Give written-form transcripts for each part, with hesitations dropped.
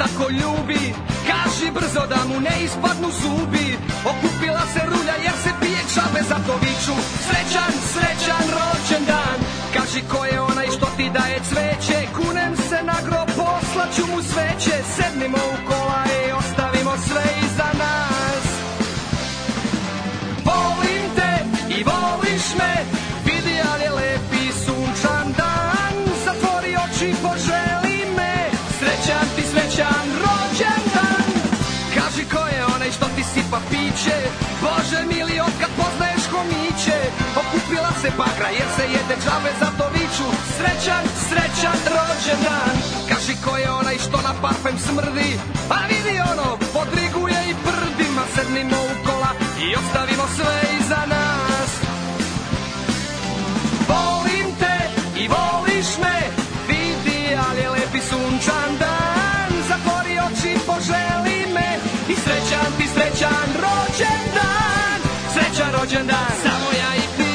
tako ljubi, kaži brzo da mu ne ispadnu zubi. Okupila se rulja jer se pije čabe, zato viču srećan, srećan rođendan. Kaži ko je onaj što ti daje cveće, kunem se na grob, poslaću mu sveće. Sednimo u kola i ostavimo sve iza nas. Volim te i voliš me, vidi al je lepi sunčan dan. Zatvori oči, poželi me, srećan ti srećan rođendan. Kaži ko je onaj što ti sipa piće, Bože mili otkad poznaješ homiće. Okupila se bagra jer se jede džabe, zato viču srećan, srećan rođendan. Kaži ko je onaj što na parfem smrdi, a vidi ono, podriguje i prdima. Sednimo u kola i ostavimo sve iza nas. Volim te i voliš me, vidi al je lepi sunčan dan. Zatvori oči, poželi me i srećan ti srećan rođendan. Srećan rođendan, samo ja i ti.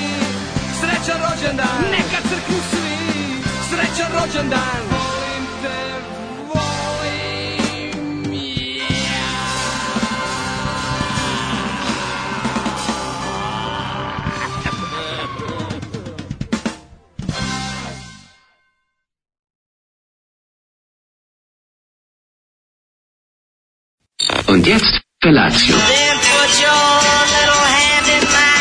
Srećan rođendan, neka crknu svi. Srećan rođendan, volim te, volim ja. Und jetzt Felatio. Then put your little hand in mine.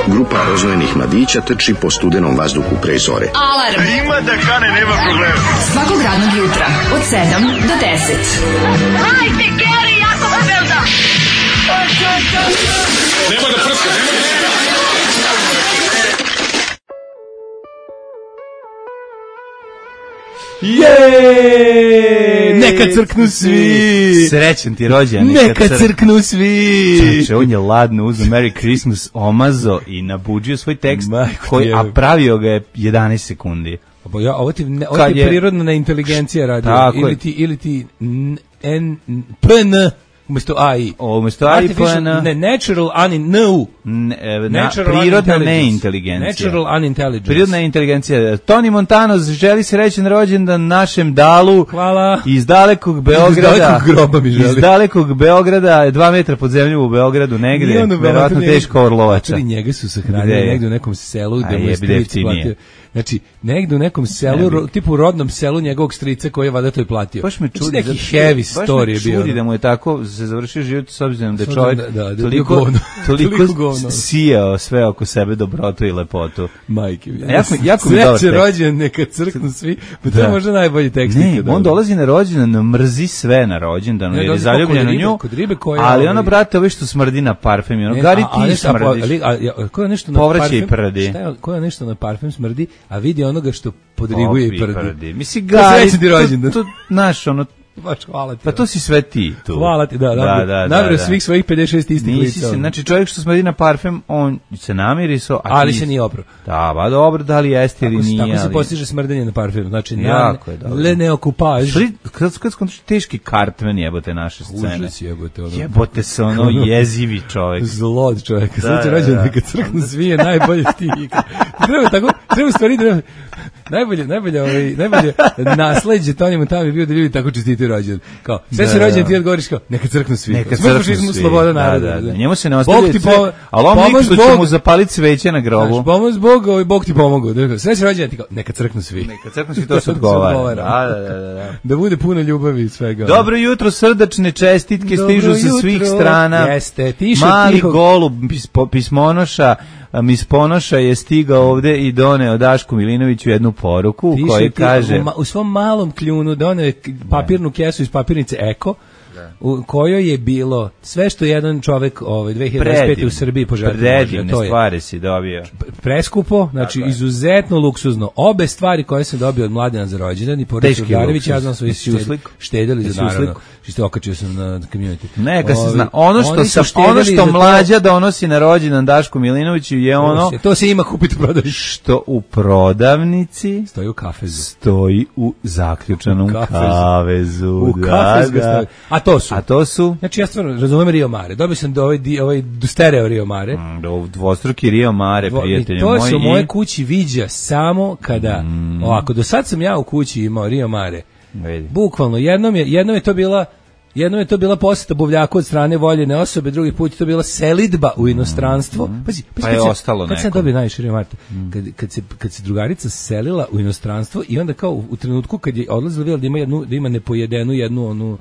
Grupa rozvojenih mladića trči po studenom vazduhu pre zore. Alarm. Ima da kane, nema problema. Svakog radnog jutra od 7 do 10. Hajde, Geri, jako se velda. Nema da prska, nema da prska. Neka crknu svi. Srećan ti rođendan. Neka crknu svi. Čovječe, on je ladno uzeo Merry Christmas, omazo i nabuđio svoj tekst, a pravio ga je 11 sekundi. Ovo ti prirodna inteligencija radi. Ili ti PN umesto AI. Umesto AI PN. Natural prirodna neinteligencija. Natural unintelligence. Prirodna inteligencija. Tony Montano želi srećan rođendan našem Dalu. Hvala. Iz dalekog Beograda. Iz dalekog groba mi želi. Iz dalekog Beograda, 2 metra pod zemljom u Beogradu, negde. Verovatno teško Orlovača. Njega su sahranili negde u nekom selu gde mu je stric platio. Znači, negde u nekom selu, tipu rodnom selu njegovog strica koji je valjda to i platio. Baš me čudi. Neki heavy story je bio. Baš me čudi da mu je tako se završio život s obzirom da je čovjek toliko sijao sve oko sebe dobrotu i lepotu. Majke mi. Jako mi dobar tekst. Rođendan, neka crknu svi. Pa to je možda najbolji tekst. Ne, on dolazi na rođendan, mrzi sve na rođendanu, jer je zaljubljen u nju. Ali ono, brate, ovo što smrdi na parfem, ono, Gari ti smrdiš. Povraćaj i prdi. Ko je nešto na parfem smrdi, a vidi onoga što podriguje i prdi. Mislim, Gari, to znaš, ono, baš hvala ti. Pa to si sve ti tu. Hvala ti, da. Nabrio svih svojih 56 istih lica. Znači čovjek što smrdi na parfem, on se namiriso, ali se nije opro. Da, ba dobro, da li jeste ili nije. Tako se postiže smrdenje na parfem. Znači, le neokupaž. Kad skontaš teški Cartman jebote naše scene. Užas jebote. Jebote se ono jezivi čovjek. Zlod čovjek. Sad će rođen neka crknu svi je najbolje ti. Treba stvari da najbolje nasleđe Tony Montano je bio da ljudi tako čestitaju rođendan. Kao, sve se rođendan ti odgovoriš kao, neka crknu svi. Neka crknu svi. Sloboda naroda. Da. Njemu se ne ostavlja sve, ali on lik što će mu zapaliti sveće na grobu. Pomoz Bog, Bog ti pomogao. Sve se rođendan ti kao, neka crknu svi. Neka crknu svi, to se odgovara. Da. Da bude puno ljubavi i svega. Dobro jutro, srdačne čestitke stižu sa svih strana. Jeste, mali golub pismonoša Mis Ponoša je stigao ovde i doneo Dašku Milinoviću jednu poruku koji kaže... U svom malom kljunu doneo je papirnu kesu iz papirnice Eko, u kojoj je bilo sve što jedan čovek 2025. u Srbiji poželio. Predivne stvari si dobio. Preskupo, znači izuzetno luksuzno. Obe stvari koje sam dobio od Mladena za rođendan i Porodić Urdarević, ja znam svoji štedeli za naravno. Što okačio sam na community. Neka se zna. Ono što mlađa donosi na rođendan Dašku Milinoviću je ono... To se ima kupiti u prodavnici. Što u prodavnici... Stoji u kafezu. Stoji u zaključanom kavezu. U kafezu stoji. A A to su? Znači, ja stvarno razumem Rio Mare. Dobio sam ovaj stereo Rio Mare. Dvostruki Rio Mare, prijatelji moji. To se u moje kući viđa samo kada, ovako, do sad sam ja u kući imao Rio Mare. Bukvalno, jednom je to bila poseta buvljaku od strane voljene osobe, drugi put je to bila selidba u inostranstvo. Pazi, pa je ostalo neko. Kad sam dobio najviše Rio Mare, kad se drugarica selila u inostranstvo i onda kao u trenutku kad je odlazila vidjela da ima nepojedenu jednu onu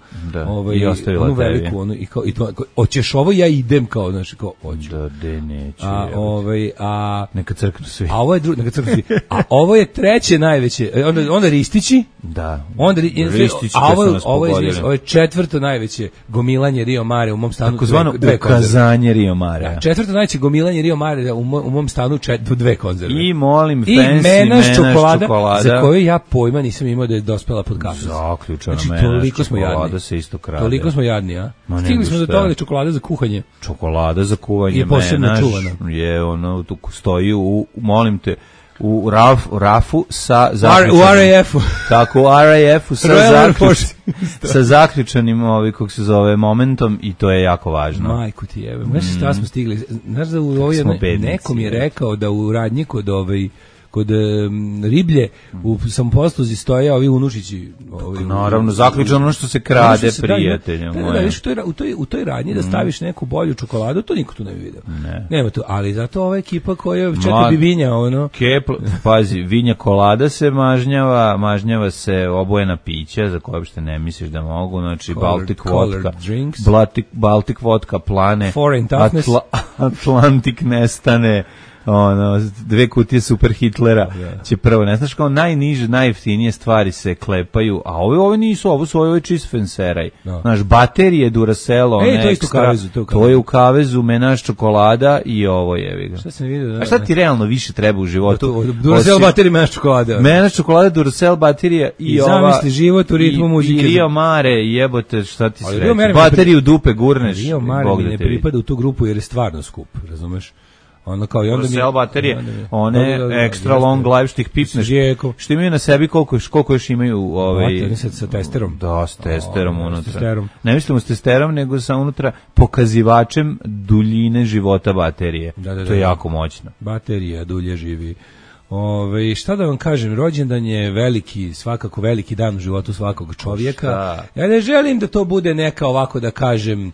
veliku onu i to hoćeš ovo, ja idem kao, znači kao hoću. Da neće. Neka crknu svi. A ovo je neka crknu svi. A ovo je treće najveće. Onda Ristići. Da. Onda Ristići. Ovo je četvrto najveće gomilanje Rio Mare u mom stanu. Takozvano ukazanje Rio Mare. Da, četvrto najveće gomilanje Rio Mare u mom stanu, dve konzerve. I molim, fancy menaž čokolada, za koju ja pojma nisam imao da je dospela pod kafu. Zaključano, znači, toliko smo jadni. Se isto krade. Toliko smo jadni, a? Stigli smo do toga da čokolada za kuhanje. Čokolada za kuvanje je posebno čuvana. Je ono, tu stoji molim te, u rafu sa zaključanim. U RAF-u. Tako, u RAF-u sa zaključanim, kako se zove, momentom, i to je jako važno. Majku ti jebe. Znaš šta smo stigli? Znaš da nekom je rekao da u radnji kod riblje u samoposluzi stoje ovi unučići. Naravno, zaključano ono što se krade, prijatelja. U toj radnji da staviš neku bolju čokoladu, to niko tu ne bi vidio. Nema tu, ali zato ova ekipa koja čeka bi vinja, pazi, vinja kolada se mažnjava se obojena pića, za koje uopšte ne misliš da mogu, znači Baltic vodka, plane, Atlantik nestane, dve kutije Super Hitlera će prvo, ne znaš, kao najniže, najjeftinije stvari se klepaju, a ove nisu, ovo je čist fenseraj. Znaš, baterije Duracell, to je u kavezu, menaž čokolada i ovo je. Šta sam vidio? A šta ti realno više treba u životu? Duracell baterije, menaž čokolada. Menaž čokolada, Duracell baterija i ova... Zamisli život u ritmu muzike. I Rio Mare, jebote, šta ti se reći? Bateriju dupe gurneš. Rio Mare mi ne pripada u tu grupu jer je stvarno skup, razumeš? Ono kao i onda mi baterije, one extra long life što ih pipneš, što imaju na sebi koliko još imaju sa testerom. Da, s testerom unutra. Ne mislimo s testerom, nego sa unutra pokazivačem duljine života baterije. To je jako moćno. Baterija dulje živi. Šta da vam kažem, rođendan je veliki, svakako veliki dan u životu svakog čovjeka. Ja ne želim da to bude neka, ovako da kažem,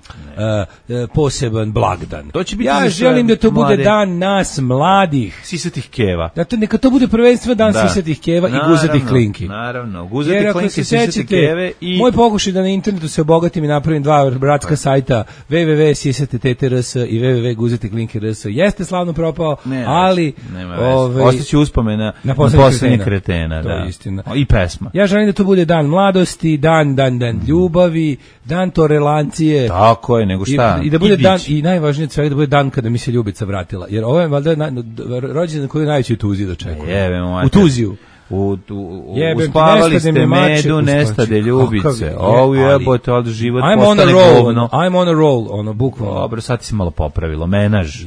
poseban blagdan. Ja želim da to bude dan nas mladih. Sisatih keva. Neka to bude prvenstveno dan sisatih keva i guzatih klinki. Naravno, guzatih klinki, sisatih keve i... Moj pokušaj da na internetu se obogatim i napravim dva bratska sajta www.sisate.rs i www.guzatiklinki.rs jeste slavno propao, ali... Ostaće uspomena na poslednje kretena, to je istina. I pesma. Ja želim da to bude dan mladosti, dan ljubavi, dan tolerancije. Tako je, nego šta? I da bude dan, i najvažnije od svega, da bude dan kada mi se ljubica vratila. Jer ovo je valjda rođendan koji je najveći u Tuziji dočekuje. U Tuziju. Uspavali ste medu, nestade ljubice. Ovo jebote, od život postane govno. I'm on a roll, bukvalno. Dobro, sad ti si malo popravilo. Menaž.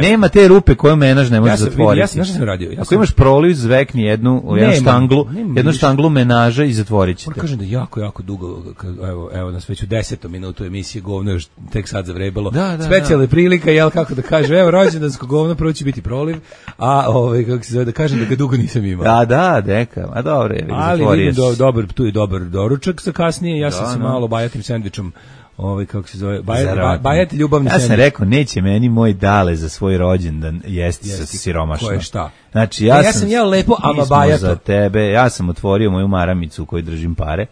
Nema te rupe koju menaž ne može zatvoriti. Ja sam radio. Ako imaš proliv, zvekni jednu štanglu menaža i zatvorit ćete. Kažem da jako dugo, evo nas već u 10. minutu emisije govno, još tek sad zavrebalo. Specijalna prilika, jel, kako da kažem, evo rođendansko govno, prvo će biti proliv, a kako se zove, da kažem da ga dugo nisam imao. Deka, a dobro je, ali vidim tu je dobar doručak za kasnije, ja sam se malo bajatim sendvičom, kako se zove, bajati ljubavni sendvič. Ja sam rekao, neće meni moj Dale za svoj rođendan jesti sa siromašno. Ko je šta? Znači, ja sam jeo lepo, ama bajato. Za tebe, ja sam otvorio moju maramicu u kojoj držim pare,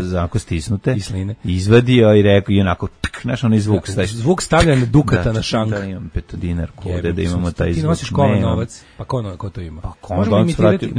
za onako stisnute, izvadio i rekao, i onako, znaš onaj zvuk. Zvuk stavljanja dukata na šank. Da, imam petodinar kode, da imamo taj zvuk. Ti nosiš kovan novac, pa ko to ima? Možemo imitirati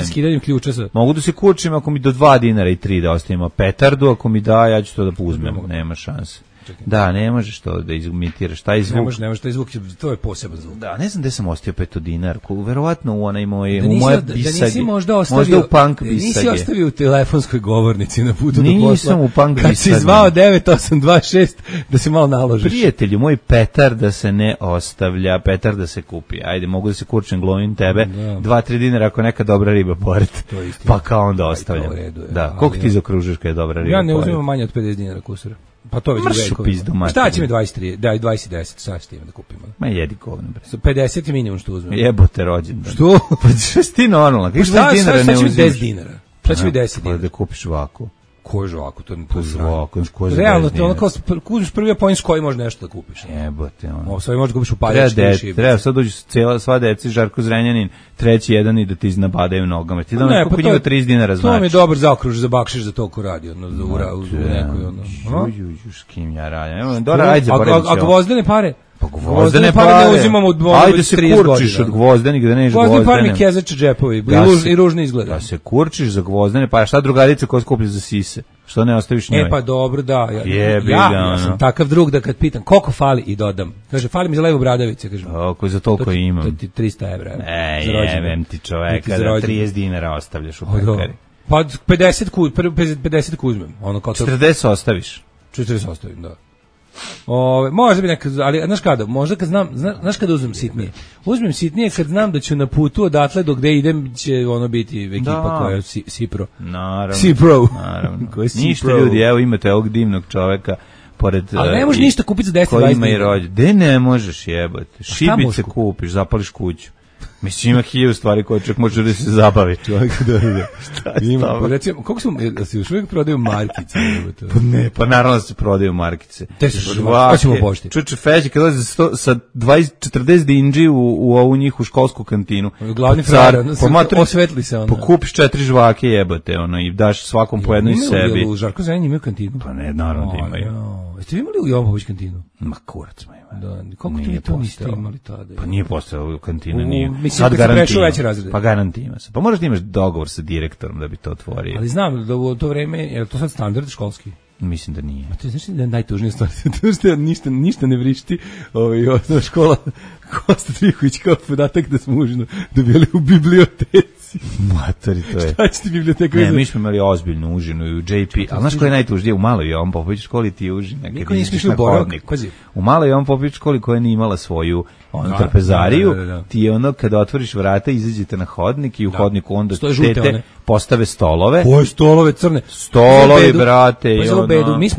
skidanjem ključa. Mogu da se kučim ako mi do 2 dinara i 3 da ostavimo petardu, ako mi da, ja ću to da uzmem, nema šanse. Da, ne možeš to da imitiraš, taj zvuk. Ne može taj zvuk, to je poseban zvuk. Da, ne znam gde sam ostio petodinarku, verovatno u onaj moje, Da u moje bisage. Da nisi možda ostavio, možda u punk bisage. Nisi ostavio u telefonskoj govornici na putu do posla. Nisam u punk bisage. Kad si zvao 9826 da se malo naložiš. Prijatelju, moj petar da se ne ostavlja, petar da se kupi. Ajde, mogu da se kurčem, glovim tebe. 2-3 dinara ako neka dobra riba pored. Pa kao onda ostavljam. Da, koliko ti zakružiš kad je dobra riba? Ja ne uzimam manje od 50 dinara kusura. Pa to već vekovima. Šta će mi 23? Daj 20 10, sad s tim da kupimo. Ma jedi govno bre. 50 je minimum što uzmem. Jebote rođendan. Što? Pa što si ti normalno? Kako 20 dinara ne uzimaš? 10 dinara. Šta će mi 10 dinara? Da kupiš žvaku. Koju žvaku? To je žvaku, ko za realno, to ono kao kupiš prvi point s koji možeš nešto da kupiš. Jebote ono. Ovo sve možeš da kupiš u paljački. Treba sad dođu sva deci, Žarko Zrenjanin, treći jedan i da ti iznabadaju nogama. Ti da ne, kupi njima 30 dinara znači. To mi je dobar zaokruž za bakšiš za to ko radi, ono, za u nekoj, ono. S kim ja radim? Dora, ajde zaboravim. A gvozdene pare? Pa gvozdene pare ne uzimamo od ajde se kurčiš od gvozdenih, da neš gvozdene. Gvozdene pare mi kezače džepovi i ružno izgleda. Da se kurčiš za gvozdene pare, šta drugarica koja skuplja za sise? Što ne ostaviš njoj? Pa dobro, da. Ja sam takav drug da kad pitam koliko fali i dodam. Kaže, fali mi za levu bradavice. Kaže, ako za toliko imam. To ti 300 evra. Jebem ti čoveka da 30 dinara ostavljaš u pekari. Pa 50 uzmem. 40 ostaviš. 40 ostavim, da. Možda bi nekad, ali znaš kada, možda kad znam, znaš kada uzmem sitnije? Uzmem sitnije kad znam da ću na putu odatle do gde idem će ono biti ekipa koja je Sipro. Naravno. Sipro. Naravno. Ništa ljudi, evo imate ovog divnog čoveka pored. Ali ne možeš ništa kupiti za 10-20 dinara. Gde ne možeš jebati? Šibice kupiš, zapališ kuću. Mislim, ima 1000 stvari koje čak može da se zabavi. Čovjek da. Ima, pa recimo, koliko smo, da se još uvijek prodaju markice? Pa ne, pa naravno da se prodaju markice. Te se prodaju, hoćemo pošti. Čuče Feđi, kad dolazi sa 20-40 dinđi u ovu njihu školsku kantinu. Glavni frajer, osvetli se ono. Pokupiš 4 žvake jebate, ono, i daš svakom po jednoj sebi. U Žarko Zrenjanin imaju kantinu? Pa ne, naravno da imaju. Jeste vi imali u Jovan Popović kantinu? Ma kurac smo imali. Da, kako to niste imali tada? Pa nije postojala kantina, nije. Mislim, kad se prešao veće razrede. Pa garantima se. Pa možeš da imaš dogovor sa direktorom da bi to otvorio. Ali znam da u to vreme, je to sad standard školski? Mislim da nije. A to je znači da je najtužnija stvar. To što ništa ne vrišti. Osnovna škola Kosta Trihović kao podatak da smo užino dobili u biblioteci. Matori, to je. Šta će ti biblioteka? Ne, mi smo imali ozbiljnu užinu i u JP. A znaš koji je najtužnije? U maloj Jovan Popović školi ti je užina. Niko nismo išli u boravak. U maloj Jovan Popović školi koja nije imala svoju trapezariju, ti je ono kada otvoriš vrata, izađete na hodnik i u hodniku onda tete postave stolove. Koje stolove crne? Stolovi, brate.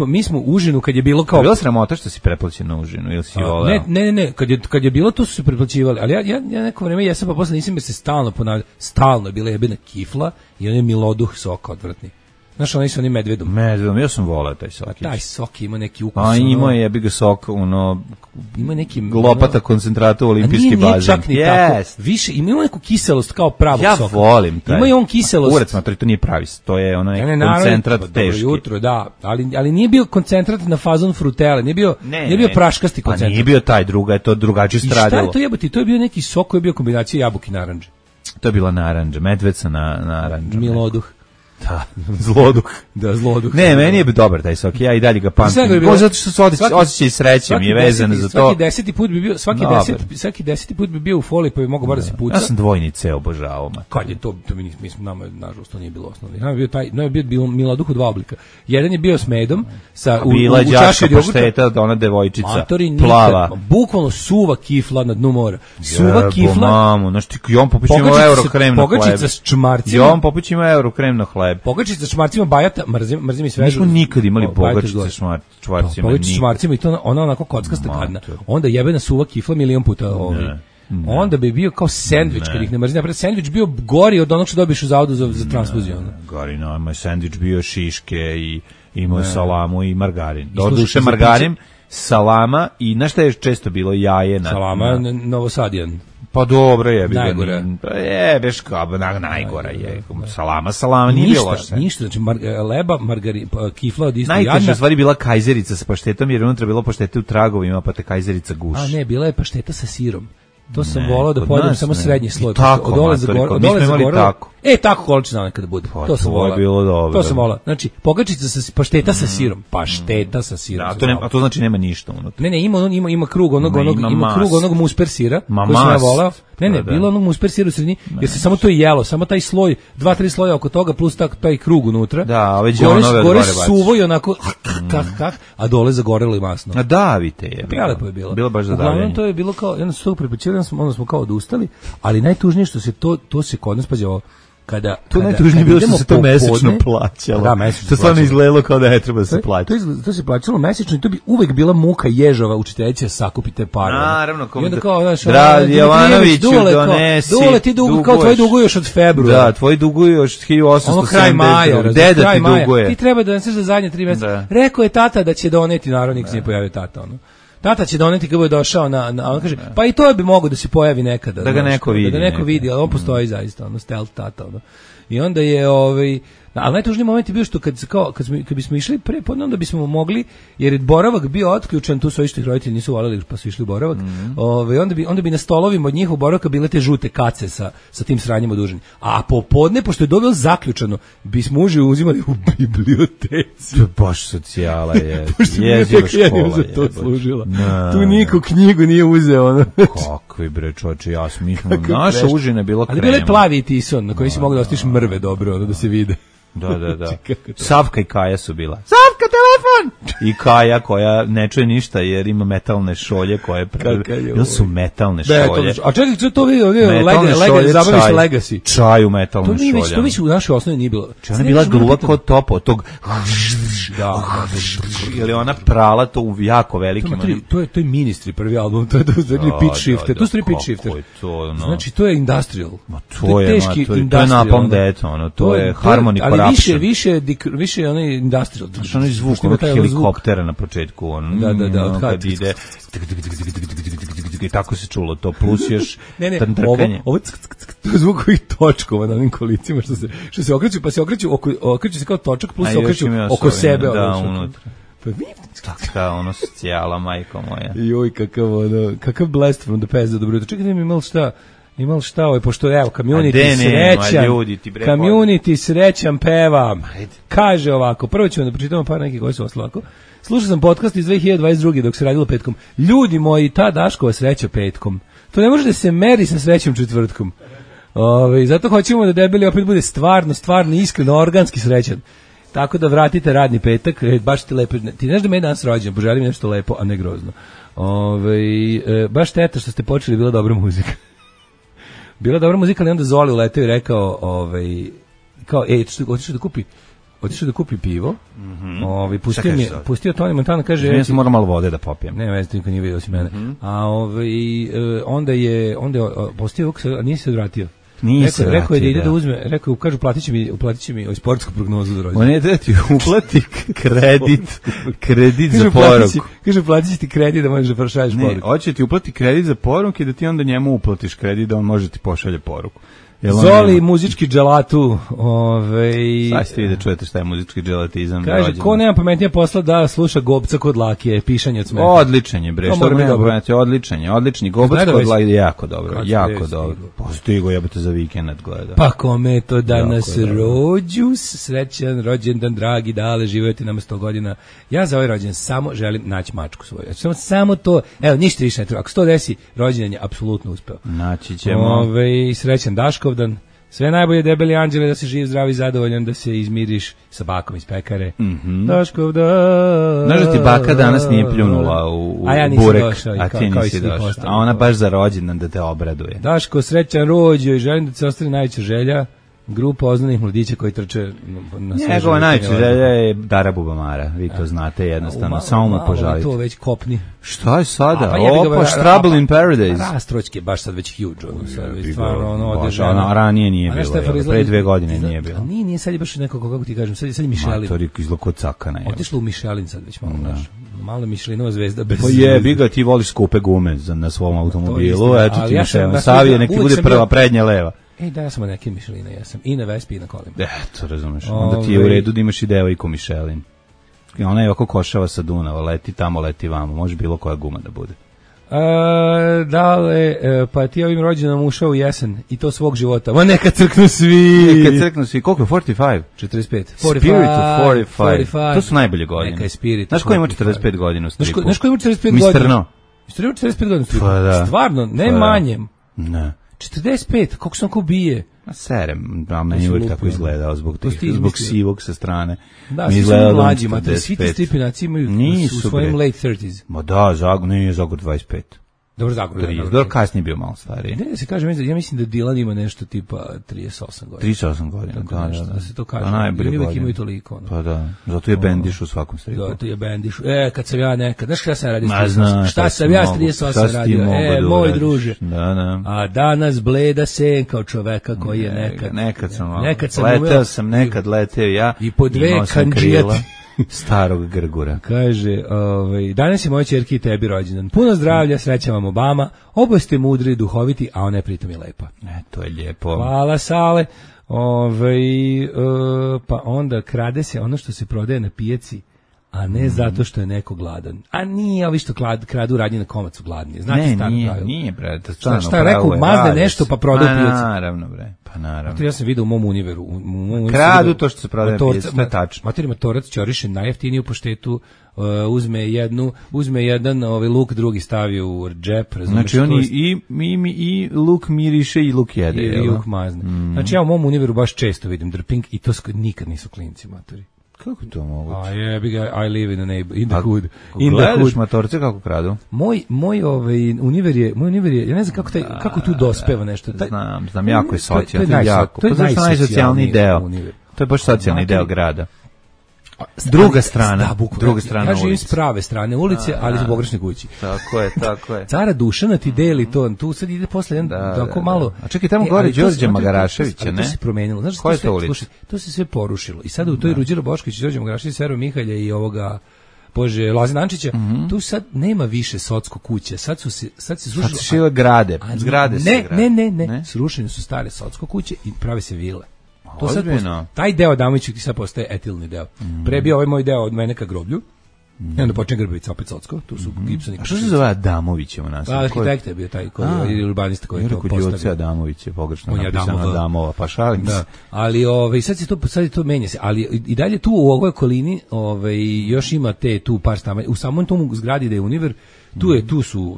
Mi smo užinu kad je bilo kao... Bila sramota što si preplaćen na užinu ili si voleo? Ne. Kad je bilo to su se preplaćivali. Ali ja neko vreme jesam, pa posle nisam jer se stalno ponavljao. Stalno je bila jebena kifla i on je miloduh soka odvratni. Znaš, oni su oni medvedom. Medvedom, ja sam volao taj sok. Taj sok ima neki ukus. A ima je, jebi ga sok, ono, ima neki glopata koncentrata u olimpijski bazen. Nije čak ni tako. Više, ima neku kiselost kao pravog soka. Ja volim taj. Ima i on kiselost. Kurac, matri, to nije pravi, to je onaj koncentrat teški. Dobro jutro, da, ali nije bio koncentrat na fazon frutele, nije bio praškasti koncentrat. Pa nije bio taj druga, je to drugačije stradilo. I šta je to jebati? To je bio neki sok koji je bio kombinacija jabuke i narandže. To je bila narandža, medvedca na narandža. Miloduh. Da, zloduh. Da, zloduh. Ne, meni je dobar taj sok, ja i dalje ga pamtim. Ko zato što se osjećaj sreće mi je vezan za to. Svaki 10. put bi bio, svaki 10. put bi bio u foliji, pa bi mogao bar da se puca. Ja sam dvojnice obožavao. Kad je to mi smo nama nažalost to nije bilo osnovno. Nama je bio Miloduh u dva oblika. Jedan je bio s medom sa u čaši od pašteta, ona devojčica plava. Bukvalno suva kifla na dnu mora. Suva kifla. Mamu, znači Jovan Popović ima Eurokrem na hleb. Pogačica s čmarcima. Jovan Popović ima Eurokrem na hleb. Pogačica s čmarcima bajata, mrzim i svežu. Nismo nikad imali pogačice s čmarcima. Pogačica s čmarcima i to ona onako kockasta gadna. Onda jebena suva kifla milion puta onda bi bio kao sendvič kad ih ne mrzim. Napred sendvič bio gori od onog što dobiješ u zavodu za transfuziju. Gori, no, moj sendvič bio šiške i imao salamu i margarin. Doduše margarin, salama i znaš šta je često bilo jaje na... Salama Novosadijan. Pa dobro je. Najgora. Beš kao najgora je. Salama nije bilo loše. Ništa, znači leba, margarin, kifla od isto jadna. Najteža stvari bila kajzerica sa paštetom jer unutra bilo paštete u tragovima, pa te kajzerica guši. A ne, bila je pašteta sa sirom. To sam volao da pojedem samo srednji sloj. Tako, od dole za gore, od dole za gore. tako. Tako količina nekada bude. Pa, to sam to je bilo dobro. To sam volao. Znači, pogačica sa pašteta sa sirom. Pašteta sa sirom. A to znači nema ništa unutra. Ne, ima krug ima krug onog musper sira koji sam ja volao. Ne, bilo onog musper sira u sredini, jer se samo to jelo, samo taj sloj, 2-3 sloja oko toga plus taj krug unutra. Da, ove đonove gore suvo i onako a dole zagorelo i masno. A davite je. Prelepo je bilo. Bilo baš za davljenje. Uglavnom to je bilo kao, jedno su to prepočeli, onda smo kao odustali, ali najtužnije što se to se kod nas pađao. To najtužnije bilo što se to mesečno plaćalo. Da, mesečno. To stvarno izgledalo kao da ne treba da se plaća. To se plaćalo mesečno i to bi uvek bila muka ježova učiteljica sakupite pare. Naravno, i onda kao, znaš, Dragi Jovanoviću, donesi. Dule, ti kao tvoji duguju još od februara. Da, tvoji duguju još 1870. Ono kraj maja. Deda ti duguje. Ti treba da neseš za zadnje 3 meseca. Rekao je tata da će doneti, naravno nikad se nije pojavio tata, ono. Tata će doneti kad bude došao on kaže, pa i to bi mogao da se pojavi nekada. Da ga neko vidi. Da ga neko vidi, ali on postoji zaista, ono, stealth tata, ono. I onda je, ali najtužniji moment je bio što kad bismo išli pre, onda bismo mogli, jer je boravak bio otključen, tu su isto ih roditelji nisu voleli, pa su išli u boravak, onda bi na stolovima od njihovog boravka bile te žute kace sa tim sranjem oduženim. A popodne, pošto je dobro zaključano, bismo uživo uzimali u biblioteci. To je baš socijala, je. Jeziva škola je. To služila. Tu niko knjigu nije uzeo. Ono. Kakvi bre, čoče, naša užina je bila krema. Ali bile plavi i tison, na koji si mogli da ostiš mrve dobro, da se vide. Da. Savka i Kaja su bila. Savka, telefon! I Kaja koja ne čuje ništa jer ima metalne šolje koje... Ili su metalne šolje. A čekaj, to vidio, zabaviš Legacy. Čaj u metalnim šoljama. To već u našoj osnovi nije bilo. Ona bila gluva kod topa, od tog... Ili ona prala to u jako velikim... To je Ministry prvi album, to je Pitch Shifter. To su Pitch Shifter. Znači, to je industrial. To je Napalm Death, to je Harmony Corruption. Više onaj industrial. Znači onaj zvuk onog helikoptera na početku. Da. Kad ide... I tako se čulo to, plus još trnkanje. Ovo je zvuk ovih točkova na onim kolicima što se okreću, pa se okreću se kao točak, plus se okreću oko sebe. Da, unutra. Taka ono socijala, majko moja. Joj, kakav blast from the past za dobro. Čekajte mi imali šta, pošto evo, Community srećan peva. Kaže ovako, prvo ćemo da pročitamo par nekih koji su oslo ovako. Slušao sam podcast iz 2022. dok se radilo petkom. Ljudi moji, ta Daškova sreća petkom. To ne može da se meri sa srećom četvrtkom. Zato hoćemo da debeli opet bude stvarno, iskreno, organski srećan. Tako da vratite radni petak, baš ti lepo. Ti znaš da me je danas rođen, poželim nešto lepo, a ne grozno. Baš teta što ste počeli, bila dobra muzika. Bila dobra muzika, ali onda Zoli uleteo i rekao, otišao da kupi pivo. Pustio Tony Montana, kaže, ja sam moram malo vode da popijem. Ne, već niko nije vidio osim mene. A onda je postio, a nije se odvratio. Rekao je da ide da uzme, kažu platit će mi sportsku prognozu za rođendan. On je da ti uplati kredit za poruku. Kaže platit će ti kredit da možeš da pošalješ poruku. Ne, hoće ti uplati kredit za poruku i da ti onda njemu uplatiš kredit da on može ti pošalje poruku. Zoli, muzički dželatu. Sad ste vi da čujete šta je muzički dželatizam. Kaže, ko nema pametnije posla da sluša Gobca kod Lakije, pišanje od smeha. Odličan je, bre, što nema pametnije, odlični. Gobac kod Lakije je jako dobro, Postigo, jebate za vikend gleda. Pa kome to danas rođus, srećan rođendan, dragi, dale, živjeti nama 100 godina. Ja za ovaj rođendan samo želim naći mačku svoju. Samo to, evo, ništa više ne treba. Ako se to desi, rođendan je apsolutno uspeo. Naći ćemo. Srećan Daškovdan. Sve najbolje, debeli anđele, da se živ, zdrav i zadovoljan, da se izmiriš sa bakom iz pekare. Daškovdan. Znaš da ti baka danas nije pljunula u burek, a ti nisi došao. A ona baš za rođendan da te obraduje. Daško, srećan rođo i želim da se ostane najveća želja. Grupa oznanih mladića koji trče na sve. Njegova najveća želja je Dara Bubamara, vi to znate jednostavno, samo mu požalite. To već kopni. Šta je sada? Trouble in Paradise. Rastroćke baš sad već huge. Stvarno, ranije nije bilo, pre 2 godine nije bilo. Nije, sad je baš neko, kako ti kažem, sad je Michelin. Matori izgleda kod cakana. Otišlo u Michelin sad već malo naš. Malo Michelinova zvezda bez... Pa jebi ga, ti voliš skupe gume na svom automobilu, eto ti Michelin. Savije, nek ti bude prva prednja leva. Da, ja sam od neke Micheline, ja sam i na Vespi i na kolima. Eto, razumeš, onda ti je u redu da imaš i devojku Michelin. Ona je oko košava sa Dunava, leti tamo, leti vamo, može bilo koja guma da bude. Dale, pa ti ovim rođenom ušao u jesen i to svog života. Ma neka crknu svi. Neka crknu svi. Koliko je 45? 45. Spirit of 45. To su najbolje godine. Neka je Spirit. Znaš ko ima 45 godina u stripu? Znaš ko ima 45 godina? Mr. No. Mr. ima 45 godina u stripu. Pa da. Stvarno, ne manjem. Ne. 45, koliko sam ko bije. Serem, a meni uvijek tako izgledao zbog sivog sa strane. Da, svi su mlađima, svi ti stripinaci imaju u svojim late 30s. Ma da, nije Zagor 25. Dobro, Zagor. Dobro, kasnije bio malo stariji. Ne, se kaže, ja mislim da Dylan ima nešto tipa 38 godina. 38 godina, da se to kaže. Ili uvijek imaju toliko. Pa da, zato je bendiš u svakom stripu. Zato je bendiš. Kad sam ja nekad, znaš šta sam radio? Šta sam ja s 38 radio? Moj druže. Da. A danas bleda senka od čoveka koji je nekad. Nekad sam leteo ja. I po dve kandžijati. Starog Grgura. Kaže, danas je moja ćerki i tebi rođendan. Puno zdravlja, sreća vam Obama. Oboje ste mudri i duhoviti, a ona je pritom i lepa. To je lijepo. Hvala, Sale. Pa onda krade se ono što se prodaje na pijaci, a ne zato što je neko gladan. A nije ovi što kradu radnje na komac gladni. Znate staro pravilo. Nije, bre. Šta je rekao, mazne nešto pa prodaju pijaci. Naravno, bre. Pa naravno. Ja sam vidio u mom univeru. Kradu to što se prodaje na pijaci, to je tačno. Materi Matorac ćoriše najjeftiniju poštetu, uzme jedan luk, drugi stavi u džep. Znači oni i luk miriše i luk jede. I luk mazne. Znači ja u mom univeru baš često vidim drping i to nikad nisu klinci, matori. Kako to moguće? I live in the hood. Gledaš Matorce kako kradu? Moj univer je, ja ne znam kako tu dospeva nešto. Znam, jako je socijalni, jako. To je najsocijalniji deo. To je baš socijalni deo grada. Druga strana ja živim s prave strane ulice, ali u pogrešnoj kući. Tako je. Cara Dušana ti deli to, tu sad ide posle tako malo. A čekaj, tamo gore Đorđe Magaraševića, ne? To se promenilo. Znaš koja je to ulica? To se sve porušilo. I sad u toj Ruđera Bošković, Đorđe Magarašević, Sero Mihalja i ovoga Lazina Ančića, tu sad nema više socko kuće. Sad se srušilo. Sad se šile zgrade. Ne. Srušene su stare socko kuće i prave se vile. To sad taj deo Adamoviću ti sad postaje etilni deo. Pre bio ovaj moj deo od mene ka groblju. I onda počne Grbavica opet socko. Tu su gipsoni. A što se zove Adamović u nas? Arhitekt je bio taj koji urbanista koji to postavio. Adamović je pogrešno napisano Adamova, pa šalim se. Ali sad je to menja se, ali i dalje tu u ovoj okolini još ima tu par stanova. U samom tom zgradi da je univer,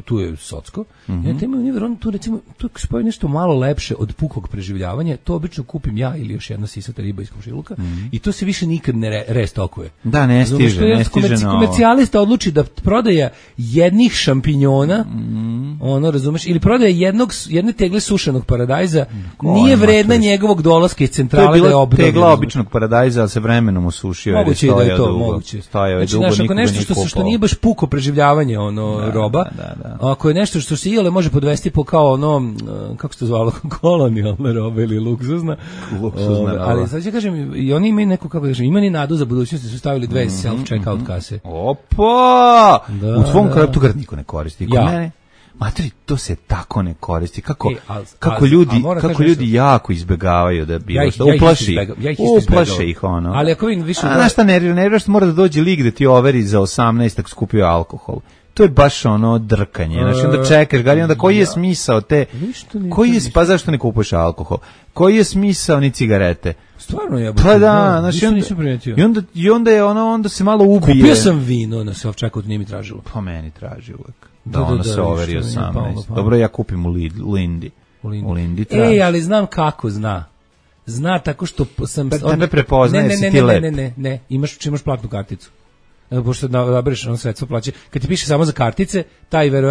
tu je socko. Ja tema univer, on tu recimo tu spoji nešto malo lepše od pukog preživljavanja. To obično kupim ja ili još jedna sisata riba iz komšiluka i to se više nikad ne restokuje. Da, ne stiže komercijalista odluči da prodaje jednih šampinjona, razumeš, ili prodaje jedne tegle sušenog paradajza, nije vredna njegovog dolaska iz centrale da je obnovljena. To je bila tegla običnog paradajza, ali se vremenom osušio. Moguće da je to, moguće. Znači, ako nešto što nije baš puko preživljavanje, roba, ako je nešto što se iole može podvesti po kao kako se to zvalo, kolonijalna roba ili luksuzna roba. Ali sad ću kažem, i oni imaju neku, kako kažem, imaju nadu za budućnost, su stavili dve self-checkout kase. Opa! U tvom kraju tu niko ne koristi. Kod mene, materi, to se tako ne koristi. Kako ljudi jako izbegavaju da bilo što. Uplaše ih ono. Ali ako vidim više... Znaš šta nerviraš, mora da dođe lig da ti overi za 18 ako skupio alkohol. To je baš drkanje. Znači onda čekaš, gari, onda koji je smisao te... Pa zašto ne kupuješ alkohol? Koji je smisao ni cigarete? Stvarno je. Pa da, znači onda se malo ubije. Kupio sam vino na self-checkout, nije mi tražilo. Pa meni traži uvek. Da se overi 18. Dobro, ja kupim u Lindi. U Lindi traži. Ali znam kako zna. Zna tako što sam... Tebe prepoznaje, si ti lep. Ne, imaš platnu karticu. Pošto nabereš sredstvo plaće. Kad ti piše samo za kartice,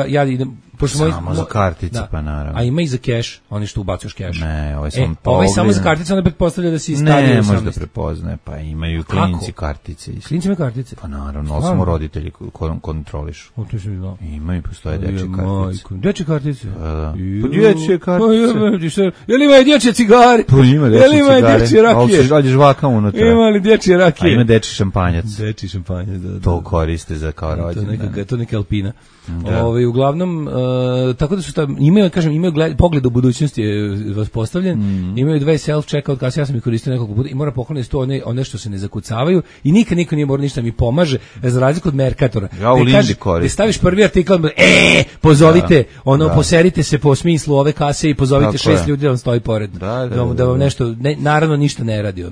ja idem... Samo za kartice, pa naravno. A ima i za keš, oni što ubacuš keš. Ne, ovaj samo za kartice, onda pretpostavlja da si stavio 18. Ne, može da prepoznaje, pa imaju klinci kartice. Klinci imaju kartice? Pa naravno, ali samo roditelji kontrolišu. O, to sam znao. Imaju, postoje dečje kartice. Dečje kartice? Pa dječje kartice. Je li ima dječje cigare? Pa ima dječje rakije? Ali žvaka unutra. Ima li dječje rakije? A ima dečji šampanjac. Dečji šampanjac, da. To koriste za kao rođendan. To neka Alpina. Uglavnom, tako da su imaju pogled u budućnosti vas postavljen, imaju 2 self-checkout kase, ja sam ih koristio nekoliko puta i mora pohvaliti su to one što se ne zakucavaju i nikad niko nije morao ništa mi pomaže, za razliku od Mercatora. Ja u Lindi koristim. Staviš prvi artikl, pozovite, poserite se po smislu ove kase i pozovite 6 ljudi da vam stoji pored. Da vam nešto, naravno ništa ne radi.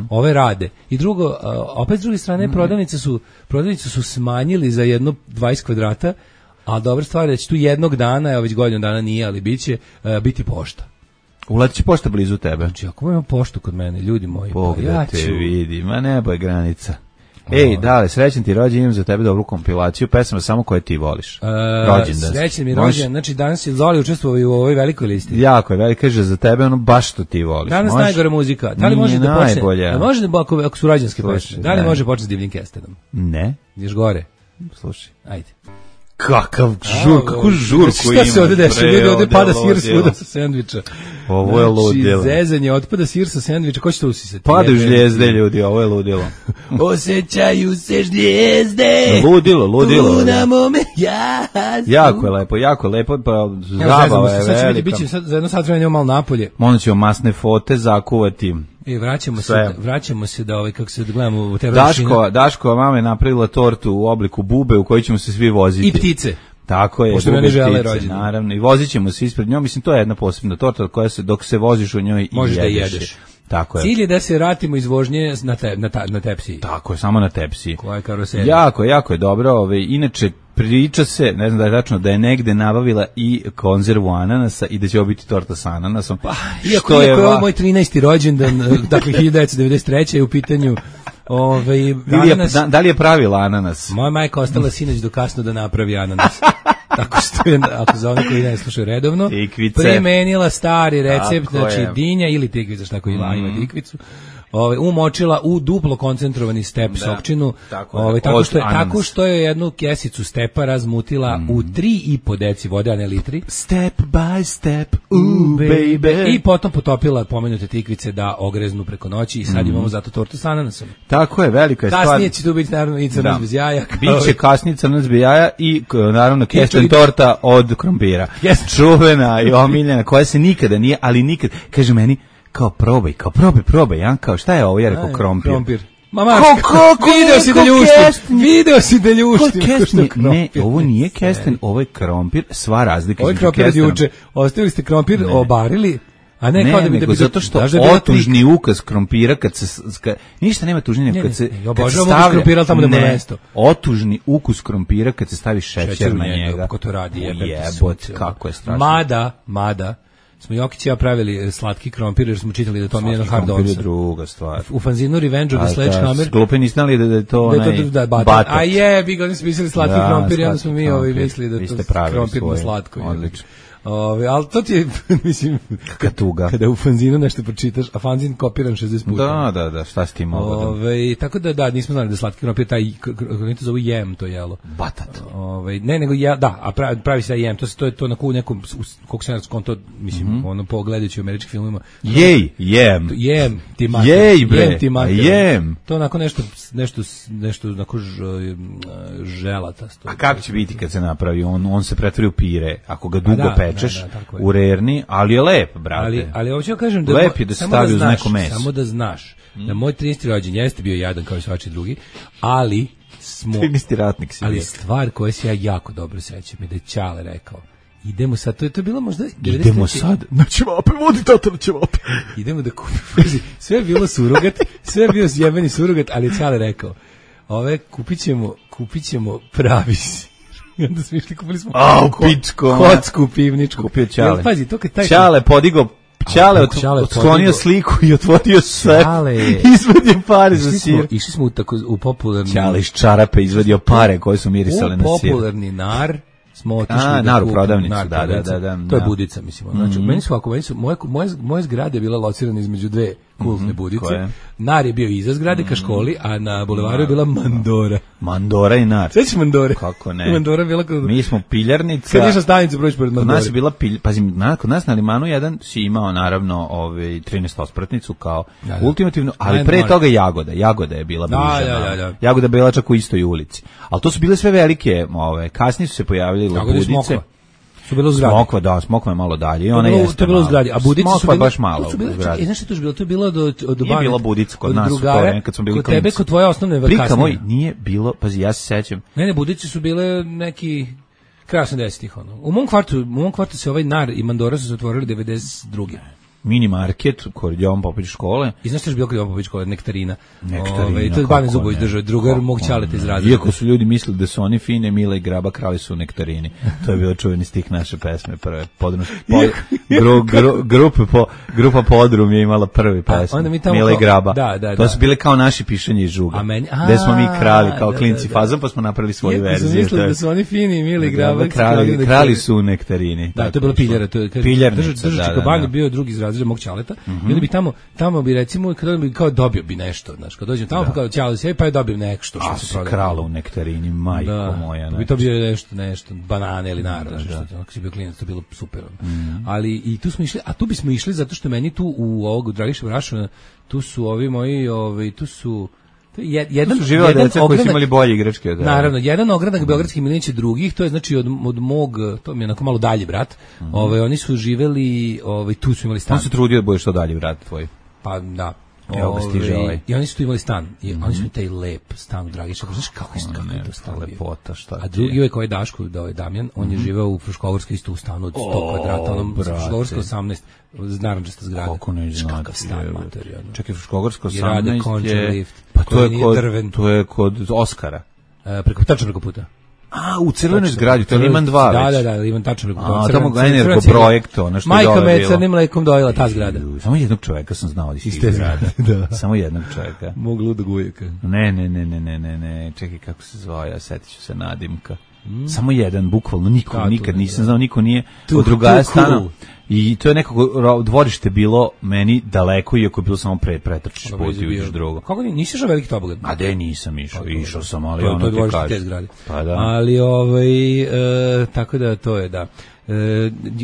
Ove rade. I drugo, opet s druge strane, prodavnice su smanjili za jedno 20 kvadrata, a dobra stvar je da će tu jednog dana, evo već godinu dana nije, ali biće, biti pošta. Uletit će pošta blizu tebe. Znači, ako imamo poštu kod mene, ljudi moji, ja ću... te vidi, ma nebo je granica. Ej, dale, srećan ti rođendan, imam za tebe dobru kompilaciju pesama samo koje ti voliš. Rođendan. Srećan mi rođendan, znači danas je Zoli učestvovao u ovoj velikoj listi. Jako je velika, kaže za tebe ono baš što ti voliš. Danas najgore muzika. Da li može da počne? Najbolje. Može da ako su rođendanske pesme. Da li može početi s Divljim Kestenom? Ne. Ideš gore. Slušaj. Ajde. Kakvu žurku ima. Šta se ovde dešava? Ljudi, ovde pada sir svuda sa sendviča. Ovo je ludilo. Zezanje, otpada sir sa sendviča. Ko će to usisati? Padaju žljezde, ljudi, ovo je ludilo. Osjećaju se žljezde. Ludilo. Na mome jasno. Jako je lepo, pa zabava je velika. Sad će biti, za jedno sat vremena malo napolje. Onda ćemo masne fote zakuvati. I vraćamo se da kako se gledamo u te Daškova mama je napravila tortu u obliku bube u kojoj ćemo se svi voziti. I ptice. Tako je, pošto bube žele ptice, naravno. I vozit ćemo se ispred njom. Mislim, to je jedna posebna torta koja se, dok se voziš u njoj možeš da jedeš. Tako je. Cilj je da se vratimo iz vožnje na tepsiji. Tako je, samo na tepsiji. Koja je karoserija. Jako je dobro. Inače, priča se, ne znam da je tačno, da je negde nabavila i konzervu ananasa i da će ovo biti torta sa ananasom. Iako je ovo moj 13. rođendan, dakle 1993. je u pitanju da li je pravila ananas? Moja majka ostala sinoć do kasno da napravi ananas. Tako što je, ako za one koji ne slušaju redovno, primenila stari recept, znači dinja ili tikvica, šta ko ima tikvicu, umočila u duplo koncentrovani step sokčinu, tako što je jednu kesicu stepa razmutila u 3,5 deci vode, a ne litri. Step by step, baby. I potom potopila pomenute tikvice da ogreznu preko noći i sad imamo zato tortu sa ananasom. Tako je, velika je stvar. Kasnije će tu biti naravno i crnac bez jaja. Biće kasnije crnac bez jaja i naravno kesten torta od krompira. Čuvena i omiljena, koja se nikada nije, ali nikad, kaže meni, kao probaj, ja, kao šta je ovo, ja rekao krompir. Mama, video si da ljuštim. Ne, ovo nije kesten, ovo je krompir, sva razlika između kestenom. Ostavili ste krompir, obarili, a ne kao da bi nego zato što otužni ukus krompira kad se ništa nema tužnije kad se stavlja tamo da mu mesto. Otužni ukus krompira kad se stavi šećer na njega. Kako to radi, jebote, kako je strašno. Mada smo Jokić i ja pravili slatki krompir jer smo čitali da to mi je hard on. Je druga stvar. U fanzinu Revenge of the Sledgehammer. Glupi niste znali da je to batat. A je, vi ga smislili slatki krompir i onda smo mi mislili da je to krompir na slatko. Odlično. Ali to ti je, mislim, kada u fanzinu nešto pročitaš, a fanzin kopiran 60 puta. Da, šta s tim mogao? Tako da, nismo znali da slatki krompir, taj, kako to zove jem, to jelo. Batat. Ne, nego a pravi se jem, to je to na nekom, koliko se skonto, mislim, ono pogledajući u američkim filmima. Jem, ti mater. To onako nešto onako želatasto. A kako će biti kad se napravi? On se pretvori u pire, ako ga dugo pečeš u rerni, ali je lep, brate. Ali hoću kažem da lep je da se stavi uz neko meso. Samo da znaš da moj 13. rođendan jeste bio jadan kao i svači drugi, ali 13. ratnik si. Ali stvar koja se ja jako dobro sećam je da je Ćale rekao: idemo sad, to je bilo možda 93. Idemo sad na ćevape, vodi tata na ćevape. Idemo da kupimo. Sve je bilo surogat, sve je bio zjebeni surogat, ali je Ćale rekao: kupit ćemo pravi sir. I onda smo išli, kupili smo kocku pivničku. Kupio Ćale. Pazi, to kad taj Ćale podigao, Ćale otklonio sliku i otvorio sve. Izvadio pare za sir. Išli smo u popularni... Ćale iz čarape izvadio pare koje su mirisale na sir. U popularni nar smo otišli Nar u prodavnicu, da. To je Budica, mislim. Znači, meni su moje zgrade je bila locirana između dve kultne Budice. Nar je bio iza zgrade ka školi, a na bulevaru je bila Mandora. Mandora i Nar. Sveći Mandore? Kako ne? Mandora bila kod... Mi smo piljarnica. Kad išla stanica proći pored Mandore. Kod nas je bila kod nas na Limanu jedan si imao naravno 13 ospratnicu kao ultimativno, ali pre toga Jagoda je bila bliža. Jagoda je bila čak u istoj ulici. Ali to su bile sve velike, kasnije su se pojavili Budice. To je bilo u zgradi. Smokva je malo dalje i ona jeste. To je bilo u zgradi, a Budice su Smokva bile baš malo u zgradi. Znaš što to je bilo? To je bilo od Nije bilo Budica kod nas, kad smo bili kod tebe, kod tvoje osnovne kasnije. Prika moj nije bilo, pazi, ja se sećam. Ne, Budice su bile neki kraj 80-ih, ono. U mom kvartu se ovaj Nar i Mandora su se otvorili 92. Mini market kod Jovan Popović škole. I znaš što je bilo kod Jovan Popović škole? Nektarina. To je Bane Zubović držao, drugar mog ćaleta iz Razreda. Iako su ljudi mislili da su oni fine, Mila i Graba, krali su u nektarini. To je bio čuveni stih naše pesme prve. Grupa Podrum je imala prvi pesme. Mila i Graba. To su bile kao naši pišanje iz Žuga. Gde smo mi krali kao klinci fazom, pa smo napravili svoju verziju. Iako su mislili da su oni fini, Mila i Graba. Krali su u nektarini. Da, to je bila piljara. Držač Koban je bio drugi iz Razreda mog ćaleta. I onda bi tamo bi recimo kada bi kao dobio bi nešto, znaš, kad dođem tamo pa kao ćale se pa je dobio nešto što se prodaje. Krala u nektarini, majko moja. Bi to bio nešto banane ili narod, što ako si bio klinac, to bilo super. Ali i tu smo išli, a tu bismo išli zato što meni tu u ovog Dragiša Brašuna, tu su ovi moji, tu su jedan živela deca koji su imali bolje igračke od. Naravno, jedan ogranak beogradskih milenića drugih, to je znači od mog, to mi je onako malo dalje brat. Oni su živeli, tu su imali stan. On se trudio da bude što dalje brat tvoj. Pa da. Evo ga stiže ovaj. I oni su tu imali stan. I oni su taj lep stan u Dragiša. Znaš kako je to stan lepota, šta. A drugi ovaj koji je Daško, da ovaj Damjan, on je živeo u Fruškogorskoj isto u stanu od 100 kvadrata, onom Fruškogorskoj 18, narančasta zgrada. Kako ne znate. Kakav stan, materijalno. Čekaj, Fruškogorsko 18 je... Pa to je kod Oskara. Tačno preko puta. U crvenoj zgradi, to je Liman 2 već. Da, Liman tačno preko puta. Tamo ga energoprojekt, ono što je Majka dole me bilo. crnim mlekom dojela, ta zgrada. Samo jednog čoveka sam znao iz te zgrade. Samo jednog čoveka. Mog ludog ujaka. Ne, čekaj kako se zvao, ja setit ću se nadimka. Samo jedan, bukvalno, nikad nisam znao, niko nije od drugaja stana. I to je nekako dvorište bilo meni daleko, iako je bilo samo pretrčiš put i uđeš drugo. Kako nisi išao veliki tobogad? A de nisam išao sam, ali ono ti kaže. To je zgrade. Pa da. Ali tako da to je, da.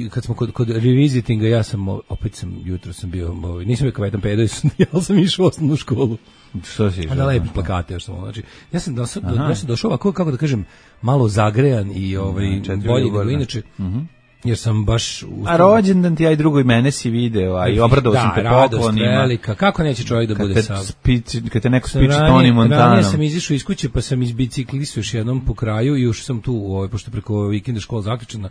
Kad smo kod revisitinga, jutro sam bio, nisam bio kavetan pedao, ja sam išao u osnovnu školu. Što si išao? Da lepi plakate, još sam, znači, ja sam došao ovako, kako da kažem, malo zagrejan i bolji nego inače. Jer sam baš... A rođendan ti, aj drugo i mene si video, i obradao sam te poklonima. Da, radost velika. Kako neće čovjek da bude sam? Kad te neko spiči Toni Montanom. Ranije sam izišao iz kuće, pa sam izbiciklisao još jednom po kraju i još sam tu, pošto preko vikenda škola zaključena,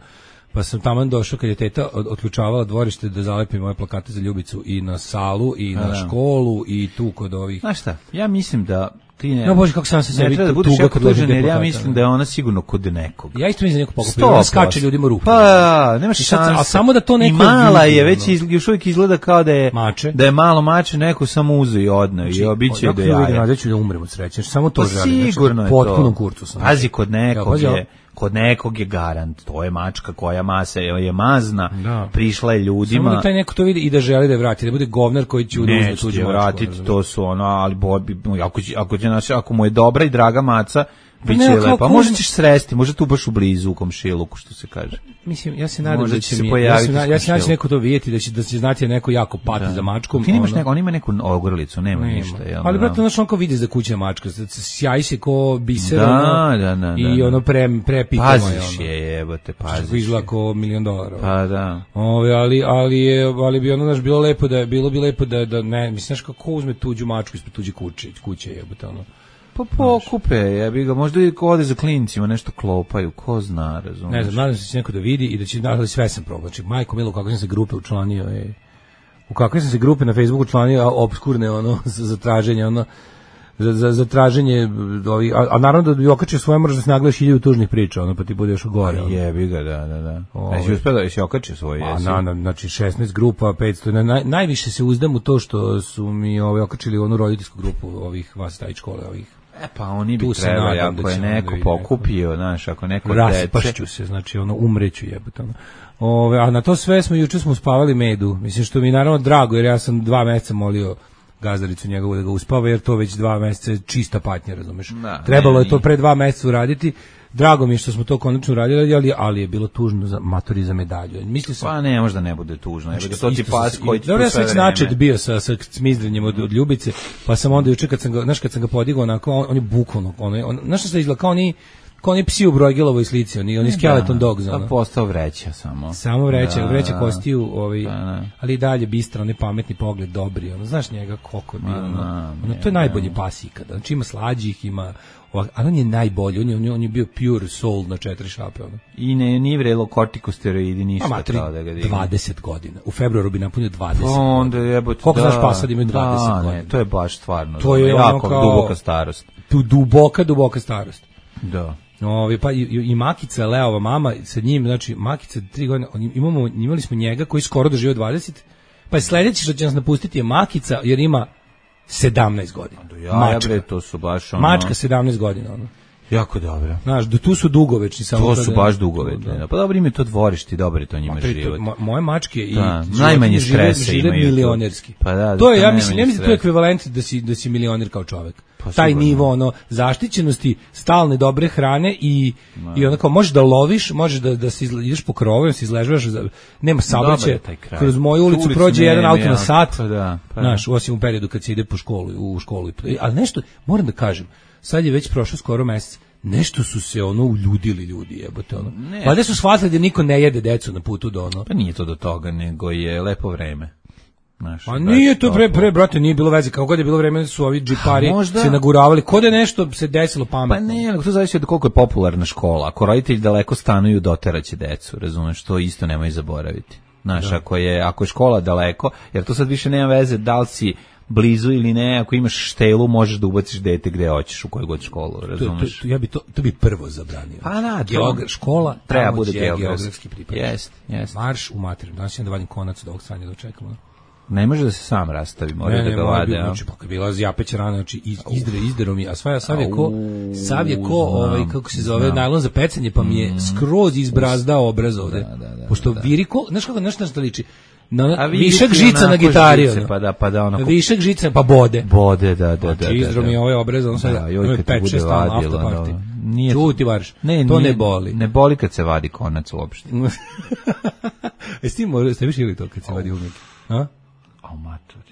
pa sam taman došao kad je teta otključavala dvorište da zalepi moje plakate za Ljubicu i na salu i na školu i tu kod ovih. Znaš šta, ja mislim da ti no bože, kako sam se sebi da budeš jako tužan, jer ja mislim da je ona sigurno kod nekog. Ja isto mislim da neko pokupio, ona skače ljudima ruku. Pa, nemaš šanse. A samo da to neko... I mala je, već još uvijek izgleda kao da je... Mače. Da je malo mače, neko samo uze i odne i obiće do jaja. Ja ću da umrem od sreće, samo to želim. Sigurno je to. Potpunom kurcu sam. Pazi, kod nekog je garant, to je mačka koja je mazna, prišla je ljudima. Samo da taj neko to vidi i da želi da je vrati, da bude govnar koji će uzeti tuđu mačku. Vratiti, to su ali ako mu je dobra i draga maca, biće lepa. Možda ćeš sresti, možda tu baš u blizu u komšiluku, što se kaže. Mislim, ja se nadam da će se pojaviti. Ja se nadam da će neko to vidjeti, da će znati neko jako pati za mačkom. Ti nemaš on ima neku ogrlicu, nema ništa. Ali brate, znaš on kao vidi za kućna mačka, sjaji se ko biser, i ono prepitamo je. Paziš je, jebote, paziš. Izgleda kao $1.000.000. Pa da. Ali bi ono naš bilo bi lepo da ne, misliš kako uzme tuđu mačku ispred tuđe kuće, jebote ono. Pa pokupe, ja bih ga, možda i ko ode za klincima, nešto klopaju, ko zna, razumiješ. Ne znam, nadam se da će neko da vidi i da će, ali sve sam probao. Znači, majko milo, kako sam se grupe učlanio, u kakve sam se grupe na Facebooku učlanio, obskurne, za traženje, za traženje, a naravno da bi okačio svoje, moraš da se nagledaš 1000 tužnih priča, pa ti bude još gore. Jebi ga, da. Jesi okačio svoje, jesi? Znači, 16 grupa, 500, najviše se uzdam u to što su mi okačili onu roditeljsku grupu ovih vas taj škole, ovih. Pa oni bi trebali, ako je neko pokupio, znaš, ako neko raspašću se, znači umreću jebote. A na to sve juče smo uspavali medu, mislim što mi je naravno drago, jer ja sam 2 meseca molio gazdaricu njegovu da ga uspava, jer to već 2 meseca je čista patnja, razumeš. Trebalo je to pre 2 meseca uraditi. Drago mi je što smo to konačno uradili, ali je bilo tužno za matori za medalju. Pa ne, možda ne bude tužno. Znači, to ti pas koji ti ja sam već načet bio sa smizdrenjem od Ljubice, pa sam onda juče kad sam ga podigao onako, on je bukvalno, znaš što se izgleda, kao oni kao oni psi u Brojgelovoj slici, oni skeleton dogs. Pa postao vreća samo. Samo vreća kostiju, ali i dalje bistra, onaj pametni pogled, dobri, znaš njega koliko je bilo, to je najbolji pas ikada, znači ima slađih, ima, ali on je najbolji, on je bio pure soul na 4 šape. I nije vrelo kortikosteroidi, ništa kao da ga digne. 20 godina, u februaru bi napunio 20 onda jebote, koliko znaš pasa da ima 20 godina? To je baš stvarno, to je jako duboka starost. Duboka starost. Da. Pa i Makica, Leova mama, sa njim, znači Makica 3 godine, imali smo njega koji skoro doživio 20, pa je sledeći što će nas napustiti je Makica, jer ima 17 godina. Mačka, to su baš mačka 17 godina. Jako dobro. Znaš, tu su dugovečni. To su baš dugovečni. Pa dobro im je to dvorište, dobro je to njima život. Moje mačke i najmanje stresa žive milionerski. To je, ja mislim to je ekvivalent da si milioner kao čovek. Taj nivo zaštićenosti, stalne dobre hrane i onako možeš da loviš, možeš da se ideš po krovovima, se izležavaš, nema saobraćaja. Kroz moju ulicu prođe jedan auto na sat. Znaš, osim u periodu kad se ide u školu. Ali nešto, moram da kažem, sad je već prošlo skoro mesec, nešto su se uljudili ljudi, jebote Valjda su shvatili da niko ne jede decu na putu do Pa nije to do toga, nego je lepo vreme. Pa nije to pre, brate, nije bilo veze, kako god je bilo vreme su ovi džipari se naguravali, kod je nešto se desilo pametno. Pa ne, nego to zavisi od koliko je popularna škola, ako roditelji daleko stanuju, doteraće decu, razumeš, to isto nemoj zaboraviti. Znaš, ako je škola daleko, jer to sad više nema veze da li si blizu ili ne, ako imaš štelu možeš da ubaciš dete gde hoćeš, u koju god školu, razumeš? Ja bi to bi prvo zabranio. Pa da, škola treba bude geografski pripad. Jest. Marš u materinu, danas da vadim konac od ovog stranja da očekamo. Ne može da se sam rastavi, mora da ga vade. Znači, pa bila japeća rana, znači izdero mi, a sav je ko kako se zove, najlon za pecanje, pa mi je skroz izbrazdao obraz ovde. Pošto viriko, znaš kako, nešto liči? Višak žica na gitari, višak žica, pa bode, da. Izdro mi je ovaj obraz, on sad 5-6 stalno afterparty. Čuti varš, to ne boli. Ne boli kad se vadi konac uopšte. Jesi ti možda, ste više ili to kad se vadi umjek? A?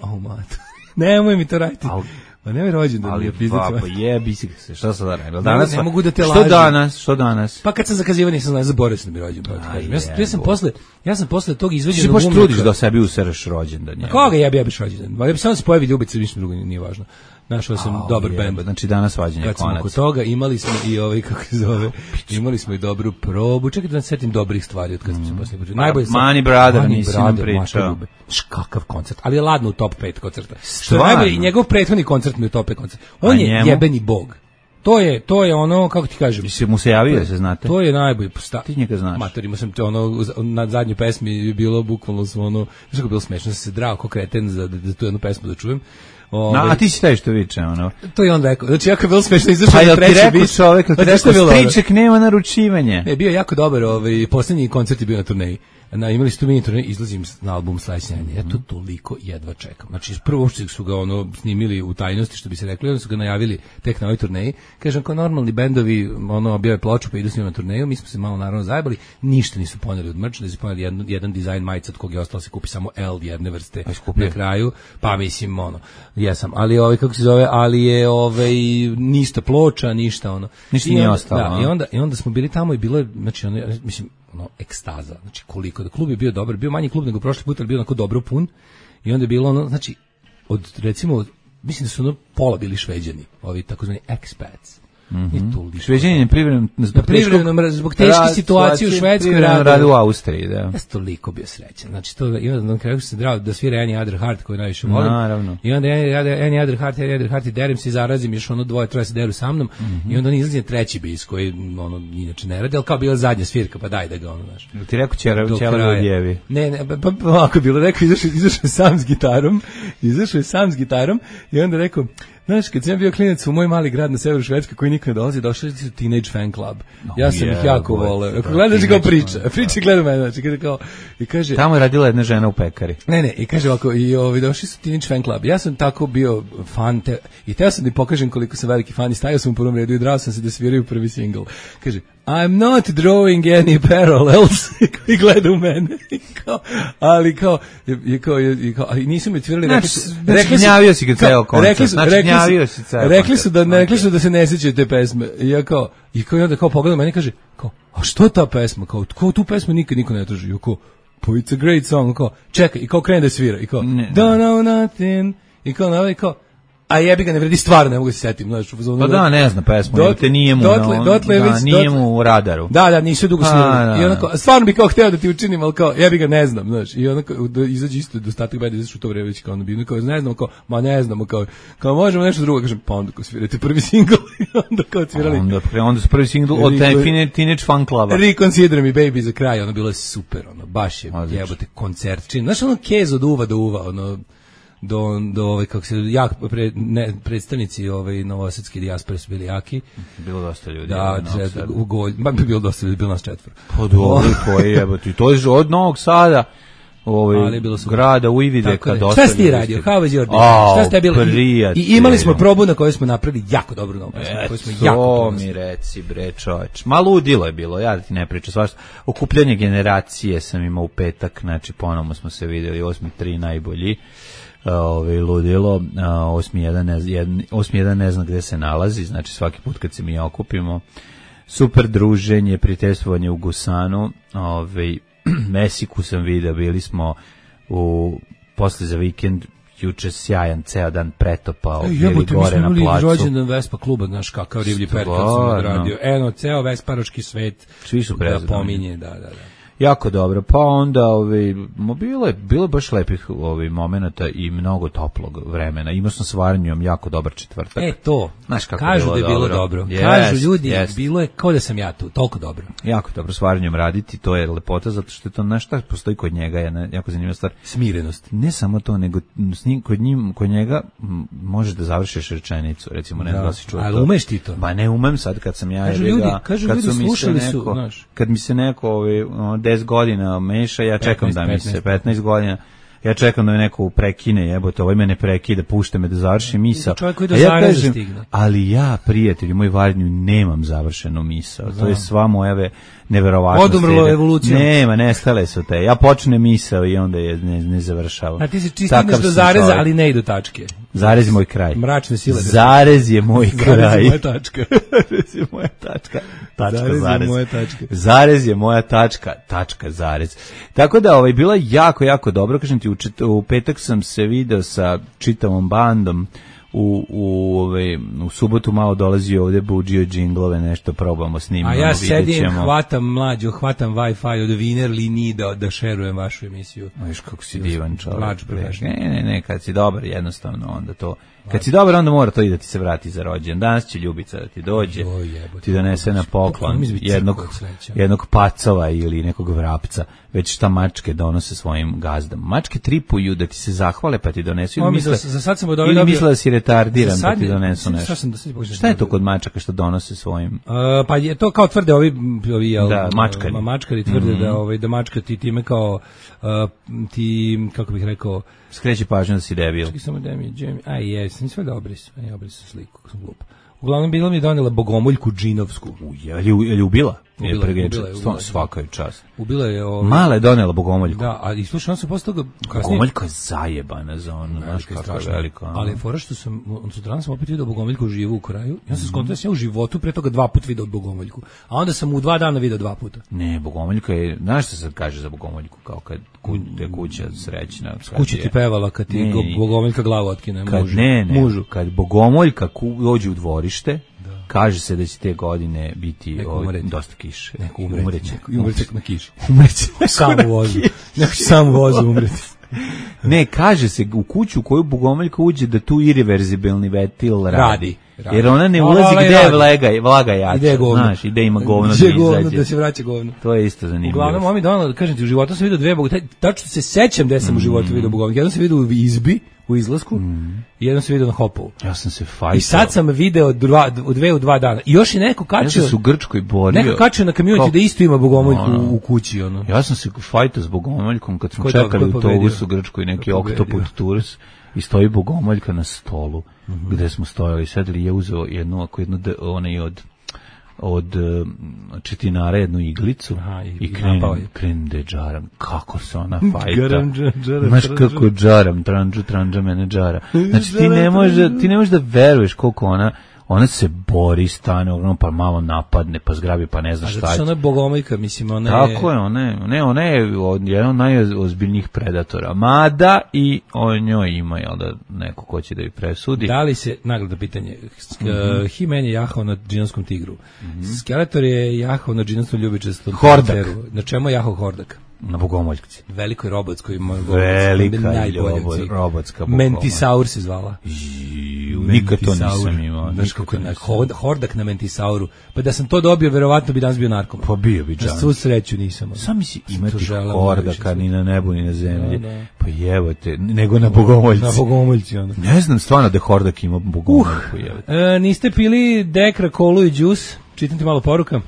Au mater. Nemoj mi to raditi. Pa nemoj rođendan. Ali baba, jebi se, šta sad da radim? Danas ne mogu da te lažem. Što danas? Pa kad sam zakazivao nisam znao, zaboravio sam da mi rođendan. Ja sam posle tog izveđenog umnika. Ti baš trudiš da sebi usereš rođendan. Koga jebiš rođendan? Ja bi samo se pojavi ljubice, ništa drugo nije važno. Našao sam dobar bend. Znači danas vađenje konac. Kad smo kod toga imali smo i kako se zove, imali smo i dobru probu. Čekaj da setim dobrih stvari od kad smo se posle pričali. Najbolje Mani Brother nisi nam pričao. Kakav koncert, ali je ladno u top 5 koncerta. Što najbolje, i njegov prethodni koncert mi je top 5 koncert. On je jebeni bog. To je ono, kako ti kažem. Si mu se javio, se znate? To je najbolji. Ti njega znaš. Matorima sam te na zadnjoj pesmi je bilo bukvalno smo znaš kako bilo smešno, sam se drao ko kreten da tu jednu pesmu da čujem. A ti si taj što viče, To je on rekao. Znači, jako je bilo smešno, izašao na treći bis. Čovek, striček nema naručivanje. Ne, bio jako dobar, posljednji koncert je bio na turneji. Imali su tu mini turneji, izlazim na album Sledeće nedelje. Ja to toliko jedva čekam. Znači, prvo što su ga snimili u tajnosti, što bi se rekli, onda su ga najavili tek na ovoj turneji. Kažem, kao normalni bendovi, bio je ploču pa idu s njima na turneju, mi smo se malo naravno zajebali, ništa nisu poneli od merch, da su poneli jedan dizajn majica od kog je ostalo se kupi samo L jedne vrste na kraju, pa mislim, jesam, ali kako se zove, ali je ništa ploča, ništa ništa nije ostalo. I onda smo bili tamo i bilo je, znači, mislim, ekstaza, znači koliko da klub je bio dobar, bio manji klub nego prošli put, ali bio onako dobro pun i onda je bilo znači recimo mislim da su pola bili Šveđani, ovi takozvani expats. Šveđani je privremeno zbog teške situacije u Švedskoj rade u Austriji, da. Ja sam toliko bio srećan. Znači to i onda na kraju se drao da svira Any Other Heart koji najviše volim. Naravno. I onda Any Other Heart i derem se i zarazim, još dvoje, troje se deru sa mnom i onda on izlazi na treći bis koji inače ne radi, ali kao bila zadnja svirka, pa daj da ga znaš. Ti rekao ćela odjevi. Ne, pa ovako bilo, rekao izašao sam s gitarom i onda rekao, znaš, kad sam bio klinac u moj mali grad na severu Švedske koji nikad ne dolazi, došli su Teenage Fan Club. Ja sam ih jako voleo. Gledaš kao priča gleda mene, znači kaže tamo je radila jedna žena u pekari. Ne, i kaže ovako, i došli su Teenage Fan Club. Ja sam tako bio fan i teo sam da pokažem koliko sam veliki fan i stavio sam u prvom redu i drao sam se da sviraju prvi singl. Kaže, I'm not drawing any parallels. I gleda u mene. Ali kao, nisu mi otvirali, gnjavio si ga ceo koncert. Rekli su da se ne sjećaju te pesme. I ja kao, onda kao pogledam meni i kaže, kao, a što ta pesma? Kao tu pesmu nikad niko ne traži. Kao, pa it's a great song. Kao, čekaj, i kao krene da svira. I kao, don't know nothing. I kao, a jebi ga, ne vredi stvarno, ne mogu se setim. Pa da, ne znam pesmu, te nije mu u radaru. Da, nisu dugo snimali. I onako, stvarno bi kao hteo da ti učinim, ali kao, jebi ga, ne znam, znaš. I onako, izađe isto, dostatak beda, izađe u to vreme već kao ono bio, kao, ne znamo, kao, možemo nešto drugo, kažem, pa onda kao svirate prvi singl, i onda kao svirali. Onda su prvi singl od Teenage Fan Cluba. Reconsider Me Baby za kraj, ono, bilo je super, ono, baš je, jebote, koncert čin. Znaš, ono, kez od uva do uva, ono, do kako se predstavnici novosadske dijaspore su bili jaki. Bilo dosta ljudi. Da, bilo dosta ljudi, bilo nas 4. Pa dobro, koji jebote. To je od Novog Sada, grada Ujvideka, dosta. Šta si ti radio? How was your day? Šta ste bili? I imali smo probu na kojoj smo napravili jako dobru novu pesmu, koju smo jako ponosni. To mi reci, bre, čoveč. Ma ludilo je bilo, ja da ti ne pričam svašta. Okupljanje generacije sam imao u petak, znači ponovno smo se videli, 8.3 najbolji. Ludilo, 8.1 ne zna gde se nalazi, znači svaki put kad se mi okupimo, super druženje, prijateljstvovanje u Gusanu, Mesiku sam vidio, bili smo posle za vikend, juče sjajan, ceo dan pretopao, bili gore na placu. Mi smo imali rođendan Vespa kluba, znaš kakav riblji perkat sam odradio, ceo vesparoški svet da pominje, da. Jako dobro, pa onda bilo baš lepih momenata i mnogo toplog vremena. Imao sam s Varnjom jako dobar četvrtak. To, znaš kako kažu da je bilo dobro. Kažu ljudi, bilo je kao da sam ja tu, toliko dobro. Jako dobro s Varnjom raditi, to je lepota, zato što je to nešto postoji kod njega, je jako zanimljiva stvar. Smirenost. Ne samo to, nego kod njega možeš da završiš rečenicu, recimo, ne znam da si čuo to. Ali umeš ti to? Ba ne umem sad kad sam ja... Kažu ljudi, slušali su, znaš. Kad mi se neko 10 godina meša, ja čekam 15 godina, ja čekam da me neko prekine, jebote, ovaj me ne prekida, pušta me da završim misao. Čovjek koji do zareza stigne. Ali ja, prijatelju, moj Varnju, nemam završenu misao. To je sva moja neverovatnost. Odumrlo evolucijom. Nema, nestale su te. Ja počnem misao i onda je ne završavam. A ti se stigneš do zareza, ali ne i do tačke. Zarez je moj kraj. Mračne sile. Zarez je moj kraj. Zarez je moja tačka. Zarez je moja tačka. Zarez je moja tačka. Tačka, zarez. Tako da, bila jako, jako dobro. Kažem ti, u petak sam se video sa čitavom bandom. U subotu malo dolazi ovdje buđio džinglove, nešto probamo snimamo. A ja sedim, hvatam Wi-Fi od Viner liniji da šerujem vašu emisiju. Viš kako si divan čovjek. Ne, kad si dobar jednostavno onda to... Kad si dobar, onda mora to i da ti se vrati za rođendan. Danas će Ljubica da ti dođe, ti donese na poklon jednog pacova ili nekog vrapca, već šta mačke donose svojim gazdama. Mačke tripuju da ti se zahvale pa ti donesu ili misle da si retardiran pa ti donesu nešto. Šta je to kod mačaka što donose svojim? Pa je to kao tvrde ovi mačkari tvrde da mačka ti time kao ti, kako bih rekao, skreće pažnju da si debil. Čekaj samo da mi je, sam sve da obris sliku, kako sam glup. Uglavnom bila mi je donela bogomoljku džinovsku. Je ubila? Ubila. Svaka je čast. Ubila je Mala je donela bogomoljku. Da, a i slušaj, on se posle toga bogomoljka je zajebana za ono, znaš kako je veliko. Ali je fora što sam, sutradan sam opet vidio bogomoljku živu u kraju. Ja sam skontao da sam ja u životu pre toga 2 puta video bogomoljku. A onda sam u 2 dana video 2 puta. Ne, bogomoljka je, znaš što se kaže za bogomoljku, kao kad je kuća srećna. Kuća ti pevala kad ti bogomoljka glavu otkine mužu. Kad bogomoljka dođe u dvorište, kaže se da će te godine biti dosta kiše. Neko umreće na kiši. Umreće. Sam u vozu umreti. Ne, kaže se u kuću u koju bogomoljka uđe da tu irreverzibilni vetil radi. Jer ona ne ulazi gde je vlaga jača. Znaš, gde ima govno da izađe. Da se vraća govno. To je isto zanimljivo. Uglavnom, mami donala, kažem ti, u životu sam vidio 2 bogomoljke. Tačno se sećam gde sam u životu vidio bogomoljke. Jednom sam vidio u izbi, u izlasku, i jednom sam vidio na Hopovu. Ja sam se fajtao. I sad sam video 2 dana. I još je neko kačio. Ja sam se u Grčkoj borio. Neko kačio na Community da isto ima bogomoljku u kući. Ono. Ja sam se fajtao s bogomoljkom kad smo čekali u autobusu u Grčkoj neki oktoput turus i stoji bogomoljka na stolu gde smo stojali. Sad li je uzeo jednu onaj od četinara jednu iglicu i krenem da je džaram. Kako se ona fajta. Znaš kako džaram, tranđa mene džara. Znači ti ne možeš da veruješ koliko ona se bori, stane, pa malo napadne, pa zgrabi, pa ne zna šta je. Ona je bogomojka, mislim, ona je... Tako je, ona je jedan od najozbiljnijih predatora. Mada i o njoj ima, jel da, neko ko će da ju presudi. Da li se, nagrada pitanje, He-Man je jahao na džinovskom tigru. Skeletor je jahao na džinovskom ljubičastom Hordak. Na čemu je jahao Hordak? Na bogomoljci. Velikoj robotskoj velika robotska bogomoljka. Mentisaur se zvala. Nikad to nisam imao. Znaš kako je Hordak na Mentisauru. Pa da sam to dobio, verovatno bi danas bio narkoman. Pa bio bi džan. Na svu sreću nisam. Sam misli imati Hordaka ni na nebu ni na zemlji. Pa jebote, nego na bogomoljci. Na bogomoljci onda. Ne znam stvarno da Hordak ima bogomoljku. Niste pili Dekra, kolu i džus? Čitam ti malo poruka.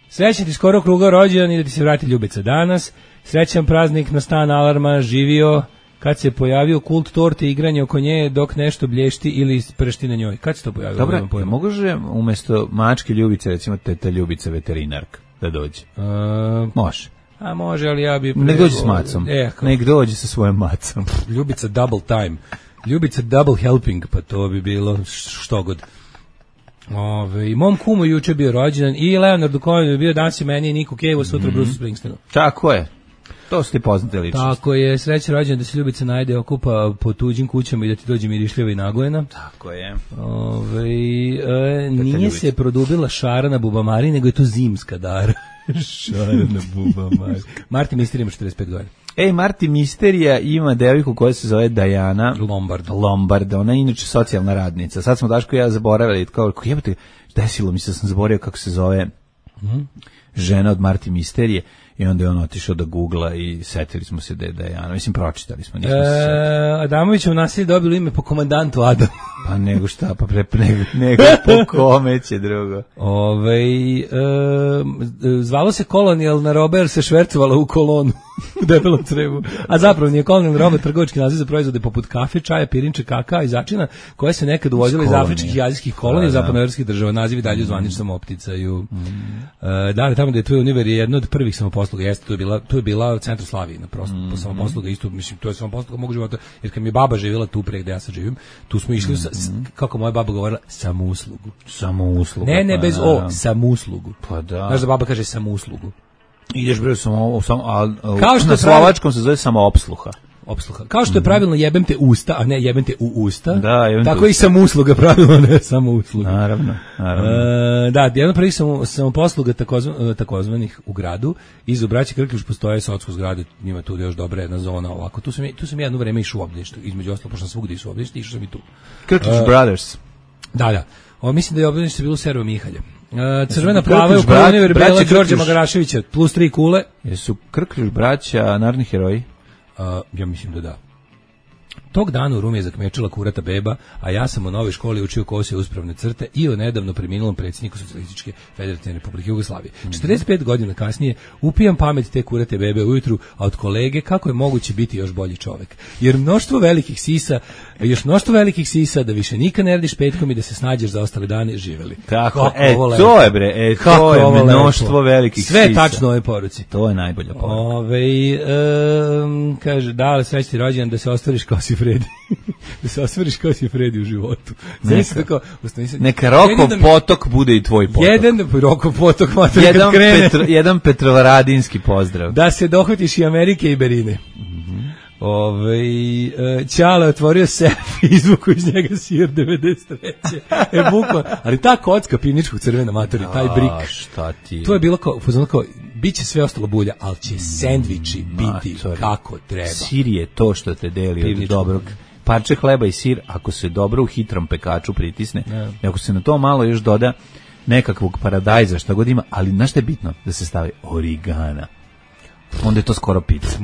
Srećan ti skoro kruga rođendan i da ti se vrati ljubica danas. Srećan praznik na stan alarma, živio kad se pojavio kult torte i igranje oko nje dok nešto blješti ili pršti na njoj. Kad se to pojavilo? Dobro, može umjesto mačke ljubice, recimo teta ljubica veterinarka da dođe? Može. A može, ali ja bi... Nek dođe s macom. Nek dođe sa svojom macom. Ljubica double time. Ljubica double helping, pa to bi bilo što god. I mom kumu juče bio rođendan i Leonardu Cohenu je bio danas i meni i Niku Cave, sutra Bruce Springsteenu. Tako je. To su ti poznate ličnosti. Tako je, sreća rođendan da se ljubica najde okupa po tuđim kućama i da ti dođe mirišljava i nagojena. Tako je. Nije se produbila šara na bubamari, nego je to zimska dara. Šara na bubamari. Marti Mister ima 45 godina. Marti Misterija ima devojku koja se zove Diana Lombard. Ona je inače socijalna radnica. Sad smo Daško i ja zaboravili, kao jebate, desilo mi se, sam zaboravio kako se zove žena od Marti Misterije i onda je on otišao da googla i setili smo se da je Diana. Mislim, pročitali smo, nismo se setili. Adamovićev nasilje dobilo ime po komandantu Adam. Pa nego šta, pa nego po kome će drugo. Zvalo se kolonijalna roba jer se švercovala u kolonu u debelom crevu. A zapravo nije kolonijalna roba trgovački naziv za proizvode poput kafe, čaja, pirinče, kakao i začina koje se nekad uvozile iz afričkih i azijskih kolonija i zapadnoevropskih država. Nazivi dalje u zvaničnom opticaju. Da, tamo da je tvoj univer je jedno od prvih samoposluga. Jeste, tu je bila centar Slavije, po samoposluga isto, mislim, to je samoposluga mog života, jer kad mi je baba živjela tu pre gde ja sad živim, tu smo išli, kako moja baba govorila, samouslugu. Samouslugu. Ne, bez o, samouslugu. Pa da. Znaš da baba kaže samouslugu. Ideš bre na slovačkom se zove samoopsluha. Kao što je pravilno jebem te usta, a ne jebem te u usta, tako i samousluga pravilno, ne samousluga. Naravno. Da, jedan prvih samoposluga takozvanih u gradu, iza braće Krkljuš postoje socko zgrade, njima tu još dobra jedna zona ovako. Tu sam jedno vreme išao u obdanište, između ostalo, pošto sam svugdje išao u obdanište, išao sam i tu. Krkljuš Brothers. Da. Mislim da je obdanište bilo Servo Mihalje. Crvena plava je u prvoj Verbela Đorđe Magaraševića, plus 3 kule. Jesu Krkljuš braća narodni heroji? Ja mislim da da. Tog dana u Rumi je zakmečila kurata beba, a ja sam u novoj školi učio kose uspravne crte i o nedavno preminulom predsjedniku Socijalističke Federativne Republike Jugoslavije. 45 godina kasnije upijam pamet te kurate bebe ujutru, a od kolege kako je moguće biti još bolji čovek. Jer mnoštvo velikih sisa da više nikad ne radiš petkom i da se snađeš za ostale dane živeli. Tako, to je bre, to je mnoštvo velikih sisa. Sve tačno u ovoj poruci. To je najbolja poruka. Kaže, da, srećni rođendan da se ostvariš kao si Fredi. Da se ostvariš kao si Fredi u životu. Neka Rokov potok bude i tvoj potok. Rokov potok, jedan Petrovaradinski pozdrav. Da se dohvatiš i Amerike i Berine. Ćale otvorio sef i izvuku iz njega sir 93. Bukva. Ali ta kocka pivničkog crvena matori, taj brik. Šta ti? To je bilo kao bit će sve ostalo bulja, ali će sendviči biti kako treba. Sir je to što te deli od dobrog. Parče hleba i sir, ako se dobro u hitrom pekaču pritisne, i ako se na to malo još doda nekakvog paradajza, šta god ima, ali znaš šta je bitno? Da se stavi origana. Onda je to skoro pizza.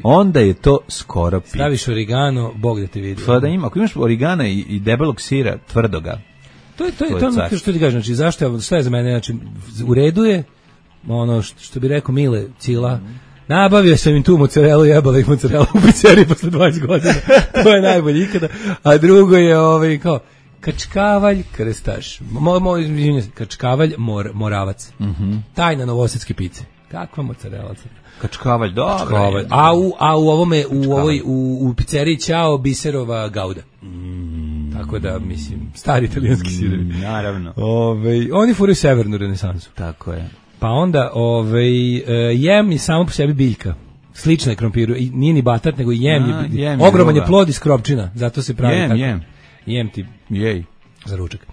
Onda je to skoro pizza. Staviš origano, Bog da te vidi. Da ima, ako imaš origana i debelog sira, tvrdoga. To je ono što ti kažeš, znači zašto sve je za mene, znači u redu je ono što bi rekao Mile Cila. Nabavio sam im tu mozzarelu, jebala ih mozzarelu u pizzeriji posle 20 godina. To je najbolje ikada. A drugo je kao Kačkavalj krstaš. Kačkavalj Moravac. Tajna novosadske pice. Kakva mozzarella? Kačkavalj, dobro. Kačkavalj. A u ovome, u pizzeriji Ćao Biserova Gauda. Tako da, mislim, stari italijanski sirovi. Naravno. Oni furaju severnu renesansu. Tako je. Pa onda, jem je samo po sebi biljka. Slična je krompiru. I nije ni batat, nego jem je. Ogroman je plod iz kropčina. Zato se pravi tako. Jem ti. Jej. Za ručak.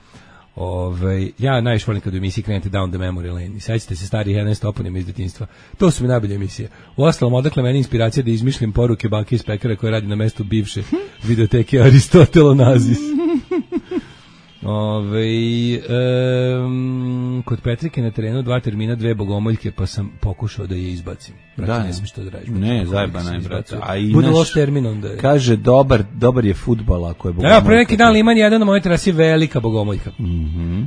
Ja najviše volim kad u emisiji krenete down the memory lane. I sećate se starih 11 toponima iz detinjstva. To su mi najbolje emisije. Uostalom, odakle meni inspiracija da izmišljam poruke bake iz pekara koje radi na mestu bivše videoteke Aristotelonazis. Kod Petrike na terenu 2 termina, 2 bogomoljke, pa sam pokušao da je izbacim. Brate, ne smiješ to da radiš. Ne, zajebana je, brate. Bude loš termin onda je. Kaže, dobar je fudbal ako je bogomoljka. Pre neki dan Liman jedan na mojoj terasi velika bogomoljka.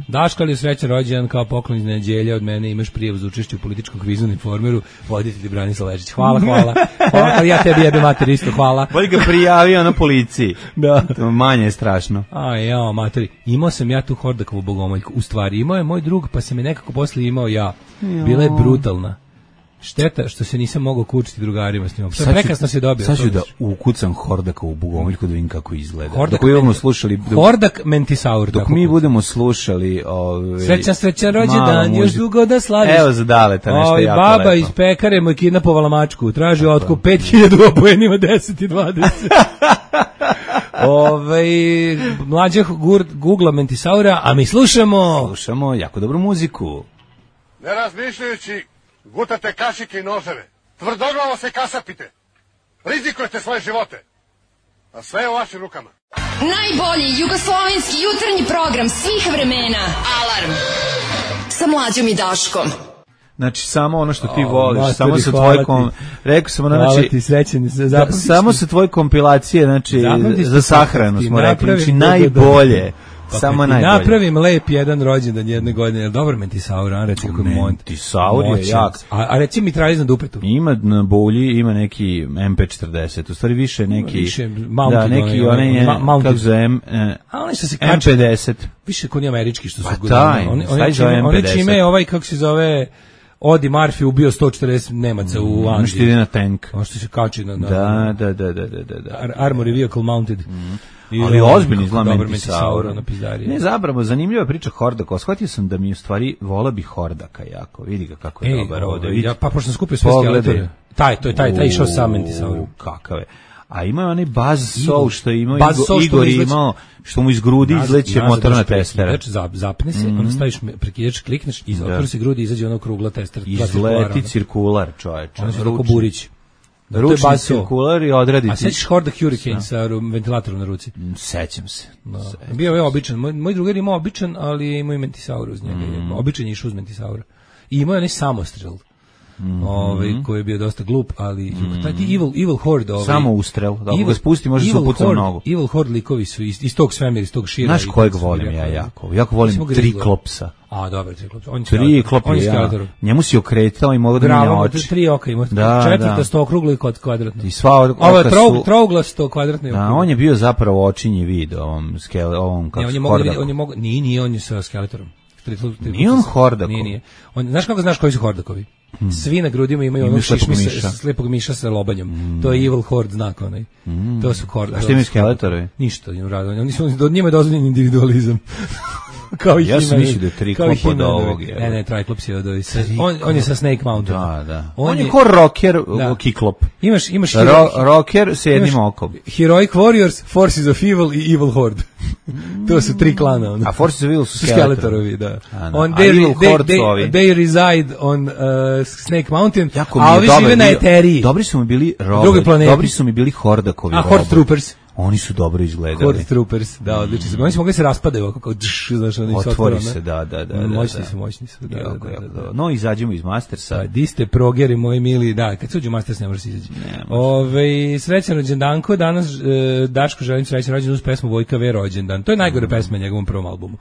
Daško, ali je srećan rođendan kao poklon iz neđelja od mene, imaš prijavu za učešće u političkom kvizu na Informeru, voditelj Branislav Ležić. Hvala, ali ja tebi jebem mater isto, hvala. Bolje ga prijavio na policiji. Da. Manje je strašno. Materi. Imao sam ja tu Hordakovu bogomoljku. U stvari, imao je moj drug, pa se me nekako posle imao ja. Bila je brutalna. Šteta što se nisam mogao kučiti drugarima s njom. Prekasno se dobio. Sad ću da ukucam Hordakovu bogomoljku da vidim kako izgleda. Dok mi budemo slušali... Hordak Mentisaur. Dok mi budemo slušali... Srećan rođendan, još dugo da slaviš. Evo za Daleta, nešto jako lepo. Baba iz pekare mu je kidnapovala mačku. Traži otkup 5000 obojenima 10 i 20. Mlađa googla Mentisaura, a mi slušamo jako dobru muziku. Ne razmišljajući, gutate kašike i noževe. Tvrdoglavo se kasapite. Rizikujete svoje živote. A sve je u vašim rukama. Najbolji jugoslovenski jutarnji program svih vremena. Alarm. Sa Mlađom i Daškom. Znači, samo ono što ti voliš, samo sa tvoje rekao sam ono, znači, samo sa tvoje kompilacije, znači, za sahranu smo rekli, znači, najbolje. Samo najbolje. Napravim lep jedan rođendan jedne godine. Dobro Mentisaur, a reci kako je Mentisaur je jak. A reci mi traži na dupetu. Ima na bulji, ima neki MP40. U stvari više neki... Da, neki onaj, kako zove, M50. Više kod američki što su godinama. Oni čime je ovaj, kako se zove... Odi Murphy ubio 140 Nemaca u Andiji. Što ide na tank. Ono što se kači na... Da. Armory vehicle mounted. Ali ozbiljni zla Mentisaur. Ne, zapravo, zanimljiva priča Hordaka. Shvatio sam da mi u stvari vola bi Hordaka jako. Vidi ga kako je dobar ovde. Pa pošto sam skupio sve skeletore. Taj išao sam Mentisaur. Kakav je. A ima onaj Buzz Saw što je imao Igor imao, što mu iz grudi izleće motorna testera. Znači, zapne se, onda staviš prekidač, klikneš, otvori se grudi, izađe ona krugla testera. Izleti cirkular, čoveče. Ono se tako Burić. Ručni cirkular i odraditi. A sećaš Hordak Hurricane sa ventilatorom na ruci? Sećam se. Bio je običan. Moj drugar imao običan, ali imao i Mentisaur uz njega. Običan je išao uz Mentisaura. I imao je onaj samostrel. Koji je bio dosta glup, ali taj Evil Horde... Samo ustrel, da ga spusti, može se upucati u nogu. Evil Horde likovi su iz tog svemira, iz tog šira. Znaš kojeg volim ja jako? Jako volim Triklopsa. A, dobro, Triklopsa. Triklop je ja. Njemu si okretao i mogu da mi oči. 3 oka ima. Četvrtasto okruglo i kvadratno. I sva ovo je trouglasto kvadratno. Da, on je bio zapravo očinji vid ovom kako se Hordaku. Nije, on je sa skeletorom. Nije on Hordako. Nije. Znaš kako znaš koji su Hordakovi? Svi na grudima imaju onog slepog miša sa lobanjom. To je Evil Horde znak onaj. To su Horde. A što imaju skeletorovi? Ništa, njima je dozvoljen individualizam. Ja sam mislio da je Triklop od ovog. Ne, Triklops je od ovih. On je sa Snake Mountain. Da. On je ko rocker Kiklop. Imaš rocker s jednim okom. Heroic Warriors, Forces of Evil i Evil Horde. To su 3 klana. A Forces of Evil su skeletorovi, da. They reside on Snake Mountain, a ovi žive na Eteriji. Dobri su mi bili Hordakovi. A Horde Troopers. Oni su dobro izgledali. Horde Troopers, da, odlični su. Oni su mogli se raspadaju, kako znaš, oni su otvori se, da. Moćni su. No, izađemo iz Mastersa. Di ste progeri, moji mili, da, kad se uđu u Masters ne može se izaći. Srećan rođendanko, danas Daško želim srećan rođendan uz pesmu Vojka V. Rođendan. To je najgore pesma na njegovom prvom albumu.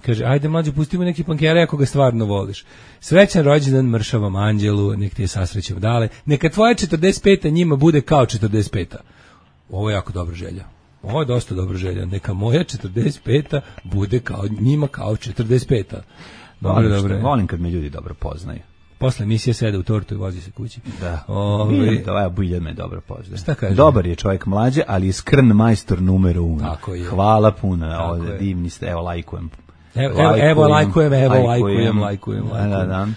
Kaže, ajde mlađe, pustimo neki punkere ako ga stvarno voliš. Srećan rođendan mršavom anđelu, nek ti je sasrećem dale. Neka tvoja 45. njima bude kao 45. Ovo je jako dobra želja. Ovo je dosta dobro želja. Neka moja 45. bude kao njima kao 45. Volim kad me ljudi dobro poznaju. Posle emisije sede u tortu i vozi se kući. Da. Biljan me dobro poznaje. Šta kaže? Dobar je čovjek mlađe, ali je skrn majstor numero 1. Tako je. Hvala puno. Divni ste. Evo, lajkujem. Evo lajkujem. Da.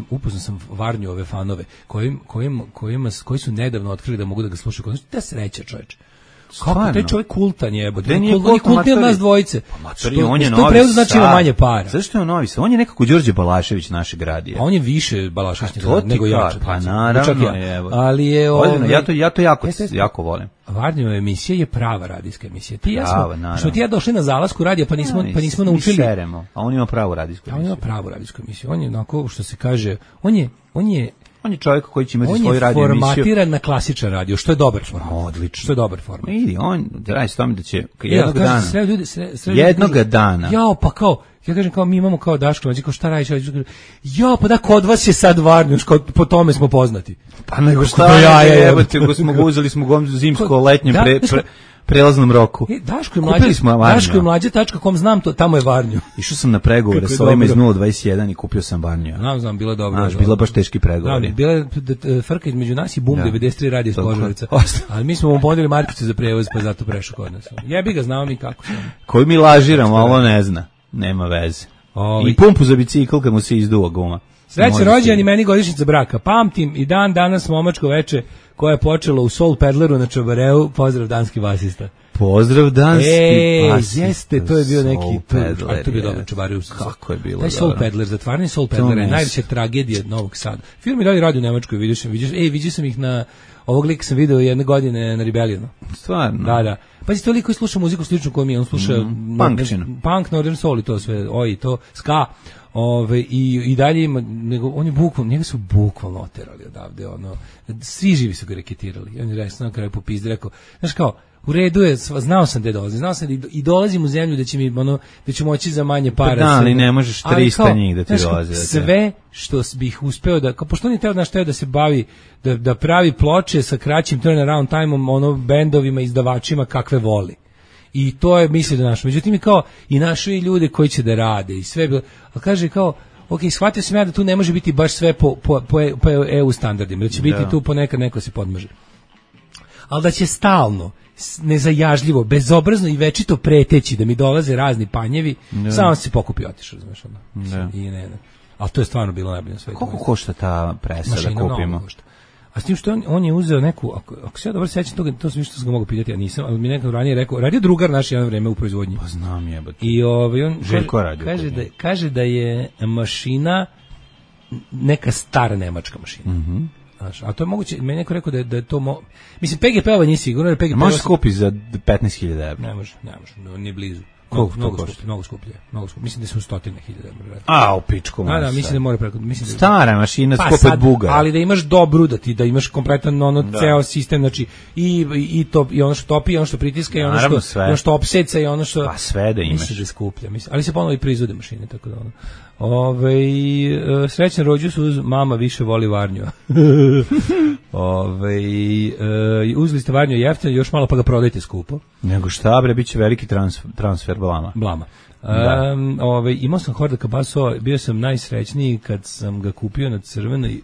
Upoznao sam Varnju ove fanove koji su nedavno otkrili da mogu da ga slušaju. Da sreća, čoveče. Kako taj čovjek kultan je, on je kultniji od nas dvojice. On je Novi Sad. To znači ima manje para. Zašto je on Novi Sad? On je nekako Đorđe Balašević našeg radija. A on je više Balašević nego ja. Pa naravno je. Ali je ja to jako volim. Varnjeva emisija je prava radijska emisija. Što ti ja došli na zalasku radija pa nismo naučili. Seremo, a on ima pravu radijsku emisiju. On ima pravu radijsku emisiju. On je onako što se kaže, on je čovjek koji će imati svoju radio emisiju. On je formatiran na klasičan radio, što je dobar format. Odlično. Što je dobar format. Vidi, on radi s tome da će jednog dana. Jao, pa kao, ja kažem kao mi imamo kao Daško, znači kao šta radiš? Ja, pa da kod vas je sad Varnjuš, po tome smo poznati. Pa nego šta uzeli smo zimsko letnje prelaznom roku. Daško je mlađe.com, znam to, tamo je Varnju. Išao sam na pregovore sa ovima iz 021 i kupio sam Varnju. Znam, bilo je dobro. Bilo baš teški pregovori. Bila je frka između nas i Bum 93 radio iz Požarevca. Ali mi smo mu ponudili markicu za prevoz, pa zato prešao kod nas. Jebi ga, znamo mi kako smo. Koji mi lažiramo, a ovo ne zna. Nema veze. I pumpu za bicikl kad mu se izduva guma. Srećan rođendan i meni godišnjica braka. Pamtim i danas momačko veče koje je počelo u Soul Pedleru na Čabareu. Pozdrav danski basista. Pozdrav danski basista. Jeste, to je bio neki to je bio dobar Čabarev. Kako je bilo. Taj Soul Pedler, zatvarni Soul Pedler je najveća tragedija Novog Sada. Film je radio u Nemačkoj, vidio sam ih na ovog lika sam video jedne godine na Rebellionu. Stvarno? Da. Pazi, to liko sluša muziku sličnu koju mi on sluša punk, northern soul i to sve, to ska. I dalje ima, on je bukvalno, njega su bukvalno oterali odavde, svi živi su ga reketirali. On je rekao, na kraju popizdi, rekao, znaš kao, u redu je, znao sam da dolazim, i dolazim u zemlju da ću moći za manje para. Da, ali ne možeš 300 njih da ti dolaze. Sve što bih uspeo da, kao pošto on je teo da se bavi, da pravi ploče sa kraćim turnaround time-om, bendovima, izdavačima kakve voli. I to je misli da našo. Međutim, i kao, i našo i ljude koji će da rade i sve, a kaže kao, ok, shvatio sam ja da tu ne može biti baš sve po EU standardima, da će biti tu ponekad neko se podmaže. Ali da će stalno, nezajažljivo, bezobrazno i večito preteći da mi dolaze razni panjevi, samo se pokupi otišao, znaš, ali to je stvarno bilo najbolje na svetu. Koliko košta ta presa da kupimo? A s tim što on je uzeo neku, ako se ja dobro sećam toga, to sam što sam ga mogu pitati, ja nisam, ali mi nekad ranije rekao, radio drugar naš jedno vreme u proizvodnji. Pa znam jebate. I on kaže da je mašina neka stara nemačka mašina. Znaš, a to je moguće, meni neko rekao da je to mislim, PGP-ova nije sigurno, jer PGP-ova može skupi za 15.000 € Ne može, nije blizu. Mnogo skuplje. Mislim da su 100.000 €. A, u pičku. Da, mislim da mora preko, stara mašina skupa od buga. Ali da imaš dobru, da imaš kompletan ceo sistem, znači i to i ono što topi, i ono što pritiska, i ono što opseca, i ono što pa sve da imaš. Mislim da je skuplje, ali se ponovo i proizvode mašine, tako da srećan rođus uz mama više voli Varnju. Uzeli ste Varnju jeftino, još malo pa ga prodajte skupo. Nego šta bre, bit će veliki transfer blama. Imao sam Horda Kabaso, bio sam najsrećniji kad sam ga kupio na crvenoj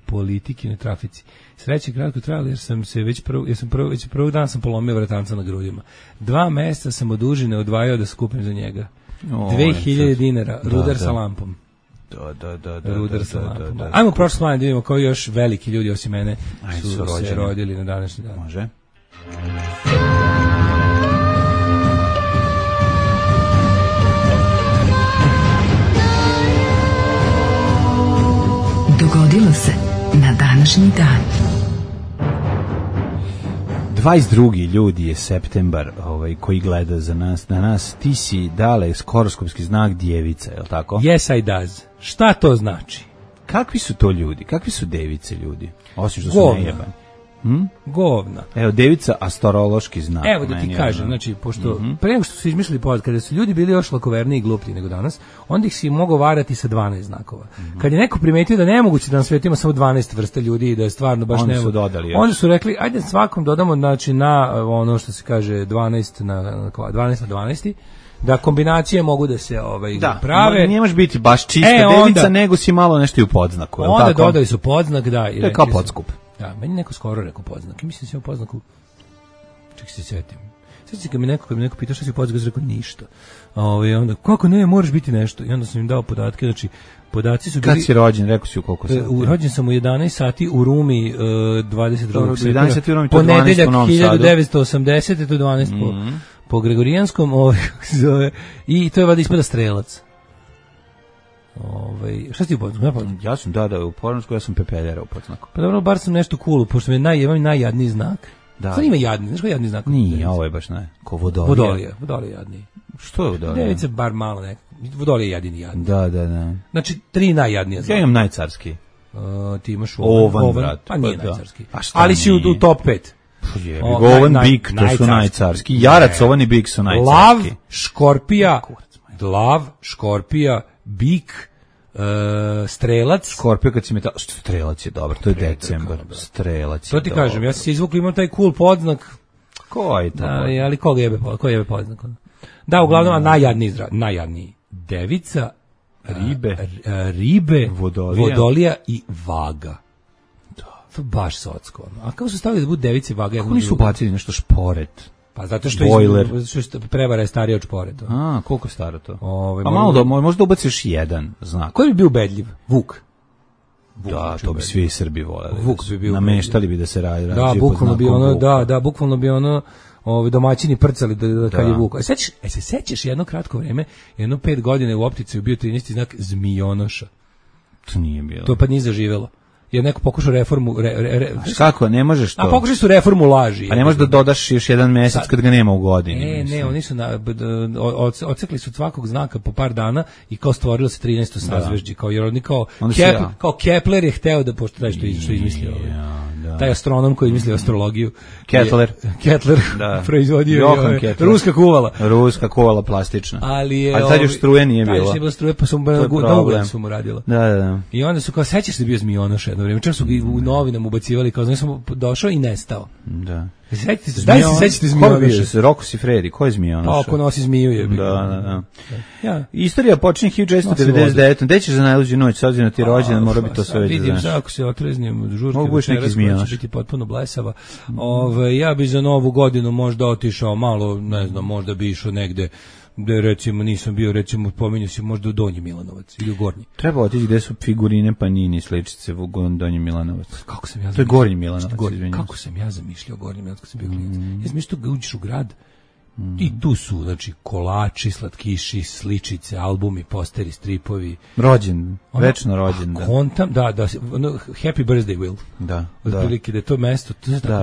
Politiki na trafici. Sreće kratko trajalo jer sam se već prvog dana sam polomio vratanca na grudima. 2 mjeseca sam od užine odvajao da skupim za njega. 2.000 dinara, rudar sa lampom. Rudar sa lampom. Ajmo prošlo slanje da vidimo koji još veliki ljudi osim mene su se rodili na današnji dan. Može. Dogodilo se na današnji dan. 22. ljudi je septembar koji gleda za nas. Na nas ti si dale horoskopski znak djevica, je li tako? Yes, I does. Šta to znači? Kakvi su to ljudi? Kakvi su device ljudi? Osim što su nejebani. Govna. Evo, devica astrološki znak. Evo da ti kažem, znači, pošto pre nego što su izmislili podcast, kada su ljudi bili još lakoverniji i gluplji nego danas, onda ih si mogao varati sa 12 znakova. Kad je neko primetio da je nemoguće da na svijetu ima samo 12 vrsta ljudi i da je stvarno baš nemoguće, onda su rekli, ajde svakom dodamo, znači, na ono što se kaže 12 na 12, da kombinacije mogu da se prave. Da, nije može biti baš čista devica, nego si malo nešto i u podznaku. Onda dodali su podznak, da. To je kao podskup. Da, meni neko skoro rekao podznak. I mislim da si imao podznaku. Ček se sjetim. Sjetim se kad mi neko pitao šta si podznak, rekao ništa. Onda, kako ne, moraš biti nešto. I onda sam im dao podatke, znači, podaci su bili... Kad si rođen, rekao si u koliko sati? Rođen sam u 11 sati u Rumi 22. septembra. Ponedeljak 1980, to je 12 po Gregorijanskom, i to je vada ispada strelac. Šta si ti u podznaku? Ja sam u podznaku, ja sam pepeljara u podznaku. Pa dobro, bar sam nešto cool, pošto mi je najjadniji znak. Da. Sad ima jadni, znaš ko je jadni znak? Nije, ovo je baš ko Vodolija. Vodolija je jadniji. Što je Vodolija? Devica bar malo nekako. Vodolija je jedini jadni. Da. Znači, 3 najjadnije znaka. Ja imam najcarski. Ti imaš Ovan, brat. Pa nije najcarski. Ali si u top 5. Ovan, bik, to su najcarski. Jarac, ovan i bik su najcarski. Lav, škorpija, bik, strelac. Škorpija kad si strelac je dobro, to je decembar. Strelac je to ti dobro. Kažem, ja sam se izvukao, imam taj cool podznak. Ko je to? Ali ko jebe podznak? Da, uglavnom, najjadniji. Devica, ribe, vodolija i vaga. To baš socko. A kako su stavili da budu device i vaga? Kako nisu bacili nešto šporet? Pa zato što prevara je starija od šporeta. A, koliko je staro to? Pa malo možda ubaciš jedan znak. Koji bi bio ubedljiv? Vuk. Da, to bi svi Srbi voleli. Vuk bi bio. Nameštali bi da se radi. Da, bukvalno bi ono domaćini prcali kad je vuk. Se sećaš jedno kratko vreme, 5 godina u opticaju bio 13. znak zmionoša. To nije bilo. To pa nije zaživelo. Jer neko pokušao reformu... Kako, ne možeš to? A pokušali su reformu laži. A ne možeš da dodaš još jedan mjesec kad ga nema u godini. Ne, oni su ocekli su svakog znaka po par dana i kao stvorilo se 13. sazvežđe. Kao Kepler je hteo da, pošto taj što izmislio taj astronom koji je izmislio astrologiju. Kettler proizvodio ruska kuvala plastična. Ali tad još struje nije bilo. Tad je bila struje, pa su na ugljen su mu radila. Da. I onda su kao, sećaš se da bio zmionoš jedno vrijeme, čak su ga u novinama ubacivali, kao znači sam došao i nestao. Da. Sećate zmionoša? Rocco Siffredi, ko je zmionoša? Pa ako nosi zmiju je. Da. Istorija počinje 1499. Gde ćeš za najluđu noć, s obzirom ti rođendan, mora biti to sve već. Vidim se, ako se otreznijem žurke večeras, koja će biti potpuno blesava. Ja bi za novu godinu možda otišao malo, ne znam, možda bi išao negde gde recimo nisam bio, recimo pominju se možda u Donji Milanovac ili u Gornji. Treba otići gde su figurine Panini sličice u Donji Milanovac. Kako sam ja to je Gornji Milanovac. Kako sam ja zamišljao Gornji Milanovac kad sam bio klinac. Ja sam mislio da uđeš u grad i tu su, znači, kolači, slatkiši, sličice, albumi, posteri, stripovi. Rođen, večno rođen. Kontam, da, Happy Birthday Will. Da. Otprilike da je to mesto.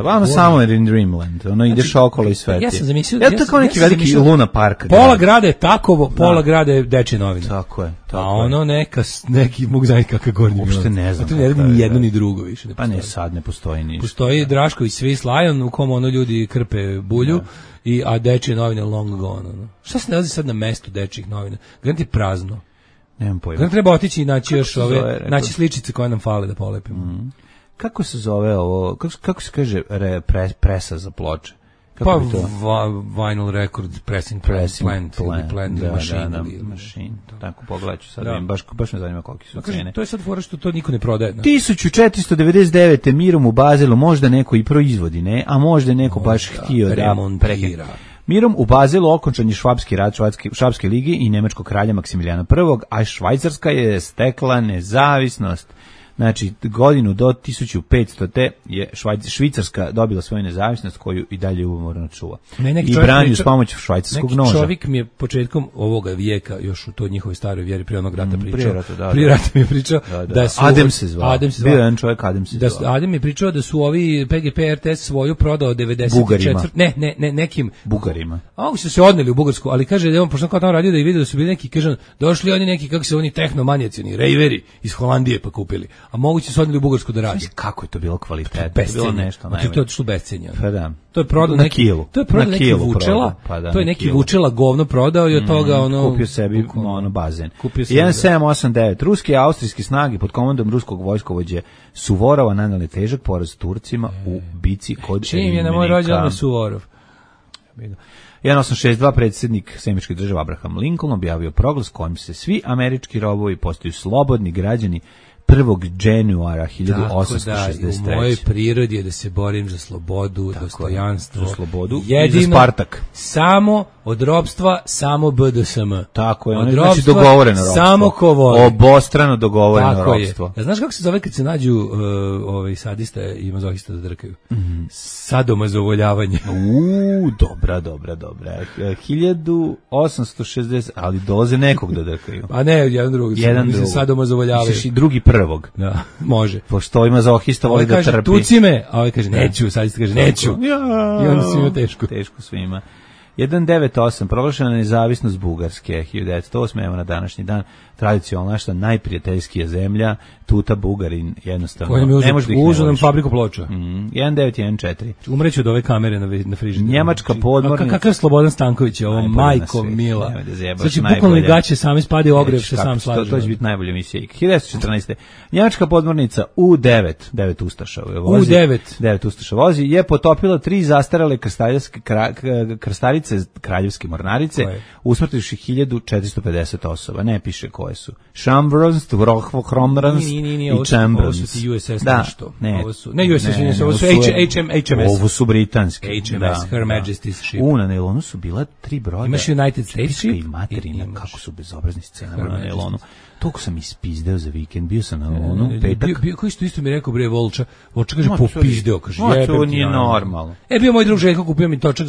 Ono samo je in Dreamland, ono ideš okolo i sveti. Ja sam zamislio... to kao neki veliki Luna Park. Pola grada je Takovo, pola grada je Dečje novine. Tako je. A ono neki mogu znati kakav Gornji Milanovac. Uopšte ne znam. To ne radi ni jedno ni drugo više. Pa ne, sad ne postoji ništa. Postoji Drašković Swiss Lion u kom ono ljudi krpe bulju. A Dečje novine long gone. Šta se nalazi sad na mestu Dečjih novina? Garanti prazno. Nemam pojma. Garanti treba otići i naći još naći sličice koje nam fale da polepimo. Kako se zove ovo? Kako se kaže presa za ploče? Pa vinyl record pressing plant machine. Tako pogledaću sad, baš me zanima koliki su cene. To je sad fora što to niko ne prodaje. 1499. Mirom u Bazelu možda neko i proizvodi, ne? A možda neko baš htio da remontira. Mirom u Bazelu okončan je Švapski rat Švapske lige i nemačkog kralja Maksimilijana I, a Švajcarska je stekla nezavisnost. Znači, godinu do 1500. je Švicarska dobila svoju nezavisnost koju i dalje umorno čuva. I brani uz pomoć švajcarskog noža. Neki čovjek mi je početkom ovoga vijeka, još u toj njihovoj staroj vjeri, prije onog rata pričao. Prije rata mi je pričao da su... Adem se zvao. Bio je jedan čovjek, Adem se zvao. Adem je pričao da su ovi PGP RTS svoju prodao 94... Bugarima. Ne, nekim... Bugarima. A ovi su se odneli u Bugarsku, ali kaže da je on, pošto kao tamo radio da je vidio da su bili neki, kaže, došli oni neki, kako se oni tehnomanjaci, oni rejveri iz Holandije pa kupili. a moguće su odneli u Bugarsku da radi. Kako je to bilo kvalitetno? To je bilo nešto najbolje. To je otišlo bescenje. Pa da. To je prodao na kilu. To je prodao neki Vučela. Pa da, to je neki Vučela govno prodao i od toga kupio sebi bazen. 1789. Ruski i austrijski snage pod komandom ruskog vojskovođe Suvorova naneli težak poraz Turcima u bici kod Čim je na moj rođendan Suvorov. 1862 predsjednik Sjemičkih država Abraham Lincoln objavio proglas kojim se svi američki robovi postaju slobodni građani 1. januara 1863. U mojoj prirodi je da se borim za slobodu, dostojanstvo, za slobodu jedino, i za Spartak. Samo od ropstva, samo BDSM. Tako je, od znači dogovoreno ropstvo. Samo ko voli. Obostrano dogovoreno tako ropstvo. Ja, znaš kako se zove kad se nađu sadista i mazohista da drkaju? Sadomazovoljavanje. Dobra. 1860, ali dolaze nekog da drkaju. Pa ne, jedan drugog. Sadomazovoljavaju. Misliš i drugi prvog. Da, može. Pošto ima mazohista voli da trpi. Kaže, tuci me, a ovaj kaže, neću, sadista kaže, neću. I onda svima teško. Teško svima. 198. Proglašena nezavisnost Bugarske 1908. Evo na današnji dan tradicionalna naša najprijateljskija zemlja, tuta Bugarin jednostavno ne može da uzu nam fabriku ploča. 1914. Umreću od ove kamere na frižideru. Njemačka podmornica. Kakav Slobodan Stanković je ovo, majko mila. Znači bukvalno gaće sami spade ogrev se sam slaže. To će biti najbolja emisija. 1914. Njemačka podmornica U9, 9 ustaša vozi. U9 ustaša vozi je potopila 3 zastarele krstarice kraljevske mornarice, usmrtivši 1450 osoba. Ne piše koje su. Chambrons, Hromrans i Chambrons. Ovo su ti USS nešto. Ne USS, ovo su HMS. Ovo su britanski. HMS, Her Majesty's Ship. Na nailonu su bila 3 broda. Imaš United States Ship. I materina, kako su bezobrazni scenari na nailonu. Toliko sam ispizdeo za vikend, bio sam na nailonu, petak. Koji što isto mi rekao, bre, Volča kaže, popizdeo, kaže, to nije normalno. Bio moj drug Željko, kupio mi točak,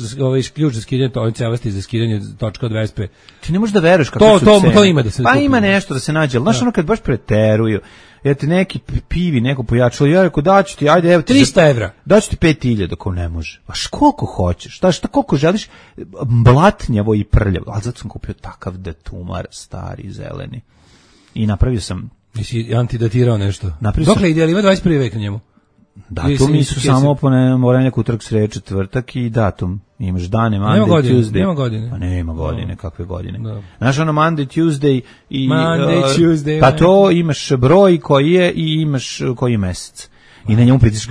ključ za skidanje, cevasti za skidanje točka od Vespe. Ti ne možeš da veruješ kako su cene. To ima da se pa ima nešto da se nađe, ali znaš ono kad baš preteruju, ja ti neki pivi, neko pojačalo, ja rekao daću ti, ajde, evo ti 300 evra. Daću ti 5.000, ako ne može. A koliko hoćeš, šta koliko želiš, blatnjavo i prljavo, ali zato sam kupio takav detumar, stari, zeleni. I napravio sam... Jesi antidatirao nešto? Dokle ide, ali ima 21. vek na njemu? Datumi su samo moranje utorak, sreda, četvrtak i datum. Imaš dane, Monday, Tuesday. Nema godine. Pa nema godine, kakve godine. Znaš ono Monday, Tuesday i... Tuesday. Pa to imaš broj koji je i imaš koji je mesec. I na njemu pritiš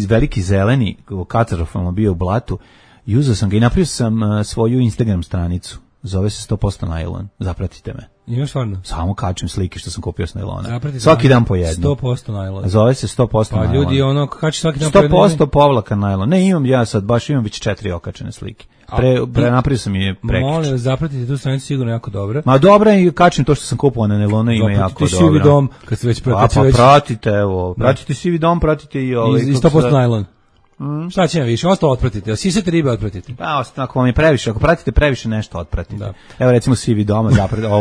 veliki zeleni katastrofalno bio u blatu. I uzeo sam ga i napravio sam svoju Instagram stranicu. Zove se 100% najlon. Zapratite me. Imaš stvarno? Samo kačem slike što sam kupio s najlona. Svaki dan po jednu. 100% najlon. Zove se 100% najlon. Pa ljudi kači svaki dan po jednu. 100% povlaka najlon. Ne, imam ja sad, baš imam već 4 okačene slike. Napravio sam je prekič. Molim vas, zapratite tu stranicu, sigurno jako dobra. Ma dobra i kačem to što sam kupovao na najlona, ima jako dobro. Zapratite Sivi dom, kad se već pratite, evo. Pratite Sivi dom, pratite i ovaj. I 100% najlon. Šta će vam više? Ostalo otpratite. Sisate ribe otpratite. Pa, ako vam je previše, ako pratite previše nešto otpratite. Da. Evo recimo Sivi doma,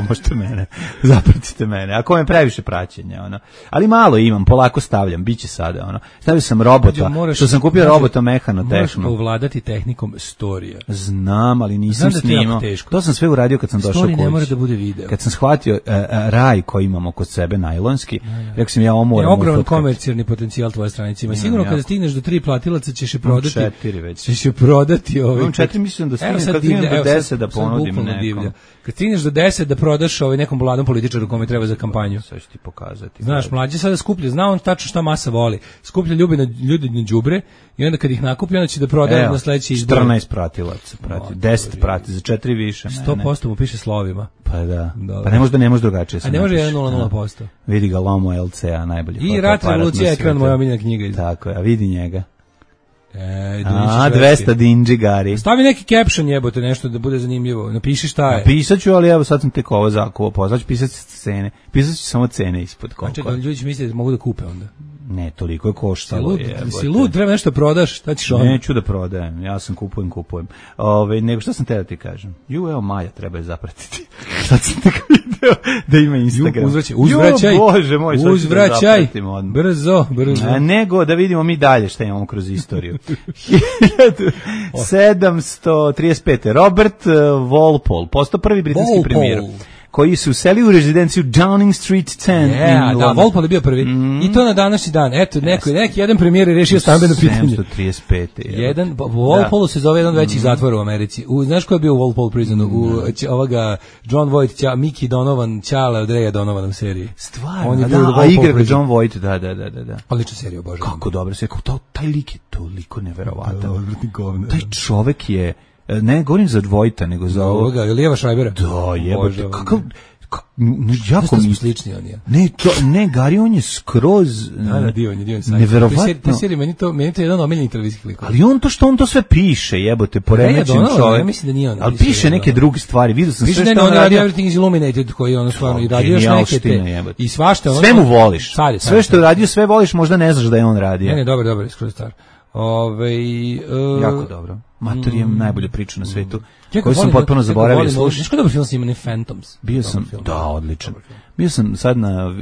možete mene. Zapratite mene. Ako vam je previše praćenja, Ali malo imam, polako stavljam, biće sada, Stavio sam robota, što sam kupio robota mehanotehnu. Moraš ovladati tehnikom storija. Znam, ali nisam snimao. To sam sve uradio kad sam došao kući. Story ne mora da bude video. Kad sam shvatio raj koji imamo kod sebe najlonski, rekao sam ja ovo moram. Ogroman komercijalni potencijal tvoje stranice ima. Sigurno kada stigneš do 3 platilaca ćeš je prodati. 4 već. Ćeš je prodati. Imam 4, mislim da stignem kad stignem do 10 da ponudim nekom. Kad stigneš do 10 da prodaš nekom mladom političaru kome treba za kampanju. Sad ću ti pokazati. Znaš, mlađe sada skuplja, zna on tačno šta masa voli. Skuplja ljudi na đubre i onda kad ih nakupi, onda će da prodaje na sledeći izbor. 14 pratilaca prati, 10 prati, za 4 više. 100% mu piše slovima. Pa da. Pa ne može drugačije. A ne može 1,00%. Vidi ga Lomo LCA, najbolji. I Rat revolucija, ekran, moja omiljena knjiga. Tako je, a vidi njega. 200 dinđi gari. Stavi neki caption, jebote, nešto da bude zanimljivo. Napiši šta je. Napisat ću, ali evo sad sam tek ovo zakupo. Sad ću pisati cene. Pisat ću samo cene ispod koliko. Znači, ljudi će misliti da mogu da kupe onda. Ne, toliko je koštalo. Si lud, treba nešto prodaš, šta ćeš onda? Neću da prodajem, ja sam kupujem. Nego šta sam te da ti kažem? Evo Maja treba je zapratiti. Sad sam tek video da ima Instagram. Uzvraćaj, Bože moj, uzvraćaj, brzo. Nego da vidimo mi dalje šta imamo kroz istoriju. 1735. Robert Walpole, postao prvi britanski premijer. koji su useli u rezidenciju Downing Street 10. Da, Walpole je bio prvi. I to na današnji dan. Eto, neki jedan premijer je rešio stambeno pitanje. 735. Jedan, Walpole se zove jedan od većih zatvora u Americi. Znaš ko je bio u Walpole prisonu? Ovoga John Voight, Mickey Donovan, Ćale od Raya Donovana u seriji. Stvarno, a igra ga John Voight, da. Odlična serija, bože. Kako dobro se, taj lik je toliko neverovatan. Taj čovek je, ne govorim za Voighta, nego za ovoga, Lijeva Šrajbera. Da, jebote, kakav, jako mi slični on je. Ne, Gari, on je skroz divan neverovatno. Te serije, meni to je jedan omiljeni televizijski lik. Ali on to sve piše, jebote, poremećen čovjek. Ja mislim da nije on. Ali piše neke druge stvari, vidio sam sve što on radi. Everything is Illuminated, koji on stvarno i radio još neke i svašta. Sve mu voliš. Sve što je radio, sve voliš, možda ne znaš da je on radio. Ne, dobro, skroz star. Jako dobro. Matorijem najbolje priča na svetu. Koju sam potpuno zaboravio slušati. Znaš koji dobar film s njima, Phantoms? Bio sam, odličan. Bio sam sad na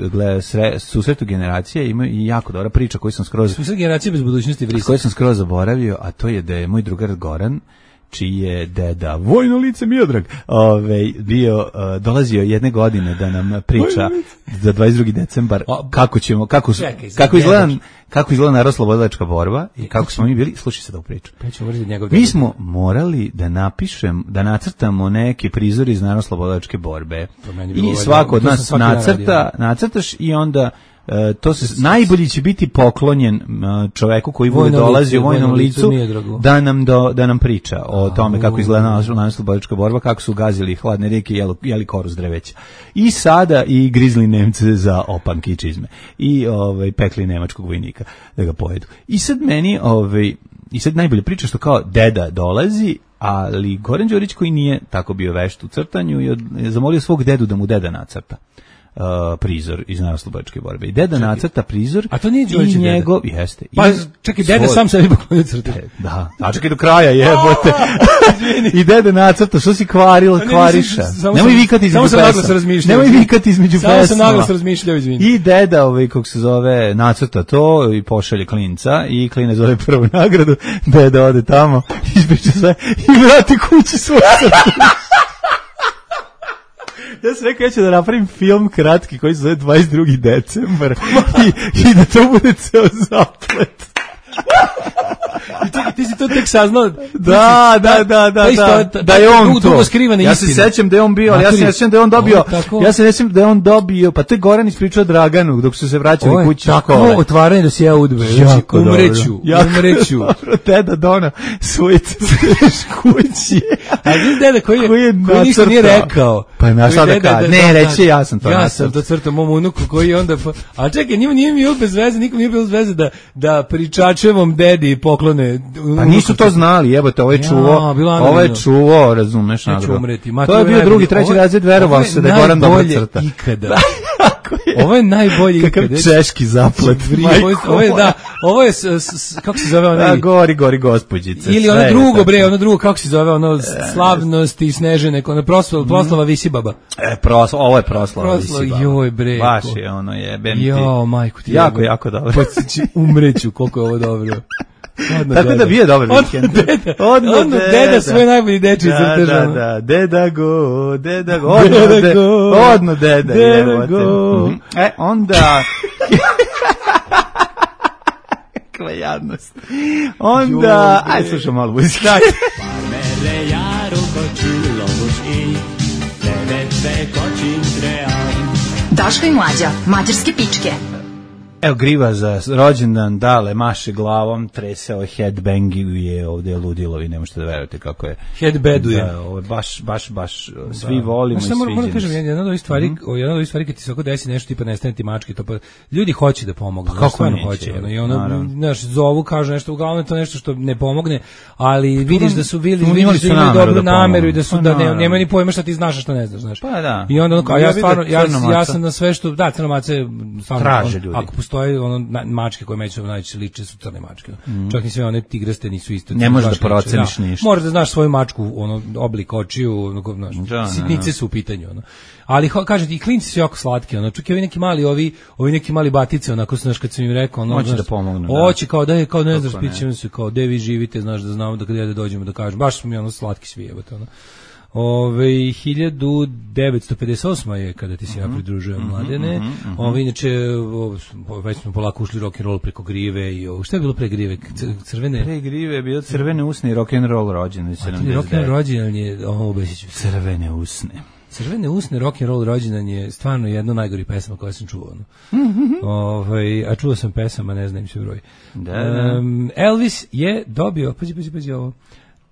susretu generacije, ima i jako dobra priča koju sam skroz... Susret generacije bez budućnosti vrisa. Koju sam skroz zaboravio, a to je da je moj drugar Goran, čiji je deda, vojno lice Miodrag, dolazio jedne godine da nam priča za 22. decembar kako izgleda narodnooslobodilačka borba i kako smo mi bili. Slušaj se da u priču. Mi smo morali da nacrtamo neke prizore iz narodnooslobodilačke borbe. I svako od nas nacrtaš i onda najbolji će biti poklonjen čoveku koji bude dolazi u vojnom licu da nam priča o tome kako izgleda narodnooslobodilačka borba, kako su gazili hladne rijeke i jeli koru s drveća. I sada i grizli Nemce za opanke i čizme. I pekli nemačkog vojnika da ga pojedu. I sad meni najbolje priča što kao deda dolazi, ali Goran Đurić koji nije tako bio vešt u crtanju je zamolio svog dedu da mu deda nacrta prizor iz narodnooslobodilačke borbe. I deda nacrta prizor. A to nije Đurić i njegov, jeste. Pa čekaj, deda sam sebi poklonio crte. Da, a čekaj do kraja, jebote. I deda nacrta, što si kvariša. Nemoj vikati između pesama. Nemoj vikati između pesama. Samo sam naglas razmišljao, izvini. I deda, kako se zove, nacrta to i pošalje klinca i klinac zove prvu nagradu, deda ode tamo, ispriča sve i vrati kući svoje crte. Ja sam rekao, ja ću da napravim film kratki koji se zove 22. decembar i da to bude ceo zaplet. Ti si to tek saznao? Da je on to. Ja se sećam da je on bio, ali ja se sećam da je on dobio, pa to je Goran ispričao Draganu dok su se vraćali kući iz škole. Tako otvaranje da se ja udbe. Umreću. Deda dona svoje kući. A vidiš deda koji ništa nije rekao. Pa ima šta da kaže. Ne, reći ja sam to. Ja sam to crtao mom unuku koji onda... A čekaj, nije mi bez veze, nikom nije bilo bez veze da pričačevom dedi poklone. Pa nisu to znali, jebote, ovo je čuvo, razumeš, to je bio drugi, treći razred, verovao se da je Goran dobro crta. Ovo je najbolji ikada. Kakav češki zaplet. Ovo je, kako se zove onaj... Gori gospođice. Ili ono drugo, kako se zove, ono slavnost i snežene, ono proslava Visibaba. Ovo je proslava Visibaba. Joj bre. Baš je ono jebem ti. Jo, majku ti. Jako dobro. Umreću, koliko je ovo dobro. Tako da bio dobar vikend. Odno deda svoje najbolji deči crtežano. Da, deda go. Odno deda go. Onda... Kakva jadnost. Onda... Ajde, slušam malo muzika. Parmele jaru kočilo muš i Tebe kočin trean. Daško i Mlađa, mađarske pičke. Evo griva za rođendan, dale, maše glavom, treseo headbanguje, ovdje je ludilo i ne možete da verujete kako je. Headbeduje. Da, ovo je baš, svi volimo i svi vidimo. Moram kažem, jedna od ovih stvari kad ti se oko desi nešto tipa nestane ti mačke, to pa ljudi hoće da pomognu. Pa kako neće? Hoće, i ono, znaš, zovu, kažu nešto, uglavnom to nešto što ne pomogne, ali vidiš da su imali dobru nameru i da su, da nema ni pojma šta ti znaš, šta ne znaš, znaš. Pa da. I onda, ja sam na sve što, da, crnomace, traže ljudi. Postoje mačke koje međusobno najčešće liče su crne mačke. Čak i sve one tigraste nisu isto. Ne možeš da proceniš ništa. Moraš da znaš svoju mačku, oblik očiju, sitnice su u pitanju. Ali kažete i klinci su jako slatki, čak i ovi neki mali batice, onako znaš kad sam im rekao, hoće da pomognu. Hoće kao ne znaš, pićemo se kao gde vi živite, znaš da znamo da kad dođemo da kažem, baš su mi slatki svi jebote. 1958 je kada ti se ja pridružujem, Mladene. Inače, već smo polako ušli rock and roll preko grive i šta je bilo pre grive? Crvene? Pre grive je bilo Crvene usne i rock and roll rođen. Rock and roll rođendan je Crvene usne. Crvene usne, rock and roll rođendan je stvarno jedna od najgorih pesama koje sam čuo. A čuo sam pesama, ne znam se broj. Elvis je dobio, pazi ovo.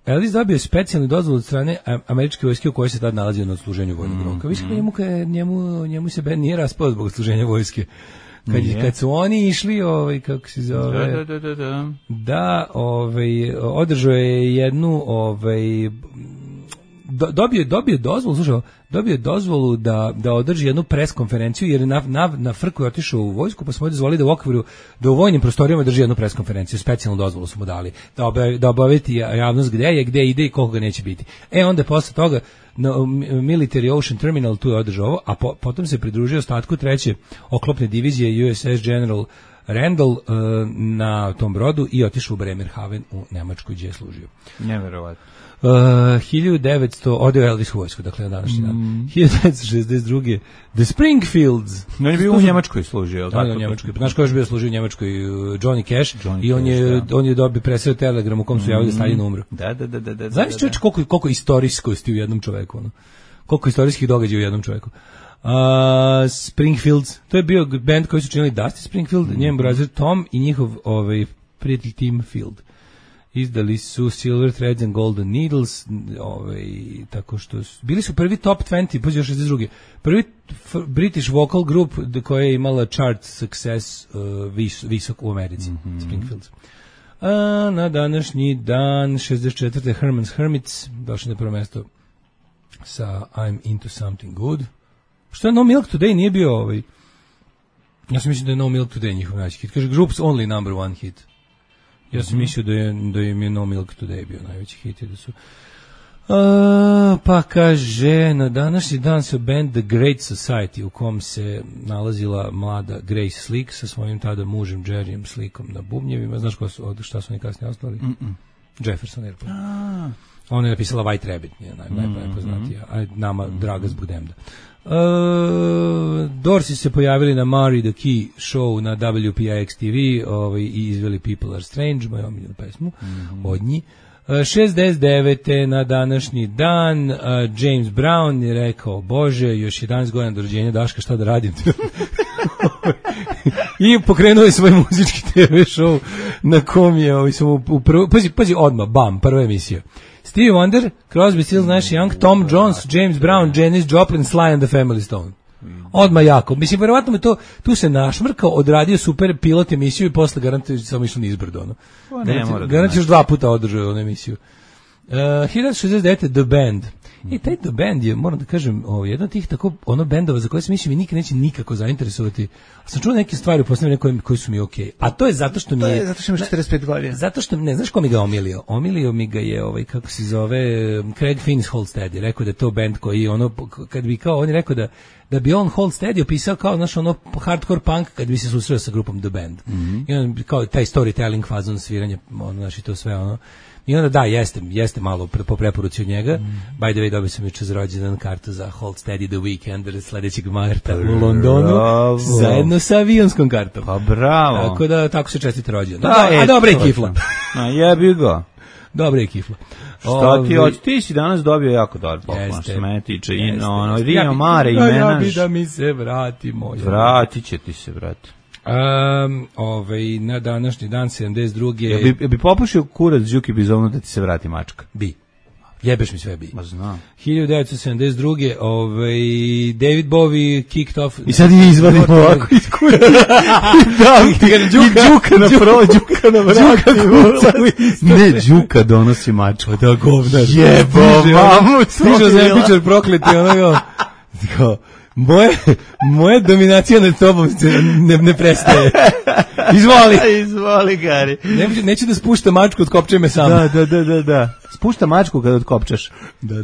Elvis dobio specijalnu dozvolu od strane američke vojske u kojoj se tad nalazio na odsluženju vojnog roka. Više njemu se bend nije raspao zbog odsluženja vojske. Kad su oni išli, kako se zove, održao je jednu, dobio je dozvolu da održi jednu pres konferenciju, jer na frku je otišao u vojsku, pa smo mu dozvolili da u vojnim prostorijama drži jednu pres konferenciju, specijalnu dozvolu su mu dali, da obaviti javnost gde ide i koliko ga neće biti. Onda posle toga Military Ocean Terminal tu je održao ovo, a potom se pridružio ostatku treće oklopne divizije USS General Randall na tom brodu i otišao u Bremerhaven u Nemačkoj gdje je služio. Neverovatno. 1900 odio Elvis u vojsku, dakle na današnji dan. 1962. The Springfields. On je bio u Njemačkoj služio, tako? Da, u Njemačkoj. Znaš ko je još bio služio u Njemačkoj? Johnny Cash. I on je dobio presreo telegram u kom su javili da Stalin umro. Da. Znaš čovječ koliko istorijskosti u jednom čoveku, ono? Koliko istorijskih događaja u jednom čoveku. Springfields, to je bio band koji su činili Dusty Springfield, njen brazir Tom i njihov prijatelj Tim Field. Izdali su Silver Threads and Golden Needles, tako što bili su prvi top 20, pa još 62. Prvi British vocal group koja je imala chart success visok u Americi, Springfields. Na današnji dan 64. Herman's Hermits došli na prvo mesto sa I'm Into Something Good. Što je No Milk Today nije bio ja sam mislio da je No Milk Today njihov najveći hit. Kaže Group's only number one hit. Ja sam mislio da im je No Milk Today bio najveći hit. Pa kaže, na današnji dan se band The Great Society, u kom se nalazila mlada Grace Slick sa svojim tada mužem Jerryem Slickom na bubnjevima. Znaš šta su oni kasnije ostali? Jefferson Airplane. Ona je napisala White Rabbit, najpoznatija, a nama draga zbog Demda. Dorsi se pojavili na Mari the Key show na WPIX TV i izveli People Are Strange, moju omiljenu pesmu od njih. 69. na današnji dan James Brown je rekao, Bože, još 11 godina do rođenja Daška, šta da radim? I pokrenuo je svoj muzički TV show na kom je pazi odmah, bam, prva emisija. Stevie Wonder, Crosby, Stills, Nash Young, Tom Jones, James Brown, Janis Joplin, Sly and the Family Stone. Odmah jako. Mislim, verovatno me tu se našmrkao, odradio super pilot emisiju i posle garantuje samo išlo nizbrdo. Garantuje još 2 puta održao onu emisiju. 1969. The Band. Taj The Band je, moram da kažem, jedan od tih tako bendova za koje sam mislim i nikad neće nikako zainteresovati. Sam čuo neke stvari u posljednje koji su mi okej. A to je zato što mi je... zato što ima 45 godina. Zato što, ne znaš ko mi ga omilio? Omilio mi ga je, kako se zove, Craig Finnis Halstead. Je rekao da je to band koji, kad bi kao, on je rekao da bi on Halstead opisao kao, znaš, hardcore punk kad bi se susreo sa grupom The Band. I on, kao taj storytelling fazon sviranja, znaš, i to sve, I onda da, jeste malo po preporuci od njega. By the way, dobio sam juče za rođendan kartu za Halstead i The Weekend sledećeg marta u Londonu, zajedno sa avionskom kartom. Pa bravo. Tako da, tako se čestite rođendan. A dobra je kifla. Jebi ga. Dobra je kifla. Šta ti si danas dobio jako dobar poklon, što me tiče. Rio Mare i Menaž. Ja bi da mi se vrati moj. Vratit će ti se, brate. Na današnji dan 72. Bi popušio kurac Đuki Bizonu da ti se vrati mačka? Bi. Jebeš mi sve bi. Ma znam. 1972. David Bowie kicked off... I sad je izvadimo ovako iz kurca. I Đuka na vrati. Ne, Đuka donosi mačku. Da, govnar. Jebo, mamu. Stižao zemljičar prokleti, kao... Moja dominacija nad tobom ne prestaje. Izvoli. Zvoli, Gari. Neće da spušta mačku od kopče me sam. Da. Spušta mačku kada odkopčaš. Da.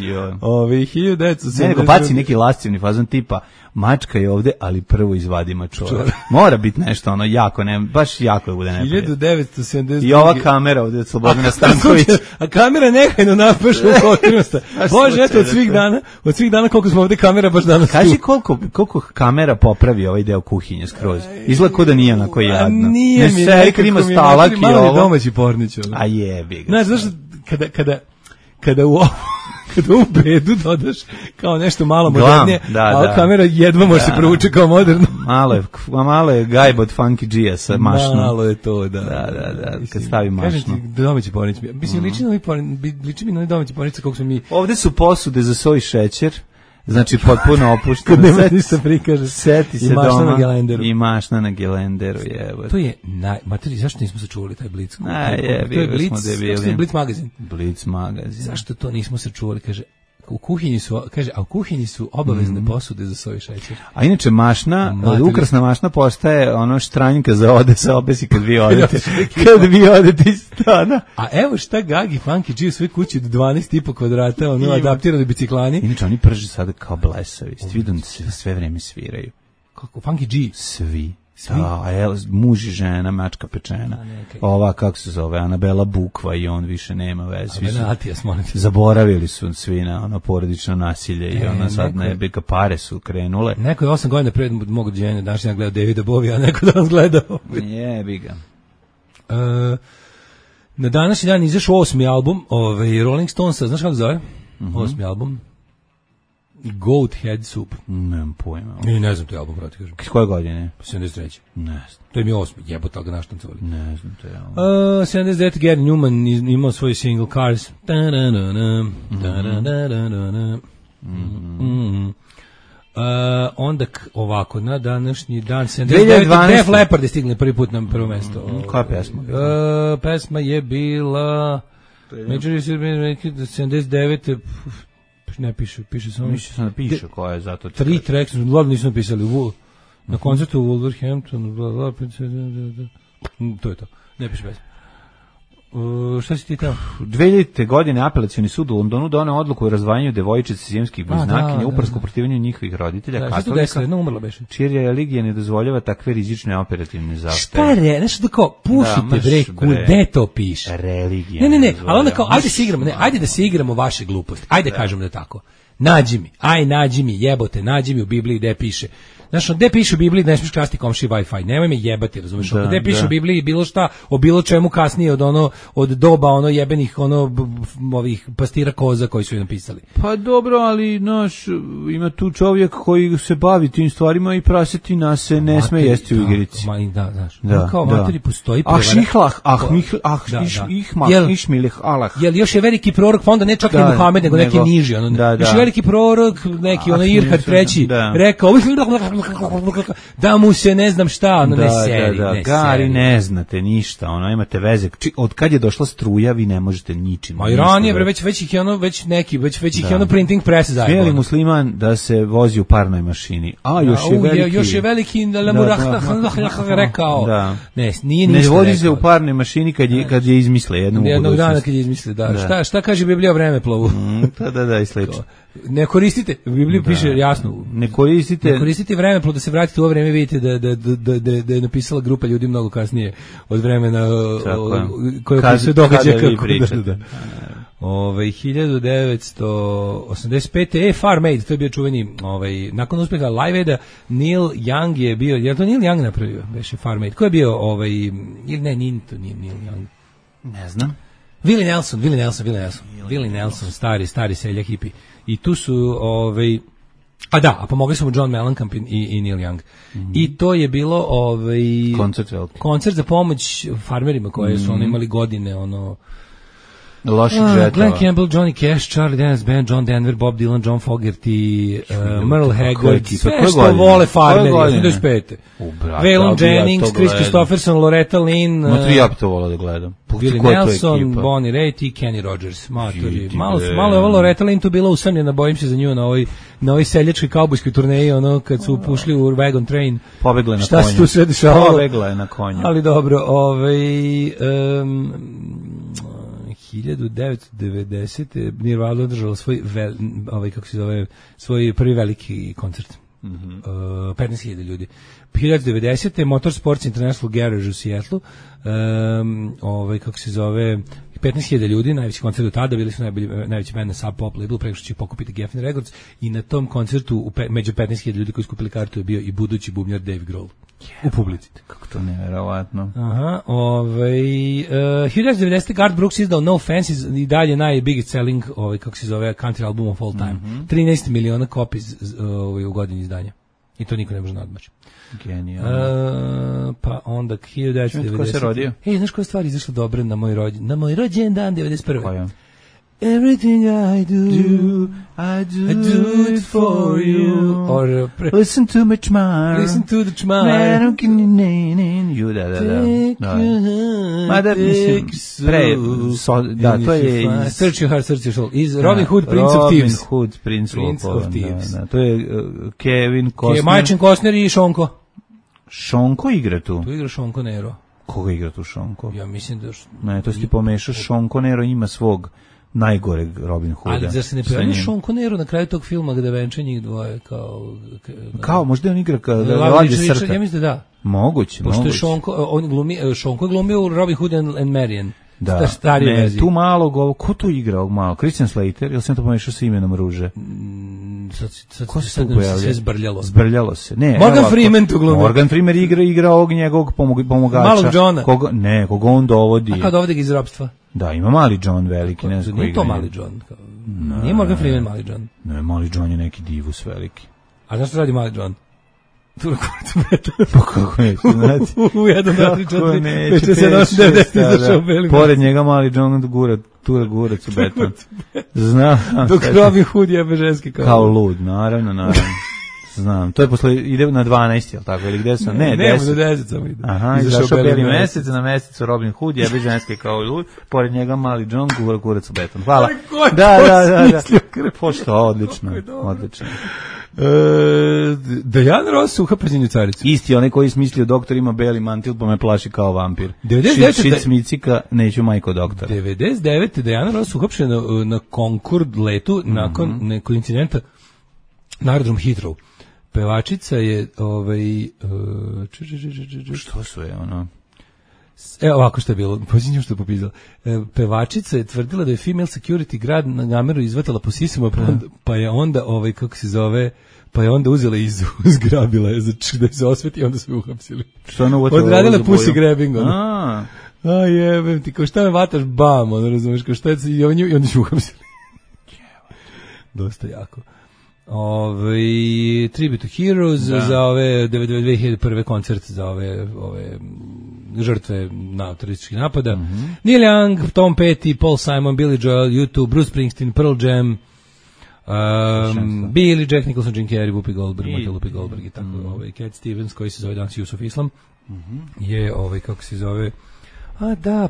Jo. 1970. Nego baci neki lascivni fazon tipa mačka je ovde, ali prvo izvadi mačora. Mora biti nešto ono jako, baš jako da bude neprijatno. 1972. I ova kamera ovde od Slobodana Stanković. A kamera nehajno napaša u kotirnosta. Bože, eto, od svih dana koliko smo ovde kamera baš danas tu. Kaži koliko kamera popravi ovaj deo kuhinje skroz. Izgleda kao da nije onako jadno. Nije mi nekako ima stalak i ovo. Malo je domaći pornić. A jebi ga. Znaš, zašto kada u bedu dodaš kao nešto malo modernije, a kamera jedva može se provuče kao moderno. Malo je gajba od Funky G-a sa mašnom. Malo je to, da. Da, kad stavi mašnu. Kažem ti, domaći pornić. Mislim, liči mi na domaći pornić kako smo mi... Ovde su posude za soj šećer. Znači, potpuno opušteno. Kad nema ništa prikaže. Seti se mašna doma. Na gelenderu. I mašna na gelenderu, To je materi, zašto nismo sačuvali taj Blitz? To je Blitz magazin. Blitz magazin. Zašto to nismo sačuvali, kaže... U kuhinji su obavezne posude za soju šećer. A inače ukrasna mašna postaje ono štranjka za ode se obesi kad vi odete. Kad vi odete iz stana. A evo šta Gagi Funky G u svoj kući od 12,5 kvadrata, ono adaptirani biciklani. Inače oni prže sada kao blesavi. Vidim da sve vreme sviraju. Kako Funky G? Svi. Muž i žena, mačka pečena. Ova, kako se zove, Anabela Bukva i on više nema veze. Zaboravili su svi na ono porodično nasilje i ona sad nebeka pare su krenule. Neko je 8 godina pred mog rođenja danas ja gledao Davida Bovija, a neko danas gledao. Jebi ga. Na današnji dan izašao 8. album Rolling Stonesa, znaš kako zove? 8. album. Goat Head Soup. Nemam pojma. Ne znam, to je album, proti kažem. Koje godine? 73. Ne znam. To je mi 8. Jebota ga naštancovali. Ne znam, to je album. 79. Gary Newman imao svoj single Cars. Onda ovako, na današnji dan 79. Def Leppard je stigli prvi put na prvo mesto. Koja pesma? Pesma je bila Major 79. Ne piše samo. Mislim sam da piše koja je zato. 3 tracks, glavno nisu napisali. Na koncertu u Wolverhamptonu, to je to. Ne piše bez. Šta si ti tamo? 2000. godine apelacioni sud u Londonu doneo odluku o razdvajanju devojčice sijemskih bliznakinja uprsko protivljenju njihovih roditelja katolika, čija religija ne dozvoljava takve rizične operativne zahteve. Šta je? Nešto da kao, pušite bre, kude to piše? Religija. Ne, ali onda kao, ajde da se igramo vaše gluposti. Ajde kažemo da tako. Nađi mi, jebote, nađi mi u Bibliji gde piše. Znaš, gde piše u Bibliji da ne smiješ krasti komši Wi-Fi, nemoj me jebati, razumiješ, gde piše u Bibliji bilo šta, o bilo čemu kasnije od doba jebenih, ovih pastira koza koji su je napisali. Pa dobro, ali, ima tu čovjek koji se bavi tim stvarima i prasetina se ne sme jesti u igrici. Da, znaš, kao materi postoji jel još je veliki prorok, pa onda ne čak ni Muhamed, nego neki niži, još je veliki prorok, neki Irhad III, rekao, da mu se ne znam šta, ne seri. Gari, ne znate ništa, imate veze. Od kad je došla struja, vi ne možete ničim. Ma i ranije, već ih je printing press zajedno. Smije li musliman da se vozi u parnoj mašini? A, još je veliki rekao. Ne, nije ništa rekao. Ne vozi se u parnoj mašini kad je izmisle jednu budućnost. Jednog dana kad je izmisle, da. Šta kaže Biblija o vremeplovu? Da, i slično. Ne koristite, u Bibliji piše jasno. Ne koristite vremeplov da se vratite u ovo vreme, vidite da je napisala grupa ljudi mnogo kasnije od vremena koje se događa kako da. 1985. Farm Aid, to je bio čuveni, nakon uspeha Live Aida, Neil Young je bio, je li to Neil Young napravio, beše Farm Aid, ko je bio, ili ne, nije Neil Young. Ne znam. Willie Nelson, stari seljak hipi. I tu su, a pomogli su mu John Mellencamp i Neil Young. I to je bilo koncert za pomoć farmerima koje su imali godine, Loših žetova. Glenn Campbell, Johnny Cash, Charlie Daniels Band, John Denver, Bob Dylan, John Fogerty, Merle Haggard, sve što vole farmeri, 85. Waylon Jennings, Chris Christopherson, Loretta Lynn, Matri, ja bi to volao da gledam. Billy Nelson, Bonnie Raitt i Kenny Rogers. Malo je ovo Loretta Lynn tu bila usamljena, bojim se za nju na ovoj seljačkoj kaubojskoj turneji, ono kad su pušli u Wagon Train. Pobegla je na konju. Šta se tu sve dešavalo? Pobegla je na konju. Ali dobro, 1990. Nirvana održala svoj svoj prvi veliki koncert. 15.000 ljudi. 1990. Motorsports International Garage u Seattleu, 15.000 ljudi, najveći koncert do tada, bili su najveći band na Sub Pop labelu, preko što će pokupiti Geffen Records, i na tom koncertu među 15.000 ljudi koji su kupili kartu je bio i budući bubnjar Dave Grohl. U publici. Kako to neverovatno. Aha, 1990. Garth Brooks izdao No Fences, i dalje najbiggest selling, country album of all time. 13 miliona copies u godini izdanja. I to niko ne može nadmaći. Genijalno. Pa onda 1990. Ko se rodio? Znaš koja stvar izašla dobra na moj rođendan 91. Koja? Everything I do it for you. Or listen to my chmar. Listen to the chmar. You Mada, mislim, to je Search Your Heart, Search Your Soul. Iz Robin Hood, Prince of Thieves. Robin Hood, Prince of Thieves. To je Kevin Costner. Majčin Costner i Šonko. Šonko igra tu? Tu igra Šonko Nero. Koga igra tu Šonko? Ja mislim da... Ne, to si ti pomešao. Šonko Nero ima svog najgoreg Robin Hooda. Ali zar se ne pojavlja Sean Connery na kraju tog filma gde venče njih dvoje kao možda on igra Lavlje srta? Ja mislim da. Moguće. Pošto je Šonko glumio u Robin Hood and Marion. Da, tu malog, ko to igra ovog malog? Christian Slater, ili sam to pomešao sa imenom Ruže? Ko se tu pojavlja? Sve zbrljalo. Zbrljalo se. Ne, Morgan Freeman tu glumio. Morgan Freeman igra ovog njegovog pomogača. Malog Johna. Koga on dovodi. A kao dovodi ga iz ropstva. Da, ima mali John veliki, ne znam ko igra. Nije to mali John. Nije Morgan Freeman mali John. Ne, mali John je neki divus veliki. A znaš što radi mali John? Tura kurac beton. Pa kako neću znati? U 1, 2, 3, 4, 5, 6, 7, 8, 9, izašao belim. Pored njega mali John tura gurac u beton. Znam. Dok Robin Hood jebe ženski kao lud, naravno. Znam, to je posle, ide na 12, jel tako, ili gde sam? Ne, 10. Nemo na 10 samo ide. Aha, izašao beli mesec, na mesecu Robin Hood, jebe ženske kao lud, pored njega mali John, kurac u beton. Hvala. Da. Pošto, odlično. Diana Ross uhapšen u Caricu. Isti onaj koji smislio doktor ima beli mantil pa me plaši kao vampir. 99. Šit smicika, neću majko doktora. 99. Diana Ross uhapšen na Concorde letu nakon nekog incidenta na aerodrom Heathrow. Pevačica je što su je ono? Evo ovako što je bilo, posljednjom što je popizala. Pevačica je tvrdila da je female security grad na nameru izvatala po sisama, pa je onda, pa je onda uzela i zgrabila je da se osveti i onda su je uhapsili. Što ona uvatila? Odradila pussy grabbing, a jebem ti, kao šta me vataš, bam, ono razumeš, kao šta je i onda su uhapsili. Dosta jako. Tribute to Heroes za ove 2001. koncert za ove žrtve terorističkih napada. Neil Young, Tom Petty, Paul Simon, Billy Joel, U2, Bruce Springsteen, Pearl Jam, Billy, Jack Nicholson, Jim Carrey, Whoopi Goldberg, Whoopi Goldberg i tako, Cat Stevens, koji se zove danas Yusuf Islam, je kako se zove,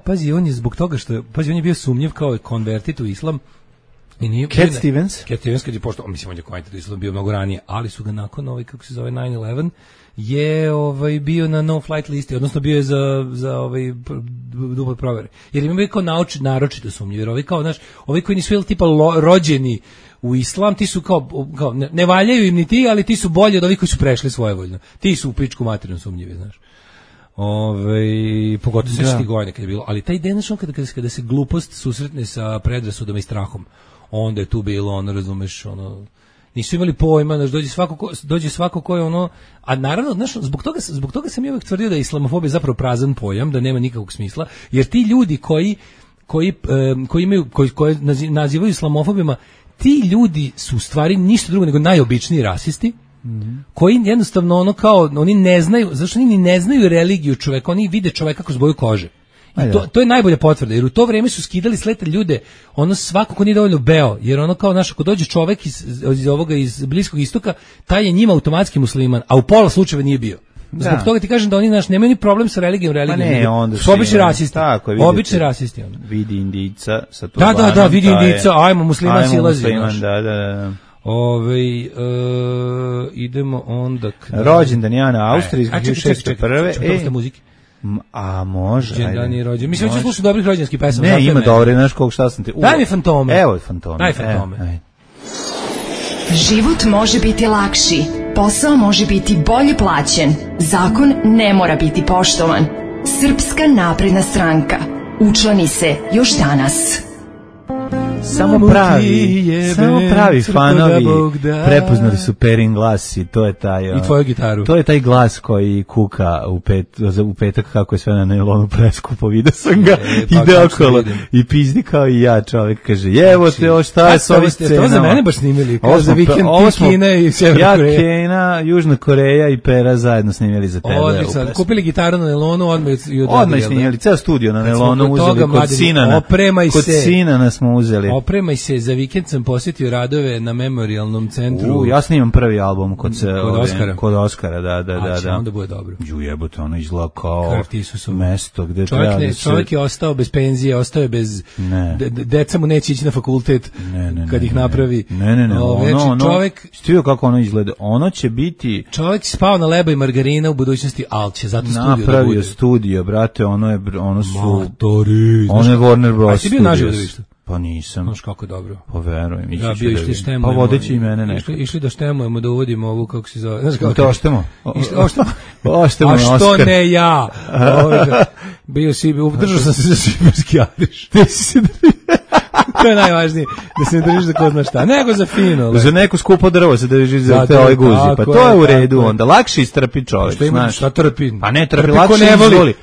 pazi, on je zbog toga što, on je bio sumnjiv kao konvertit u islam. Cat Stevens kad je pošto, mislim, on je konvertit u islam bio mnogo ranije, ali su ga nakon 9/11 je bio na no flight listi, odnosno bio je za duple provere. Jer im je kao naročito sumnjiv, jer ovi koji nisu tipa rođeni u islam, ti su kao ne valjaju im ni ti, ali ti su bolji od ovih koji su prešli svojevoljno. Ti su u pičku materinu sumnjivi, znaš. Pogotovo sve godine kad je bilo, ali taj den kada se glupost susretne sa predrasudama i strahom, onda je tu bilo, razumeš, nisu imali pojma, dođe svako ko je a naravno, znaš, zbog toga sam ja uvijek tvrdio da je islamofobija zapravo prazan pojam, da nema nikakvog smisla, jer ti ljudi koji nazivaju islamofobima, ti ljudi su u stvari ništa drugo nego najobičniji rasisti, koji jednostavno oni ne znaju, zašto oni ne znaju religiju čoveka, oni vide čoveka kroz boju kože. I to je najbolja potvrda, jer u to vreme su skidali s leta ljude, ono svako ko nije dovoljno beo, jer ono kao naš, ako dođe čovek iz Bliskog istoka, taj je njima automatski musliman, a u pola slučajeva nije bio. Zbog toga ti kažem da oni nemaju ni problem sa religijom, su obični rasisti. Tako, obični rasisti. Vidi Indica sa turbanom. Da, vidi Indica, ajmo musliman silazi. Da. Idemo onda rođendan Jana Austrije iz 1601. Čekaj, muzike. A može. Đendani rođen. Mislim da slušam dobrih rođendanskih pesama. Ne, ima dobre, znaš koliko šta sam ti. Daj mi fantome. Evo fantome. Daj fantome. Život može biti lakši, posao može biti bolje plaćen, zakon ne mora biti poštovan. Srpska napredna stranka. Učlani se još danas. Samo pravi fanovi prepoznali su Perin glas i to je taj i tvoju gitaru. To je taj glas koji kuka u petak kako je sve na nailonu preskupo, vidio sam ga ide okolo i pizdi kao i ja, čovjek kaže jevo te ovo šta je s ovih scena. To za mene baš snimili, kao za vikend Kina i Sjeverna Koreja. Ja, Kina, Južna Koreja i Pera zajedno snimili za tebe. Odlično, kupili gitaru na nailonu, odmah snimili, ceo studio na nailonu uzeli kod Sinana. Kod Sinana smo uzeli. Opremaj se, za vikend sam posjetio radove na memorialnom centru. Ja snimam prvi album kod Oskara. Kod Oskara, da. Onda bude dobro. Jebote, ono izgleda kao mesto gde treba da se... Čovjek je ostao bez penzije, ostao je bez... Deca mu neće ići na fakultet kad ih napravi. Ne. Stivio kako ono izgleda. Ono će biti... Čovjek spao na leba i margarina u budućnosti, ali će zato studio da bude. Napravio studio, brate, ono su... Matori. Ono je Warner Bros. A si bio naživo da vidiš to? Pa nisam. Znaš kako dobro. Pa verujem. Ja bio išli štemo. Pa vodeći i mene neko. Išli da štemujemo, da uvodimo ovu, kako se zove. Znaš kako? To oštemo. Oštemo. A što ne ja? Bio si, držao sam se za šiberski Ariš. To je najvažnije, da se ne držiš za ko zna šta, nego za fino. Za neko skupo drvo se držiš za te ove guzi, pa to je u redu onda. Lakše istrpi čovjek, znaš. Šta trpi? Pa ne trpi, lakše izvoli.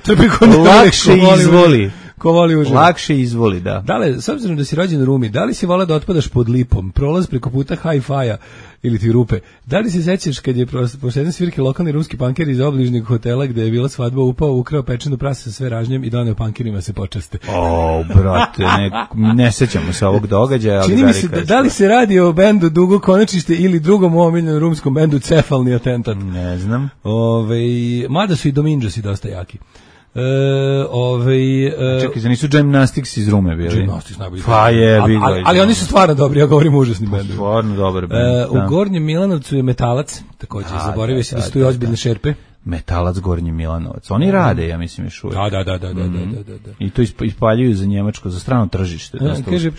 Lakše izvoli. Ko voli uživo. Lakše izvoli, da. Dale, s obzirom da si rođen u Rumi, da li si volao da otpadaš pod lipom, prolaz preko puta hi-fi-a ili ti rupe? Da li se sećaš kad je posle jedne svirke lokalni rumski panker iz obližnjeg hotela gde je bila svadba upao, ukrao pečenu prase sa sve ražnjem i doneo pankerima se počaste? Brate, ne sećamo se ovog događaja. Čini mi se, da li se radi o bendu Dugo Konačište ili drugom omiljenom rumskom bendu Cefalni atentat? Ne znam. Mada su i Dominđosi dosta jaki. Čekaj, za nisu Gymnastics iz Rume bili? Gymnastics najbolji. Pa je, ali oni su stvarno dobri, ja govorim užasni bend. Stvarno dobar bend. U Gornjem Milanovcu je Metalac, također zaboravio se da stoji ozbiljne šerpe. Metalac Gornji Milanovac. Oni rade, ja mislim, još uvijek. Da. I to ispaljuju za Njemačko, za strano tržište. Kaže,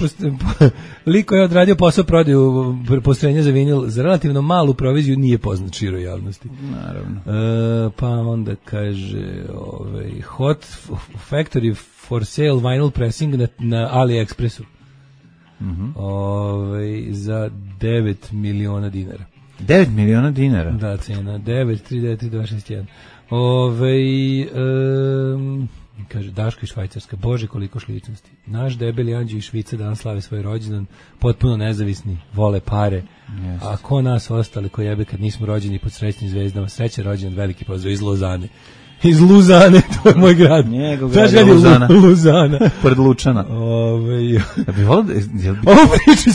liko je odradio posao prodaju postrojenja za vinil, za relativno malu proviziju nije poznat široj javnosti. Naravno. Pa onda kaže, Hot Factory for Sale Vinyl Pressing na AliExpressu. Za 9 miliona dinara. 9 miliona dinara? Da, cena. 9,39261. Kaže, Daška iz Švajcarska. Bože, koliko šličnosti. Naš debeli anđeo iz Švice danas slave svoj rođendan. Potpuno nezavisni. Vole pare. Yes. A ko nas ostali ko jebe kad nismo rođeni pod srećnim zvezdama? Sreće rođendan, veliki pozdrav iz Lozane. Iz Luzane, to je moj grad. Njegov grad je Luzana. Luzana. Pored Lučana.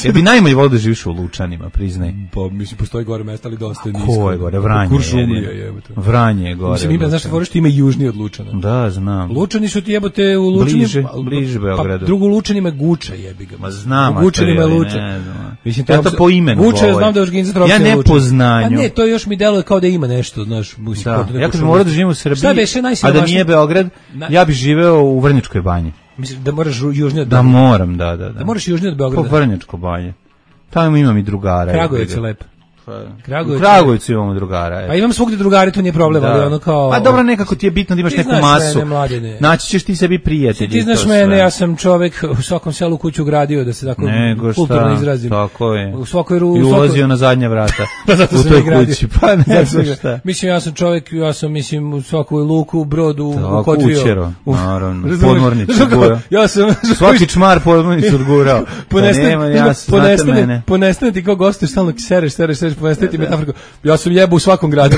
Ja bi najmanje volio da živiš u Lučanima, priznaj. Pa, mislim, postoji gore mesta, ali dosta je nisko. Ko je gore? Vranje je. Vranje je gore. Mislim, znaš što ima južniji od Lučana. Da, znam. Lučani su ti jebote u Lučanima. Bliže Beogradu. Pa, drugo Lučanima je Guča, jebi ga. Ma znam, u Gučanima je Lučan. Ja to po imenu Guča, ja znam da je organizator opšte Lučan. Ja ne po znanju. Pa ne, to još mi deluje kao da ima nešto, znaš. Ja kad moram da živim u Srbiji, a da nije Beograd, ja bih živeo u Vrnjačkoj banji. Mislim da moraš južnije od Beograda. Da moram, da. Da moraš južnije od Beograda. Po Vrnjačkoj banji. Tamo imam i drugara. Kragujevac je lep. U Kragujevcu imamo drugara. Pa imam svugde drugari, to nije problem, ali ono kao... Pa dobro, nekako ti je bitno da imaš neku masu. Naći ćeš ti sebi prijatelji. Ti znaš mene, ja sam čovek u svakom selu kuću gradio, da se tako kulturno izrazim. Tako je. I ulazio na zadnja vrata u toj kući. Pa ne znam šta. Mislim, ja sam čovek, mislim u svakoj luku, brodu, u Kotvio. Kućero, naravno. Podmornicu gurao. Svaki čmar podmornicu odgurao. Ponestane ti kao gostuješ, stalno sereš, ponestane ti metaforku. Ja sam jebo u svakom gradu.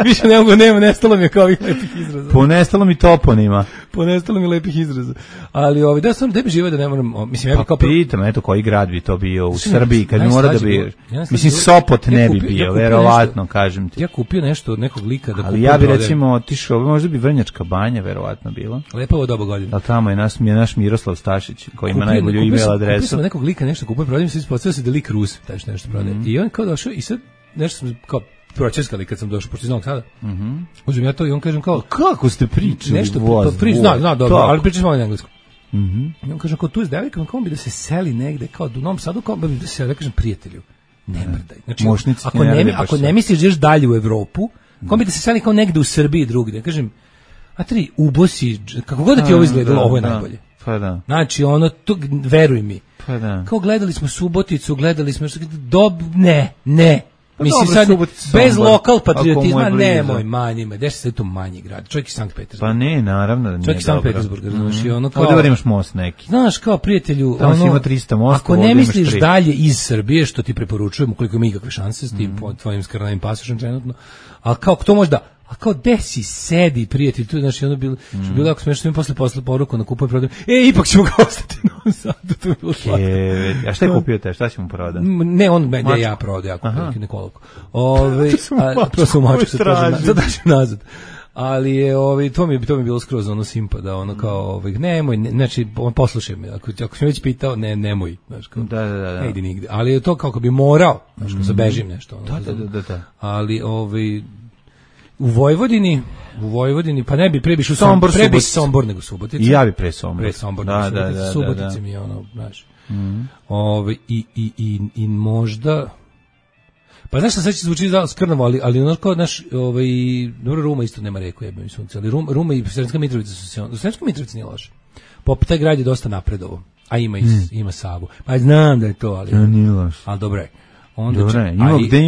Više nema, nestalo mi je kao ovih lepih izraza. Ponestalo mi toponima. Ponestalo mi lepih izraza. Ali da sam bi živo da ne moram, mislim ja pa kao pitam, eto koji grad bi to bio u Srbiji kad bi mora da bi. Mislim Sopot ne bi bio, verovatno, kažem ti. Ja kupio nešto od nekog lika da kupim. Ali ja bi recimo otišao, možda bi Vrnjačka Banja verovatno bila. Lepo doba godina. A tamo je naš Miroslav Stašić koji ima najbolju email adresu. Kupio sam nekog lika nešto kupio, prodajem se ispostavio se da lik Rus, taj nešto prodaje. I on kao došao i sad nešto sam kao pročeskali kad sam došao pošto iz Novog Sada. Uzmem ja to i on kažem kao kako ste pričali? Nešto zna dobro, ali pričali smo na engleskom. I on kaže kao tu je devojka, kao bi da se seli negde kao u Novom Sadu, kao bi da se, ja kažem prijatelju, ne mrdaj. Znači, ako ne misliš da ideš dalje u Evropu, kao bi da se seli kao negde u Srbiji drugdje. Kažem, a tri ubosi, kako god da ti ovo izgledalo, ovo je najbolje. Pa da. Znači, ono, veruj mi. Pa da. Kao gledali smo Suboticu, ne. Mislim sad, bez lokal patriotizma, nemoj manjima, gde se to manji grad, čovjek iz Sankt Petersburga. Pa ne, naravno da nije dobro. Čovjek iz Sankt Petersburga, znaš, i ono kao... Ovdje imaš most neki. Znaš, kao prijatelju, tamo si ima 300 mosta, ako ne misliš dalje iz Srbije, što ti preporučujem, ukoliko ima ikakve šanse s tim tvojim skrnavim pasošem trenutno, a kao to možda... A kao desi sedi prijatelj tu, znači ono bilo jako smešno, što mi posle poruku na kupujem prodajem. Ipak ćemo ga ostati na Novom Sadu, to je bilo slatko. A šta je kupio te? Šta si mu prodao? Ne, on mene ja prodao, ja kupio nekoliko. To sam mačku se tražim nazad. Ali je to mi bilo skroz ono simpa da ono kao nemoj, znači poslušaj me, ako si me već pitao, nemoj, znači kao. Da. Ne idi nigde. Ali je to kako bi morao, znači kao zabežim nešto. Da. Ali u Vojvodini, pa ne bi prebiš u Sombor nego Subotica. I ja bi pre Sombor. Da. Subotica mi je ono, znaš. I možda... Pa znaš šta sad će zvuči skrnavo, ali ono kao naš, dobro, Ruma isto nema reku, jebem sunce, ali Ruma i Sremska Mitrovica su se do Sremska Mitrovica nije loše. Taj grad je dosta napredovo, a ima Savu. Pa znam da je to, ali... Nije loše. Ali dobro je. Dobre, gde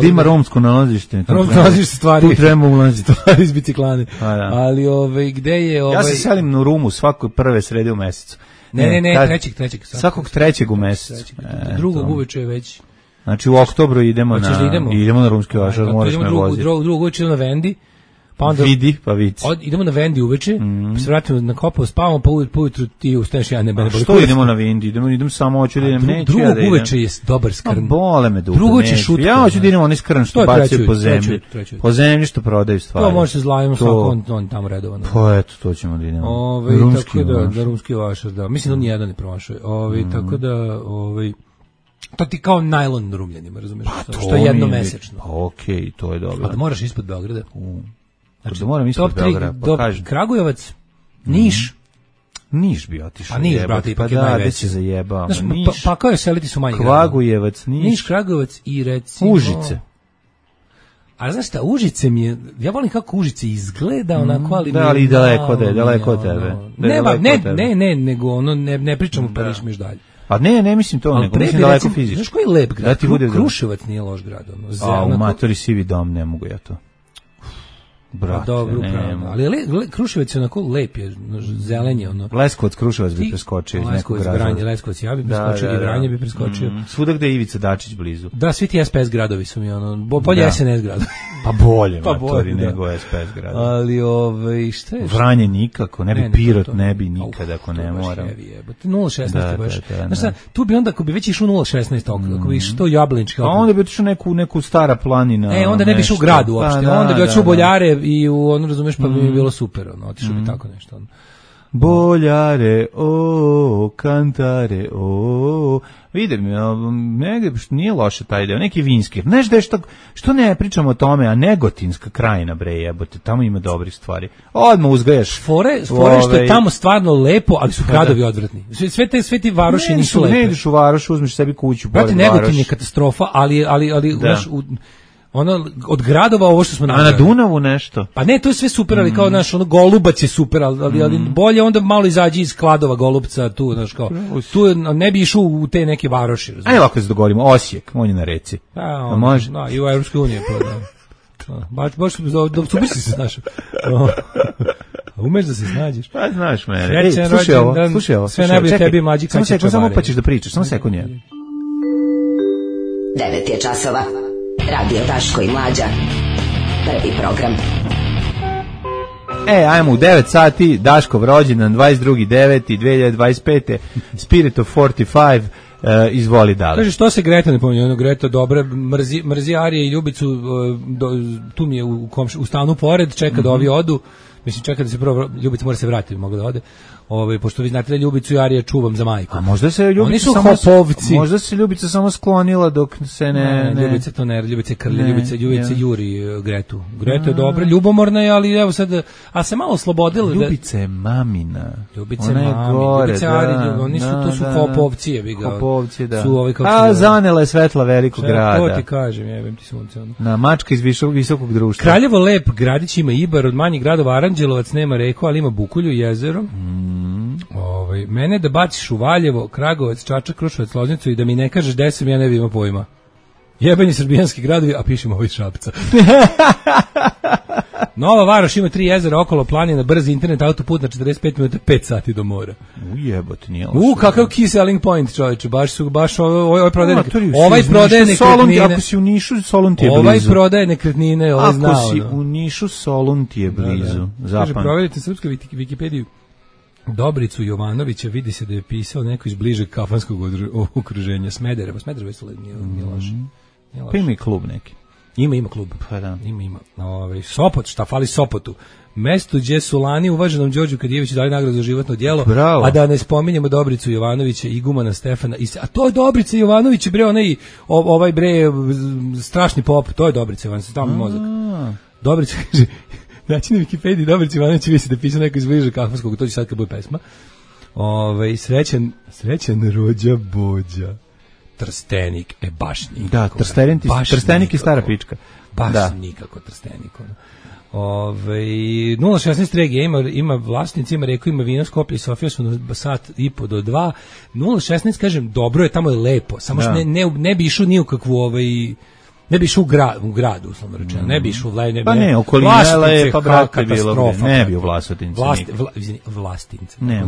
ima romsko nalazište. Romsko nalazište stvari. Tu treba ulaziti. Stvari iz biciklane. Ali gde je... Ja se selim na Rumu svakoj prve srede u mesecu. Ne, trećeg. Svakog trećeg u mesecu. Drugog uveče je već. Znači u oktobru idemo na Rumski Vašar, moraš me voziti. Drugog uveče idemo na Vendi. Pa onda vidi, pa vidi. Idemo na Vendi uveče, pa se vratimo na Kopovo, spavamo, pa ujutru ti ustaneš, ja ne boli. Što idemo na Vendi? Idem samo, hoću da idem, neću ja da idem. Drugog uveče je dobar skrn. Bole me dupe, drugo će šutka. Ja hoću da idem onaj skrn što bacaju po zemlji. Po zemlji što prodaju stvari. To može se zlajimo svako, on tamo redovano. Pa eto, to ćemo da idemo. Rumski Vašar, da. Mislim da on jedan ne promašuje. Tako da, to ti kao najlon na Rumljanima, razumiješ? Što je jednomesečno. Okej, to je dobro. A da moraš ispod Beograda. Znači, da moram ispod Beograda, pa kažem. Kragujevac, Niš. Niš bi otišao. A Niš, brate, ipak je najveći. Da, se zajebao. Pa kao je seliti su manji Kragujevac, Niš, Kragujevac i recimo... Užice. A znaš šta, Užice mi je, ja volim kako Užice izgleda, onako, ali... Da, ali daleko od tebe. Ne, nego ono, ne pričamo pa niš dalje. Pa ne mislim to, nego mislim daleko fizički. Znaš koji je lep grad? Kruševac nije loš grad. U matori sivi dom, ne mogu ja to. Brate, dobro, ali Kruševac je onako lep, je zelenje. Leskovac, Kruševac bi preskočio iz nekog razloga. Leskovac, ja bi preskočio, i Vranje bi preskočio. Svuda gde je Ivica Dačić blizu. Da, svi ti SPS gradovi su mi, bolje SNS gradovi. Pa bolje, matori, nego SPS gradovi. Ali, šta je? Vranje nikako, ne bi Pirot, ne bi nikad ako ne moram. 0,16 baš. Znaš šta, tu bi onda, ako bi već išao 0,16, ako bi išao Jablinčki. A onda bi otišao neku Stara planina. Onda ne bi išao u grad uopšte, onda bi otišao u Boljare i razumeš, pa bi mi bilo super, otišao bi tako nešto. Boljare, kantare, vidim, negdje nije loše taj deo, neki vinski. Znaš da je što ne pričamo o tome, a Negotinska krajina, bre, jebote, tamo ima dobrih stvari. Odmah uzgajaš. Fore što je tamo stvarno lepo, ali su gradovi odvratni. Sve ti varoši nisu lepe. Ne ideš u varoš, uzmeš sebi kuću. Brate, Negotin je katastrofa, ali od gradova ovo što smo napravili. A na Dunavu nešto? Pa ne, to je sve super, ali kao Golubac je super, ali bolje onda malo izađi iz Kladova, Golubca, tu, znaš kao, tu ne bi išao u te neke varoši. Ajde ovako se dogovorimo, Osijek, on je na reci. Pa može? Da, i u Evropskoj uniji. Baš super si se znaš. Umeš da se snađeš. Pa znaš mene. Slušaj ovo. Sve najbolje tebi mlađi kad će čavari. Samo pa ćeš da pričaš, samo sekund je. 9 je časova. Radio Daško i Mlađa. Prvi program. Ajmo u 9 sati, Daškov rođendan, 22.9.2025. Spirit of 45, izvoli dalje. Kaže, što se Greta ne pominje? Ono, Greta dobra, mrzi Arije i Ljubicu, tu mi je u stanu pored, čeka da ovi odu. Mislim, čeka da se prvo, Ljubica mora se vratiti, mogu da ode. Pošto vi znate da Ljubicu i Arije čuvam za majku. A možda se Ljubica oni su samo hopovci. Možda se Ljubica samo sklonila dok se ne. Ljubica to ne, Ljubica krlja, Ljubica juri Gretu. Greta je dobra, ljubomorna je, ali evo sad, a se malo oslobodila. Ljubica je mamina. Ljubica je mami, Ljubica je Arije, oni su, to su hopovci, jebi ga. Hopovci, da. Su ovi, zanela je svetla velikog grada. To ti kažem, jebem ti sunce. Na mačka iz visokog društva. Kraljevo lep, gradić ima Ibar, od manjih gradova Aranđelovac nema reku, ali ima Bukulju i jezero. Mene da baciš u Valjevo, Kragovac, Čačak, Kruševac, Loznicu i da mi ne kažeš gde sam, ja ne bi imao pojma. Jebanje srbijanski gradovi, a pišemo ovo iz Šapca. Nova Varoš ima 3 jezera, okolo planina, brzi internet, autoput na 45 minuta, 5 sati do mora. Ujebote, nije loše. Kakav key selling point, čovječe, baš ovaj prodaje nekretnine. Ako si u Nišu, Solun ti je blizu. Ovaj prodaje nekretnine, ovaj znao. Ako si u Nišu, Solun ti je blizu. Kaže, provjerite srpsku Wikipediju. Dobricu Jovanovića vidi se da je pisao neko iz bližeg kafanskog okruženja Smedereva. Smedereva nije loše. Pa ima i klub neki. Ima klub. Pa da. Ima. Sopot, šta fali Sopotu? Mesto gdje su lani uvaženom Đorđu Kadijeviću dali nagradu za životno djelo, a da ne spominjemo Dobricu Jovanovića, igumana Stefana. A to je Dobrica Jovanović, bre, ovaj bre strašni pop, to je Dobrica Jovanović, tamo mozak. Dobrica, kaže, znači na Wikipediji Dobrica Jovanović vidi se da je pisao neko iz bližeg kafanskog, to će sad kad bude pesma. Srećan rođa Bođa. Trstenik, baš nikako. Da, Trstenik je stara pička. Baš nikako Trstenik. 016 regija ima vlasnici, ima reku, ima vino, Skoplje i Sofija su na sat i po do 2. 016, kažem, dobro je, tamo je lepo. Samo što ne bi išao ni u kakvu ne bi išao u gradu, uslovno rečeno. Ne bi išao u Vlaj, pa ne, okolina je lepa, brate, bilo ne bi u Vlasotinci. Vlastince. Ne,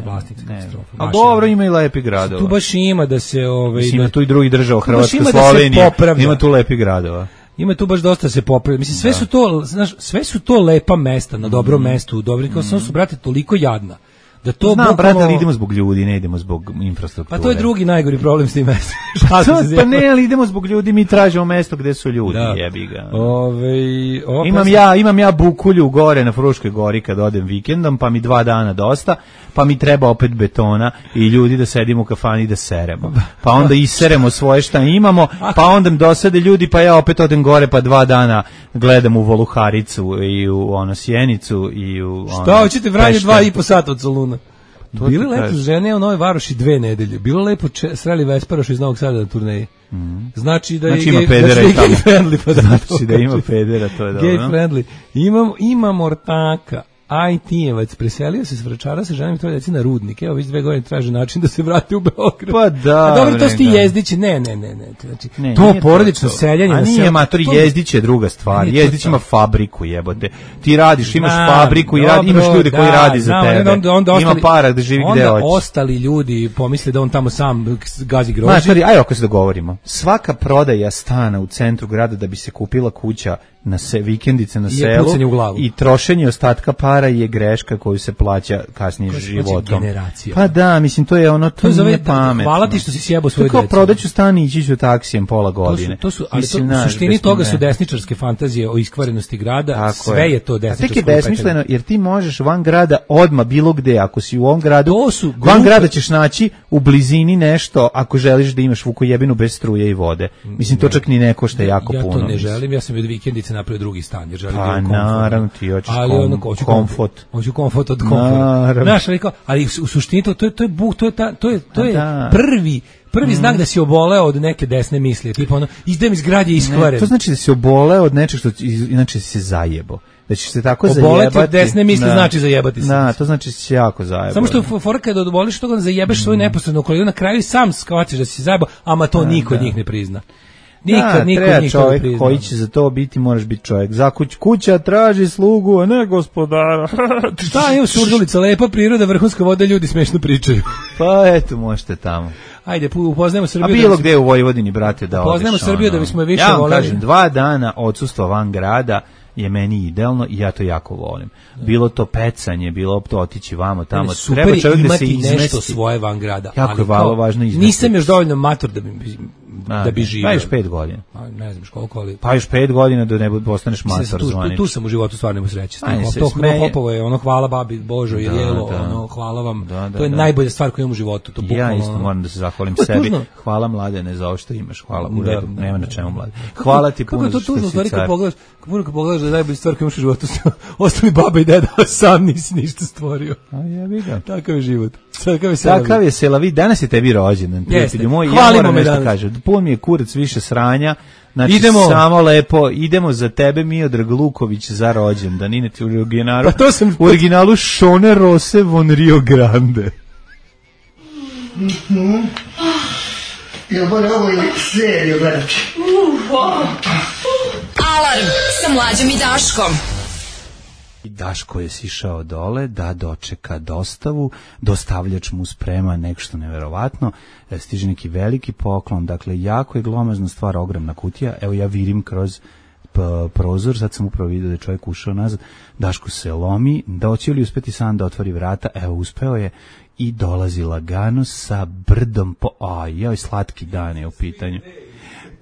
Vlastince katastrofa. A dobro, ima i lepi gradova. Tu baš ima da se... Ima tu i drugi država, Hrvatska, Slovenija, ima tu lepi gradova. Ima tu baš dosta se popravlja. Mislim, sve su to lepa mesta, na dobrom mestu, u dobrim, kao samo su, brate, toliko jadna. Da to brate, ali idemo zbog ljudi, ne idemo zbog infrastrukture. Pa to je drugi najgori problem s tim mestom. Pa ne, ali idemo zbog ljudi, mi tražimo mesto gde su ljudi, jebi ga. Imam ja Bukulju gore na Fruškoj gori kad odem vikendom, pa mi 2 dana dosta, pa mi treba opet betona i ljudi da sedimo u kafani da seremo. Pa onda iseremo svoje šta imamo, pa onda dosade ljudi, pa ja opet odem gore, pa 2 dana gledam u Voluharicu i u Sjenicu i u... Šta hoćete, Vranje 2,5 sata od Soluna? Bili lepo žene u Novoj Varoši 2 nedelje. Bilo lepo sreli Vesparoš iz Novog Sada na turneji. Znači da ima pedera i tamo. Friendly, znači da ima pedera, to je dobro. Gay friendly. Imam ortaka. IT-evac preselio se s Vračara sa ženom i 3 dece na Rudnik. Evo, već 2 godine traže način da se vrati u Beograd. Pa da. A dobro, to su ti Jezdići. Ne. Znači, to porodično seljanje. A nije, matori, Jezdić je druga stvar. Jezdić ima fabriku, jebote. Ti radiš, imaš fabriku i imaš ljude koji radi za tebe. Ima para da živi gde hoće. Onda ostali ljudi pomisle da on tamo sam gazi grožđe. Matori, ajde ako se dogovorimo. Svaka prodaja stana u centru grada da bi se kupila kuća na vikendice na selu i trošenje ostatka para je greška koju se plaća kasnije životom. Pa da, mislim, to je ono, to nije pametno. Hvala ti što si sjebao svoje djece. Tako prodaću stan i ići ću taksijem pola godine. Ali u suštini toga su desničarske fantazije o iskvarenosti grada, sve je to desničarsko. Tek je besmisleno, jer ti možeš van grada odmah bilo gde, ako si u ovom gradu, van grada ćeš naći u blizini nešto, ako želiš da imaš Vukojebinu bez struje i vode. Mislim, to čak ni ne košta jako puno. Ja to ne želim, ja sam od vikendice napravio drugi stan, jer želim komfort. Naravno, ti hoćeš komfort. Hoću komfort od komfort. Znaš, ali u suštini to je prvi znak da si oboleo od neke desne misli, tipa ono, izdem iz grad je iskvaren. To znači da si oboleo od nečeg što inače si se zajebo. Da ćeš se tako zajebati. Oboleti od desne misli znači zajebati se. Da, to znači da si jako zajebao. Samo što fora kada oboliš toga da zajebeš svoju neposrednu okolinu, na kraju sam shvatiš da si zajebao, ama to niko od njih ne prizna. Nikad treba čovjek koji će za to biti, moraš biti čovjek. Kuća traži slugu, a ne gospodara. Šta je u Surdulica, lepa priroda, vrhunska voda, ljudi smešno pričaju. Pa eto, možete tamo. Ajde, upoznajmo Srbiju. A bilo gde u Vojvodini, brate, da odeš. Upoznajmo Srbiju da bismo je više voleli. Ja vam voleli. kažem, 2 dana odsustva van grada je meni idealno i ja to jako volim. Bilo to pecanje, bilo to otići vamo tamo. Super, treba čovjek da se imati nešto svoje van grada. Jako je važno izmestiti. Nisam još dovoljno mator da bi živio. Pa još 5 godina. Ne znam koliko, ali... Pa još 5 godina da ne postaneš mator zvanič. Tu sam u životu stvarno imao sreće. To Hopovo je ono hvala babi Božo i jelo, ono hvala vam. To je najbolja stvar koju imam u životu. Ja isto moram da se zahvalim sebi. Hvala Mladene za ovo što imaš. Hvala u redu, nema na čemu Mladene. Hvala ti puno za što si car. Kako pogledaš da je najbolja stvar koju imaš u životu, ostali baba i deda, sam nisi ništa stvorio. A jebi ga. Takav je život. Takav je selavi. Danas je tebi rođendan, prijatelju moj. Ja moram nešto kažem. Pun mi je kurac više sranja. Znači, samo lepo, idemo za tebe, Miodrag Luković, za rođendan. Inače, u originalu Šone Rose von Rio Grande. Jel bolje ovo ili seriju gledati? Alarm sa Mlađom i Daškom. Daško je sišao dole da dočeka dostavu, dostavljač mu sprema nešto neverovatno, stiže neki veliki poklon, dakle jako je glomazna stvar, ogromna kutija, evo ja vidim kroz prozor, sad sam upravo vidio da je čovjek ušao nazad, Daško se lomi, da hoće li uspeti sam da otvori vrata, evo uspeo je i dolazi lagano sa brdom joj, slatki dan je u pitanju.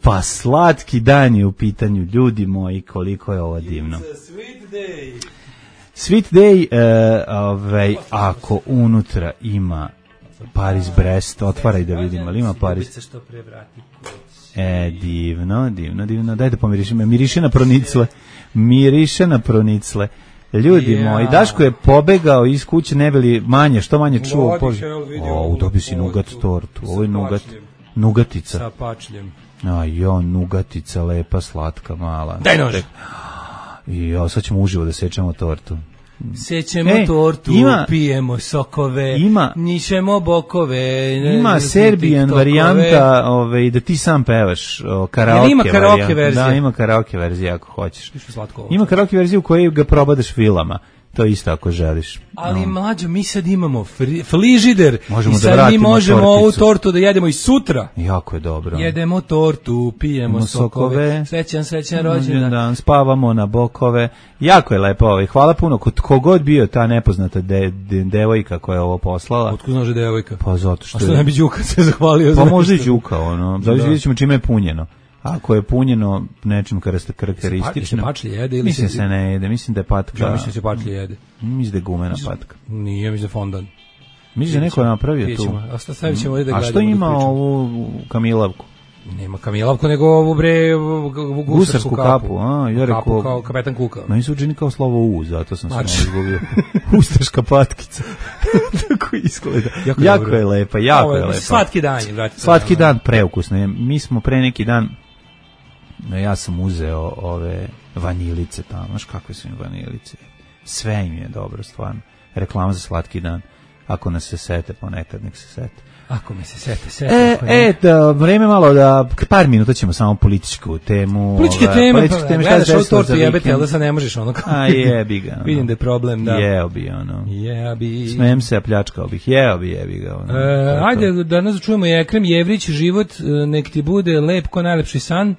Pa slatki dan je u pitanju, ljudi moji, koliko je ovo divno. Sweet Day, ako unutra ima Paris-Brest, otvaraj da vidimo, ali ima Paris. Divno, daj da pomirišem, miriše na pronicle. Ljudi moji, Daško je pobegao iz kuće, ne bili manje, što manje čuo. Dobio si nugat tortu, ovo je nugatica. Sa pačljem. Nugatica, lepa, slatka, mala. Daj nož! Sad ćemo uživo da sečemo tortu. Sećemo tortu, pijemo sokove, nišemo bokove. Ima Serbian varijanta da ti sam pevaš karaoke. Ima karaoke verzija. Da, ima karaoke verzija ako hoćeš. Ima karaoke verziju u kojoj ga probadaš filama. To isto ako želiš. Ali Mlađo, mi sad imamo frižider možemo i sad mi možemo ovu tortu da jedemo i sutra. Jako je dobro. Jedemo tortu, pijemo sokove, srećan rođendan. Spavamo na bokove. Jako je lepo ovo. Hvala puno. Kogod bio ta nepoznata devojka koja je ovo poslala. Otkud znaš je devojka? Pa zato što... A što ne bi Đuka se zahvalio? Pa možda i Đuka, vidjet ćemo čime je punjeno. Ako je punjeno nečim karakteristično. Se pačlje jede ili mislim se ne jede, mislim da je patka. Ja mislim se pačlje jede. Mislim da je gumena patka. Nije, mislim da je fondan. Mislim da neko je napravio tu. A što ima ovu kamilavku? Nema kamilavku, nego ovu gusarsku kapu. Ja rekao, kao kapetan Kuka. Meni se učini kao slovo U, zato sam se malo izgubio. Ustaška patkica. Tako izgleda. Jako je lepa, jako je lepa. Slatki dan je, brate. Slatki dan, preukusno. Mi smo pre neki dan, ja sam uzeo ove vanilice tamo. Znaš kakve su im vanilice? Sve im je dobro, stvarno. Reklama za slatki dan. Ako nas se sete, ponekad nek se sete. Ako me se sete. Vreme malo da, par minuta ćemo samo političku temu. Političke teme, gledaš ovu tortu jebete, ali da sad ne možeš ono. A jebi ga. Vidim da je problem, da. Jeo bi ono. Smijem se, a pljačkao bih. Jebi ga. Ajde, danas čujemo i Ekrem Jevrić, život, nek ti bude lep ko najlepši san.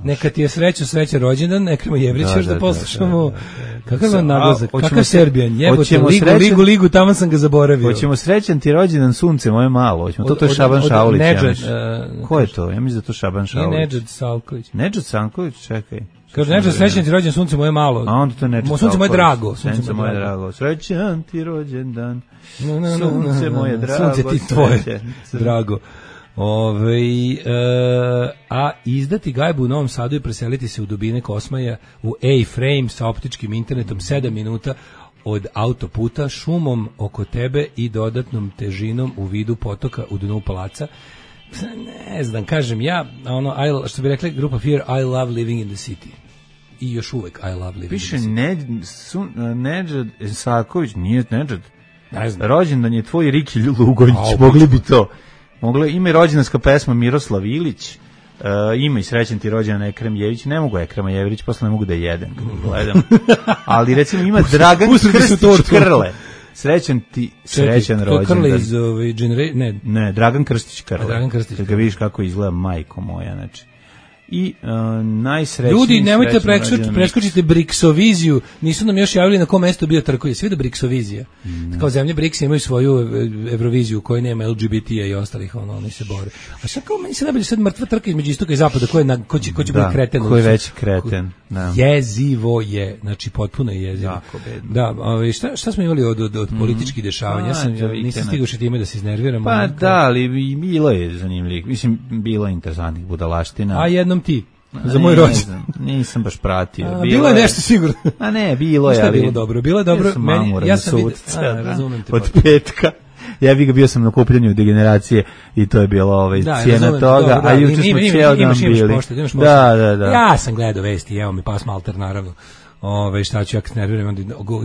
Neka ti je sreća rođendan, Ekrema Jevrića, još da poslušamo. Kakav vam naglazak, kakav Serbijan, jebote, ligu, tamo sam ga zaboravio. Hoćemo srećan ti rođendan, sunce moje malo, to je Šaban Šaulić. Ko je to? Ja mislim da to Šaban Šaulić. Nije Nedžad Salković. Nedžad Salković, čekaj. Kaže, Nedžad, srećan ti rođendan, sunce moje malo. A onda to je Nedžad Salković. Sunce moje drago. Sunce moje drago. Srećan ti rođendan, sunce moje drago. Sunce ti tvoje drago. A izdati gajbu u Novom Sadu i preseliti se u dubine Kosmaja u A-frame sa optičkim internetom 7 minuta od autoputa, šumom oko tebe i dodatnom težinom u vidu potoka u dnu palaca. Ne znam, kažem ja, što bi rekli grupa Fear, I love living in the city. I još uvek I love living in the city. Piše Nedžad Saković, nije Nedžad. Rođendan je tvoj Riki Lugonić, mogli bi to. Ima i rođendanska pesma Miroslav Ilić, Ima i srećan ti rođendan Ekrem Jević, ne mogu Ekrema Jevrić, posle ne mogu da jedem kad gledam. Ali recimo ima Dragan Krstić Krle. Srećan rođendan. To Krle iz Ne, Dragan Krstić Krle. Dragan Krstić. Kad ga vidiš kako izgleda, majko moja, znači. I najsrećniji... Ljudi, nemojte preskočite Briksoviziju. Nisu nam još javili na kom mestu bio trkuje. Svi da Briksovizija. Kao zemlje Briks imaju svoju Euroviziju u kojoj nema LGBT-a i ostalih, oni se bore. A sad kao meni se najbolje sad mrtva trka između istoka i zapada, ko će biti kreten. Ko je veći kreten. Jezivo je, znači potpuno je jezivo. Jako bedno. Da, šta smo imali od političkih dešavanja? Nisam stigao še time da se iznerviram. Pa da, ali bilo je zanimljivih. Mislim, bilo je interesantnih budalaština. A jednom ti, za moj rođendan. Nisam baš pratio. Bilo je nešto sigurno. A ne, bilo je. Šta je bilo dobro? Bilo je dobro. Ja sam razumem te. Od petka. Ja bio sam na kupljanju Degeneracije i to je bilo cijena toga, a juče smo cijel dan bili. Da. Ja sam gledao vesti, evo mi pas malter, naravno. Šta ću ja kad nerviram,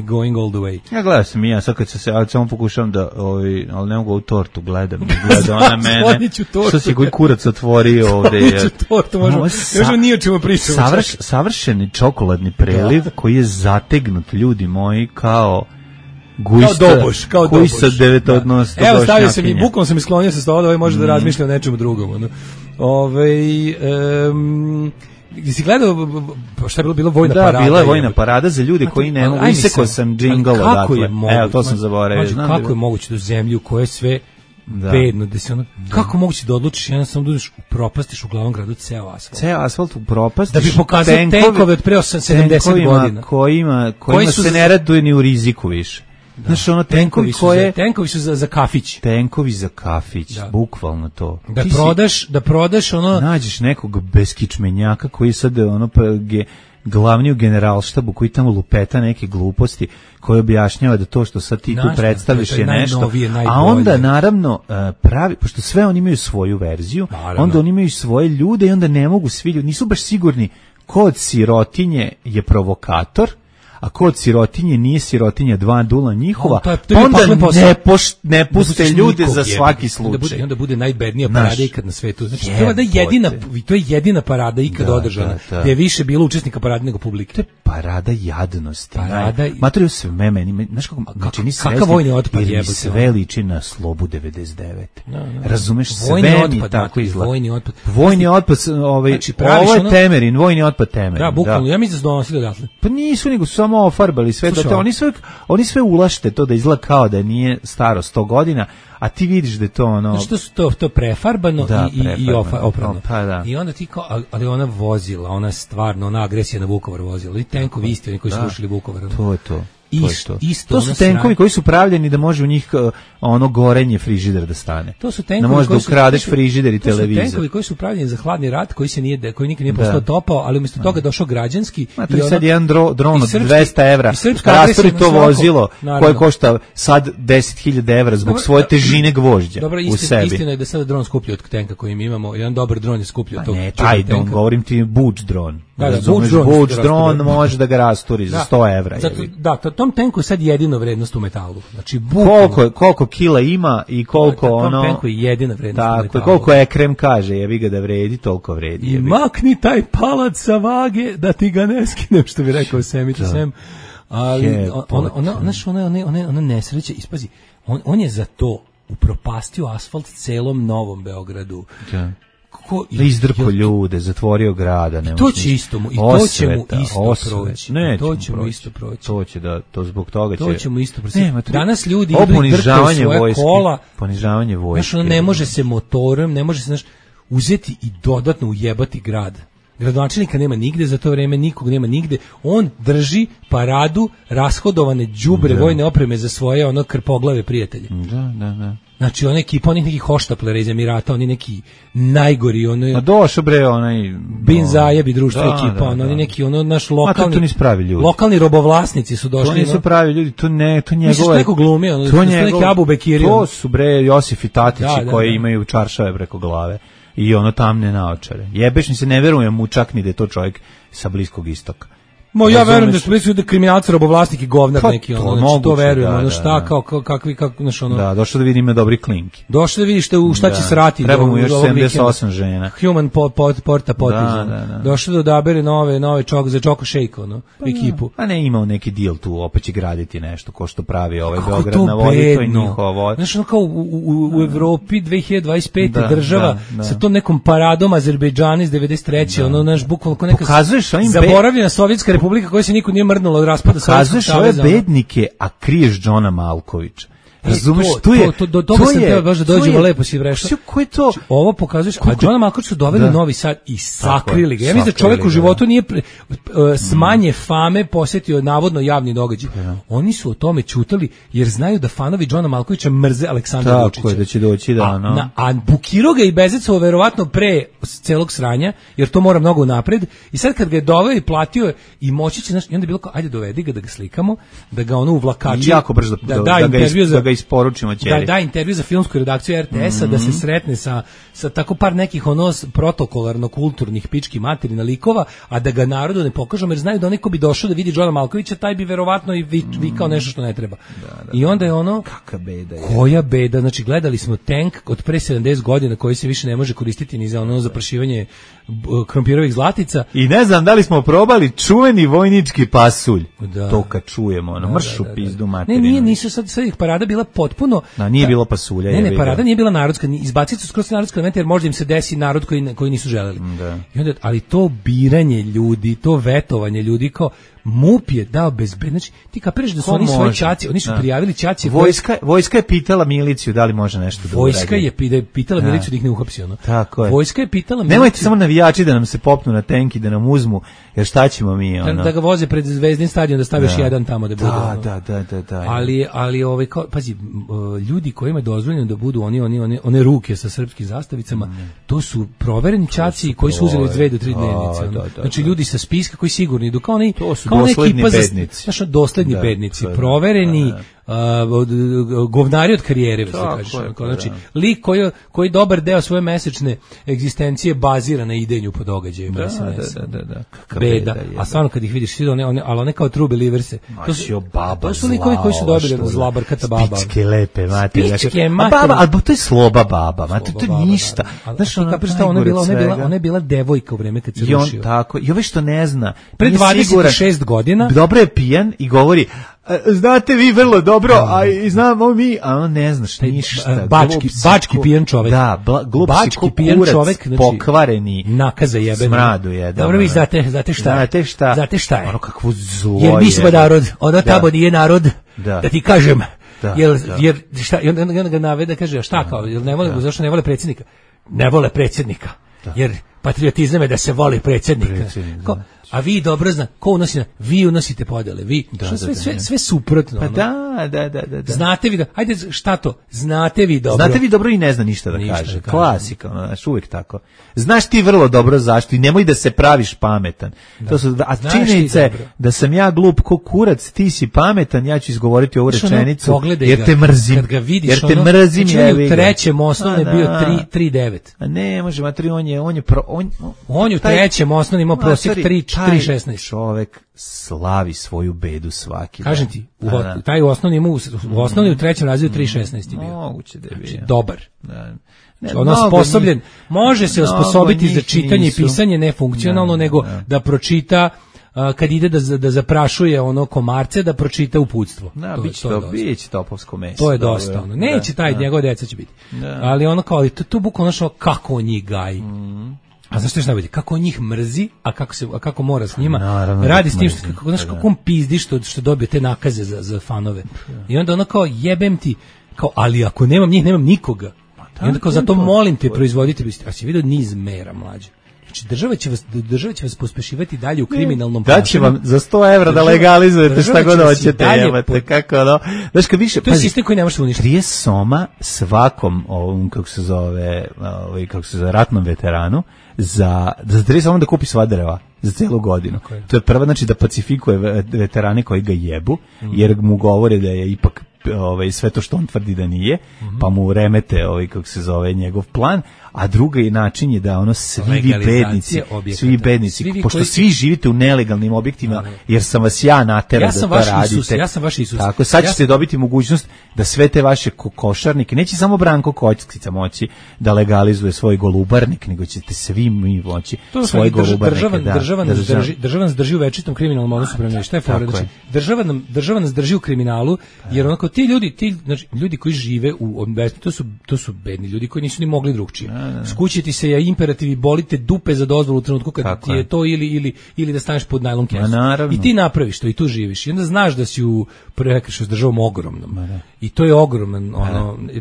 going all the way. Ja gledam sam i ja, sad kad se samo pokušavam da, ali ne mogu ovu tortu gleda ona mene. Što si koji kurac otvorio ovde. Otvorit ću tortu, možemo nije o čemu pričamo. Savršeni čokoladni preliv koji je zategnut, ljudi moji, kao doboš, kao koji sa devetodnost. Evo, stavio sam i bukom sam isklonio sa stola, da može da razmišlja o nečemu drugom. Si gledao šta je bilo vojna parada? Da, bila je vojna parada za ljude koji ne mogu. Isekao sam džingl odatle. Evo, to sam zaboravio. Kako je moguće da u zemlju koje je sve bedno, da se ono, kako moguće da odlučiš jedan samo da udeš upropastiš u glavnom gradu ceo asfalt? Ceo asfalt upropastiš? Da bi pokazao tenkove od pre 70 godina. Kojima se ne raduje ni u riziku više. Znaš, ono, tenkovi su za kafić. Tenkovi za kafić, bukvalno to. Da prodaš ono... Nađeš nekog beskičmenjaka koji sad glavni u generalštabu, koji tamo lupeta neke gluposti, koji objašnjava da to što sad ti tu predstaviš je nešto. A onda, naravno, pošto sve oni imaju svoju verziju, onda oni imaju svoje ljude i onda ne mogu svi ljudi, nisu baš sigurni ko od sirotinje je provokator, a ko od sirotinje nije sirotinja, dva dula njihova, onda ne puste ljude za svaki slučaj. I onda bude najbednija parada ikad na svetu. Znači, to je jedina parada ikad održana, gdje je više bilo učesnika parade nego publike. To je parada jadnosti. Materiju sve meni, znaš kako čini srećni, jer mi sve liči na Slobu 99. Razumeš, sve mi tako izgleda. Vojni otpad, ovo je Temerin, vojni otpad Temerin. Da, bukvalno, ja mislim da su donosili odatle. Pa nisu, nego su samo ofarbali sve, oni sve ulašte to da izgleda kao da nije staro 100 godina, a ti vidiš da je to ono... Što su to prefarbano i oprano. Pa da. I onda ti kao, ali ona vozila, ona stvarno, ona agresija na Vukovar vozila, i tenkovi isti, oni koji su rušili Vukovar. To je to. To su tenkovi koji su pravljeni da može u njih ono gorenje frižider da stane. To su tenkovi koji su ukradeš frižider i televizor. To su tenkovi koji su pravljeni za hladni rat, koji nikad nije postao topao, ali umjesto toga došao građanski. I sad jedan dron od 200 evra rasturi to vozilo koje košta sad 10.000 evra zbog svoje težine gvožđa u sebi. Istina je da sada dron skuplji od tenka koji mi imamo. Jedan dobar dron je skuplji od tog tenka. Taj dron, govorim ti Buč dron. Buč dron može da ga rasturi za 100 evra. Da, tom tenku je sad jedino vrednost u metalu. Znači, koliko kila ima i koliko ono... Tom tenku je jedina vrednost u metalu. Koliko Ekrem kaže, jebi ga da vredi, toliko vredi. I makni taj palac sa vage da ti ga ne skinem, što bi rekao Semica Sem. Ali ona nesreća, ispazi, on je za to upropastio asfalt celom Novom Beogradu. Izdrpo ljude, zatvorio grada. To će isto proći. To zbog toga će... To ćemo isto proći. Danas ljudi drkaju svoje kola. Ponižavanje vojske. Znaš, ne može se motorom, ne može se uzeti i dodatno ujebati grad. Gradonačelnika nema nigde, za to vreme nikog nema nigde. On drži paradu rashodovane đubre vojne opreme za svoje krpoglave prijatelje. Da. Znači, ona ekipa, onih nekih hoštaplera iz Emirata, oni neki najgori, A došao bre, onaj... Bin Zajebi društvo ekipa, oni neki, naš lokalni robovlasnici su došli. To nisu pravi ljudi, to njegove... Misliš neko glumi, to neki Abu Bekiri. To su bre Josif i Tatići koji imaju čaršave preko glave i tamne naočare. Jebeš mi se, ne verujem mu čak ni da je to čovjek sa Bliskog istoka. Ja verujem da su bili da kriminalci, robovlasnik i govnar neki, ono, znači to verujem, ono šta, kao kakvi, znaš, ono. Da, došao da vidi ima dobri klinki. Došao da vidiš u šta će srati. Treba mu još 78 žena. Human porta potez. Došao da odabere nove za Choco Shake, ono, ekipu. A ne, imao neki deal tu, opet će graditi nešto, ko što pravi ovaj Beograd na vodi, to je njihovo. Znaš, ono kao u Evropi 2025. država sa tom nekom paradom Azerbejdžana iz 93. ono, naš bukvalno ko neka zaboravljena Sovjetska republika koja se niko nije mrdnula od raspada Sovjetskog saveza. Pokazuješ ove bednike, a kriješ Džona Malkovića. Razumeš, do toga sam teo baš da dođemo, lepo si vrešao. Ko je to? Ovo pokazuješ, a Džona Malkovića su doveli u Novi Sad i sakrili ga. Ja mislim da čovjek u životu nije smanje fame posjetio navodno javni događaj. Oni su o tome ćutali jer znaju da fanovi Džona Malkovića mrze Aleksandra Vučića. Tako je, da će doći a bukirao ga i Bezecovo verovatno pre celog sranja, jer to mora mnogo napred. I sad kad ga je doveo i platio i moći će, znaš, i onda je bilo kao, ajde dovedi ga da ga slikamo, da ga ono uvlakači, jako brzo da ga isporučimo ćeri. Da intervju za filmsku redakciju RTS-a, da se sretne sa tako par nekih protokolarno-kulturnih pički materina likova, a da ga narodu ne pokažemo, jer znaju da onaj ko bi došao da vidi Džona Malkovića, taj bi verovatno i vikao nešto što ne treba. I onda je ono, kakva beda je. Koja beda, znači gledali smo tank od pre 70 godina koji se više ne može koristiti ni za ono zaprašivanje krompirovih zlatica. I ne znam da li smo probali čuveni vojnički pasulj. To kad čujemo, ono, mršu pizdu materinu. Nisu sad ih parada bila potpuno. Nije bilo pasulja. Ne, parada nije bila narodska, izbacili su skroz narodska elementa jer možda im se desi narod koji nisu želeli. I onda, ali to biranje ljudi, to vetovanje ljudi, kao MUP je dao bezbedno. Znači, ti kapiraš da su oni svoje ćaci, oni su prijavili ćaci. Vojska je pitala miliciju da li može nešto da uradi. Vojska je pitala miliciju da ih ne uhapsi, ono. Tako je. Vojska je pitala miliciju. Nemojte samo navijači da nam se popnu na tenk i da nam uzmu, jer šta ćemo mi, ono. Da ga voze pred Zvezdin stadion, da staviš jedan tamo da bude. Da. Ali pazi, ljudi kojima je dozvoljeno da budu one ruke sa srpskim zastavicama, to su provereni ćaci koji su uzeli 2 do 3 dnevnice. Znači ljudi sa spiska koji sigurno idu kao oni, kao ekipa za dosledni bednici, provereni govnari od karijere, znači lik koji dobar deo svoje mesečne egzistencije bazira na idenju po događaju. Beda. A stvarno kad ih vidiš, ali one kao true believerse, to su likovi koji su dobili zla barkata baba. Spičke lepe, mate. Baba, ali to je sloba baba, mate, to je ništa. Znaš, ona je bila devojka u vreme kad se rušio. Tako, i ove što ne zna. Pre 26 godina. Dobro je pijan i govori, znate vi vrlo dobro, a i znamo mi, a on ne znaš ništa. Bački pijan čovek. Da, bački pijan čovek, pokvareni, nakaza jebeni. Smradu jedan. Dobro, vi znate šta je. Ono kakvo zlo. Jer mi smo narod, ono tamo nije narod, da ti kažem. Jer šta, i onda ga navede, kaže, šta kao, zašto ne vole predsjednika? Ne vole predsjednika, jer patriotizam je da se voli predsjednika. A vi dobro zna, ko unosi, vi unosite podele, vi, sve suprotno. Pa da. Znate vi, ajde, šta to? Znate vi dobro. Znate vi dobro i ne zna ništa da kaže. Klasika, znaš, uvijek tako. Znaš ti vrlo dobro zašto i nemoj da se praviš pametan. A činjenica je da sam ja glup ko kurac, ti si pametan, ja ću izgovoriti ovu rečenicu, jer te mrzim. Kad ga vidiš, jer te mrzim, u trećem osnovne bio 3.9. A ne, može, matri, on je u trećem osnovne imao prosjek 3.16. Čovek slavi svoju bedu svaki dan. Kažem ti, taj u osnovni u trećem razredu 3.16 je bio. Moguće da je bio. Dobar. Osposobljen. Može se osposobiti za čitanje i pisanje nefunkcionalno, nego da pročita kad ide da zaprašuje ono komarce, da pročita uputstvo. Biće topovsko meso. To je dosta. Neće taj, njegove deca će biti. Ali ono kao, to bukvalno kako on njih gaji. A znaš što je najbolje? Kako on njih mrzi, a kako mora s njima, radi s tim, kako on pizdi što dobije te nakaze za fanove. I onda ono kao, jebem ti, kao, ali ako nemam njih, nemam nikoga. I onda kao, zato molim te proizvoditi, a si vidio niz mera, mlađe. Znači, država će vas pospešivati dalje u kriminalnom ponašanju. Da će vam za 100 evra da legalizujete šta god hoćete, jebate, kako ono. Znaš, kad više, to je sistem koji ne može uništiti. 30 soma svakom ovom, kako se zove, ratnom veteranu, za 30 soma da kupi sva drva za cijelu godinu. To je prva, znači da pacifikuje veterane koji ga jebu, jer mu govore da je ipak sve to što on tvrdi da nije, pa mu remete kako se zove njegov plan, a drugi način je da ono svi bednici, pošto svi živite u nelegalnim objektima, jer sam vas ja naterao da to radite. Ja sam vaš Isus. Tako, sad ćete dobiti mogućnost da sve te vaše košarnike, neće samo Branko Kockica moći da legalizuje svoj golubarnik, nego ćete svi mi moći svoj golubarnike. Država nas drži u večitom kriminalnom odnosu prema njoj. Šta je fora? Znači, država nas drži u kriminalu, jer onako ti ljudi koji žive u to su bedni ljudi koji nisu ni mogli drugčije. Skućiti se ja imperativ i bolite dupe za dozvolu u trenutku kad ti je to ili da staneš pod najlon kesu. I ti napraviš to i tu živiš. I onda znaš da si u prekršaju s državom ogromnom. I to je ogroman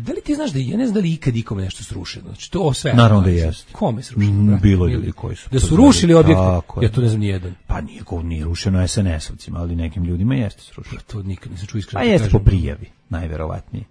da li ti znaš da ja ne znam da li ikad ikome nešto srušeno. Znači to sve. Naravno da jeste. Kome srušeno? Bilo ljudi koji su. Da su rušili objekte. Ja to ne znam ni jedan. Pa nije rušeno SNS-ovcima, ali nekim ljudima jeste srušeno. To nikad nisam čuo iskreno. A jeste po prijavi, najverovatnije.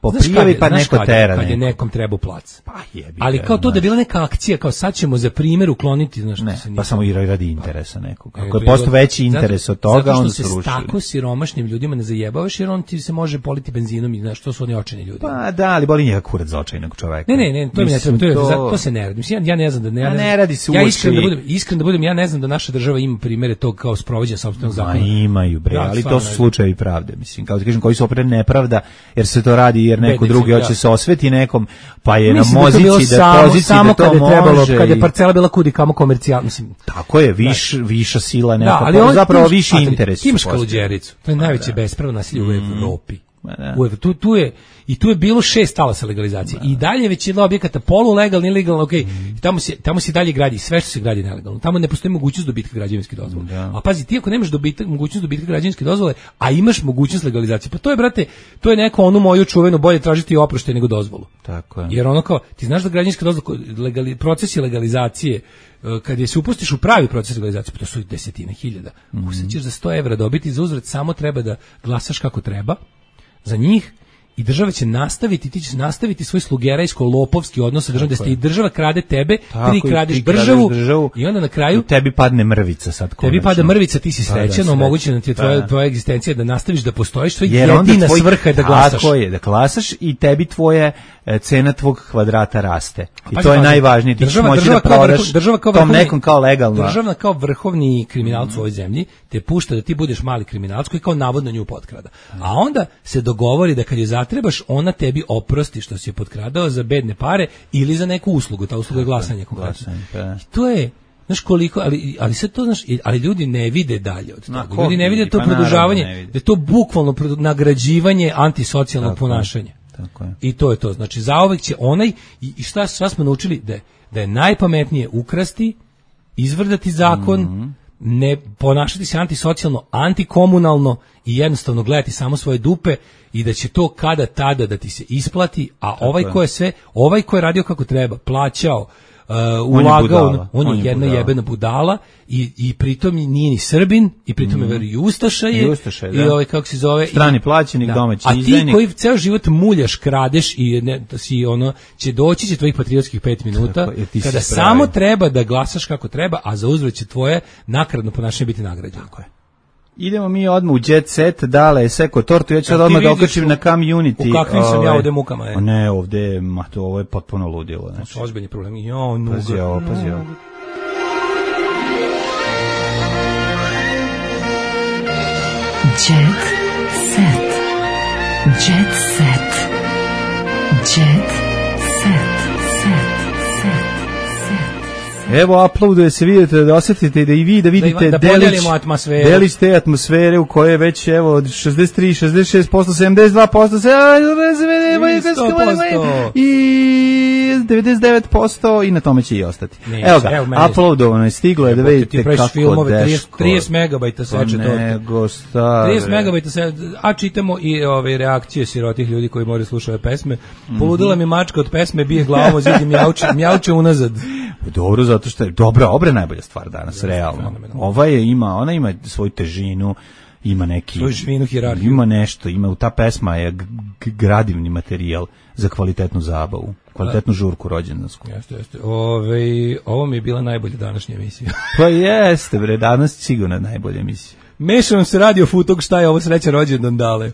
Po prijavi pa neko tera. Kad je nekom trebao plac. Pa jebi. Ali kao to da je bila neka akcija, kao sad ćemo za primjer ukloniti, znaš, ne, pa samo i radi interesa nekog. Ako je posto veći interes od toga, onda se ruši. Zato što se tako siromašnim ljudima ne zajebavaš, jer on ti se može politi benzinom i znaš, to su oni očajni ljudi. Pa da, ali boli njega kurac za očajnog čoveka. Ne, to mi ne treba, to se ne radi. Mislim, ja ne znam da ne radi se iskren da budem, ja ne znam da naša država ima primere tog kao sprovođenja sopstvenog zakona. Imaju bre, ali to su slučajevi pravde, mislim, kao da kažem, koji su opet nepravda, jer se to radi jer neko drugi hoće se osveti nekom, pa je na mozici da poziciji samo da to može. Kad je parcela bila kudi kamo komercijalna, mislim. Tako je, viša sila neka, ali zapravo viši interes. Imaš Kaluđericu, to je najveće bespravno nasilje u Evropi. Tu je bilo 6 talasa legalizacije. I dalje većina objekata polulegalni, ilegalno, okej. Tamo se dalje gradi, sve što se gradi nelegalno. Tamo ne postoji mogućnost dobitka građevinske dozvole. A pazi, ti ako nemaš mogućnost dobitka građevinske dozvole, a imaš mogućnost legalizacije, pa to je, brate, to je neko onu moju čuvenu bolje tražiti oproštaj nego dozvolu. Tako je. Jer ono kao, ti znaš da građevinska dozvola, procesi legalizacije, kad je se upustiš u pravi proces legalizacije, pa to su desetine hiljada. Sad ćeš za 100 evra dobiti, za uzvrat samo treba da glasaš kako treba za njih. I država će nastaviti, ti ćeš nastaviti svoj slugerajsko-lopovski odnos sa državom, da ste i država krade tebe, ti kradeš državu i onda na kraju tebi padne mrvica sad konačno. Tebi pada mrvica, ti si srećan, omogućena ti je tvoja egzistencija da nastaviš da postojiš, tvoja jedina svrha je da glasaš. Tako je, da glasaš i tebi tvoje cena tvog kvadrata raste. I to je najvažnije, ti ćeš moći da prodaš tom nekom kao legalno. Država kao vrhovni kriminalac u ovoj zemlji te pušta da ti budeš mali kriminalac koji kao navodno nju potkrada. A onda se dogovori da kad je zatrebaš, ona tebi oprosti što si je potkradao za bedne pare ili za neku uslugu, ta usluga je glasanje konkretno. To je, znaš koliko, ali sve to, znaš, ali ljudi ne vide dalje od toga. Ljudi ne vide to produžavanje, da je to bukvalno nagrađivanje antisocijalnog ponašanja. Tako je. I to je to. Znači, zauvek će onaj, i šta smo naučili, da je najpametnije ukrasti, izvrdati zakon, ne ponašati se antisocijalno, antikomunalno i jednostavno gledati samo svoje dupe i da će to kada tada da ti se isplati, a ovaj ko je radio kako treba, plaćao, ulagao, on je jedna jebena budala i pritom nije ni Srbin i pritom je veri Ustaša je i ovaj kako se zove strani plaćenik, domaći izdajnik. A ti koji ceo život muljaš, kradeš i si ono će tvojih patriotskih 5 minuta kada samo treba da glasaš kako treba, a za uzvrat će tvoje nakaradno ponašanje biti nagrađeno. Tako je. Idemo mi odmah u jet set, dale, seko tortu, ja ću odmah da okačim na community. U kakvim sam ja ovde mukama, je? Ne, ovde, ovo je potpuno ludilo. To su ozbiljni problemi. Pazi ovo. Jet set. Jet set. Jet set. Evo, uploaduje se, vidite, da osjetite, da i vi, da vidite delić te atmosfere u kojoj je već, evo, od 63, 66%, 72%, i 99% i na tome će i ostati. Evo ga, uploadovano je, stiglo je da vidite kako deško. 30 megabajta seče to. Nego stare. 30 megabajta seče, a čitamo i ove reakcije sirotih ljudi koji moraju slušati ove pesme. Poludila mi mačka od pesme, bije glavom o zid i mjauče unazad. Dobro, zato što je obra je najbolja stvar danas, realno. Ona ima svoju težinu, ima neki... Svoju švinu hijerarhiju. Ima nešto, ta pesma je gradivni materijal za kvalitetnu zabavu, kvalitetnu žurku rođendansku. Jeste. Ovo mi je bila najbolja današnja emisija. Pa jeste, bre, danas sigurno najbolja emisija. Mešam se radio futog, šta je ovo sreća rođendan dale.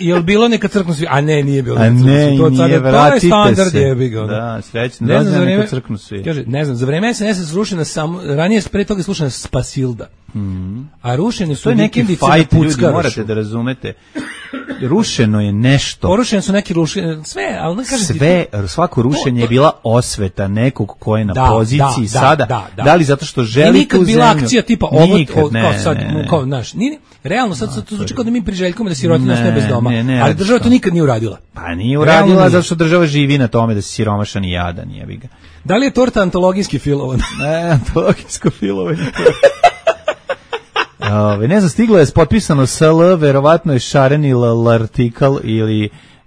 Jel bilo neka crknu svi? A ne, nije bilo. A ne, to nije, je standard jebi ga. Da, srećno, ne znam, neka crknu svi. Kaže, ne znam, za vreme SNS slušana samo, ranije pre toga slušana Spasilda. A rušene su neki fajt, ljudi, morate da razumete. Rušeno je nešto. Porušene su neki sve, ali ne kažem sve, svako rušenje je bila osveta nekog ko je na poziciji sada. Da li zato što želi tu zemlju? Nikad bila akcija tipa ovo, kao sad, kao naš, realno sad to zvuči kao da mi priželjkujemo da sirotinja ostaje bez doma, ali država to nikad nije uradila. Pa nije uradila zato što država živi na tome da se siromašan i jadan, jebi ga. Da li je torta antologijski filovan? Ne, antologijsko filovanje. Ne znam, stiglo je potpisano SL, verovatno je Šareni l'artikal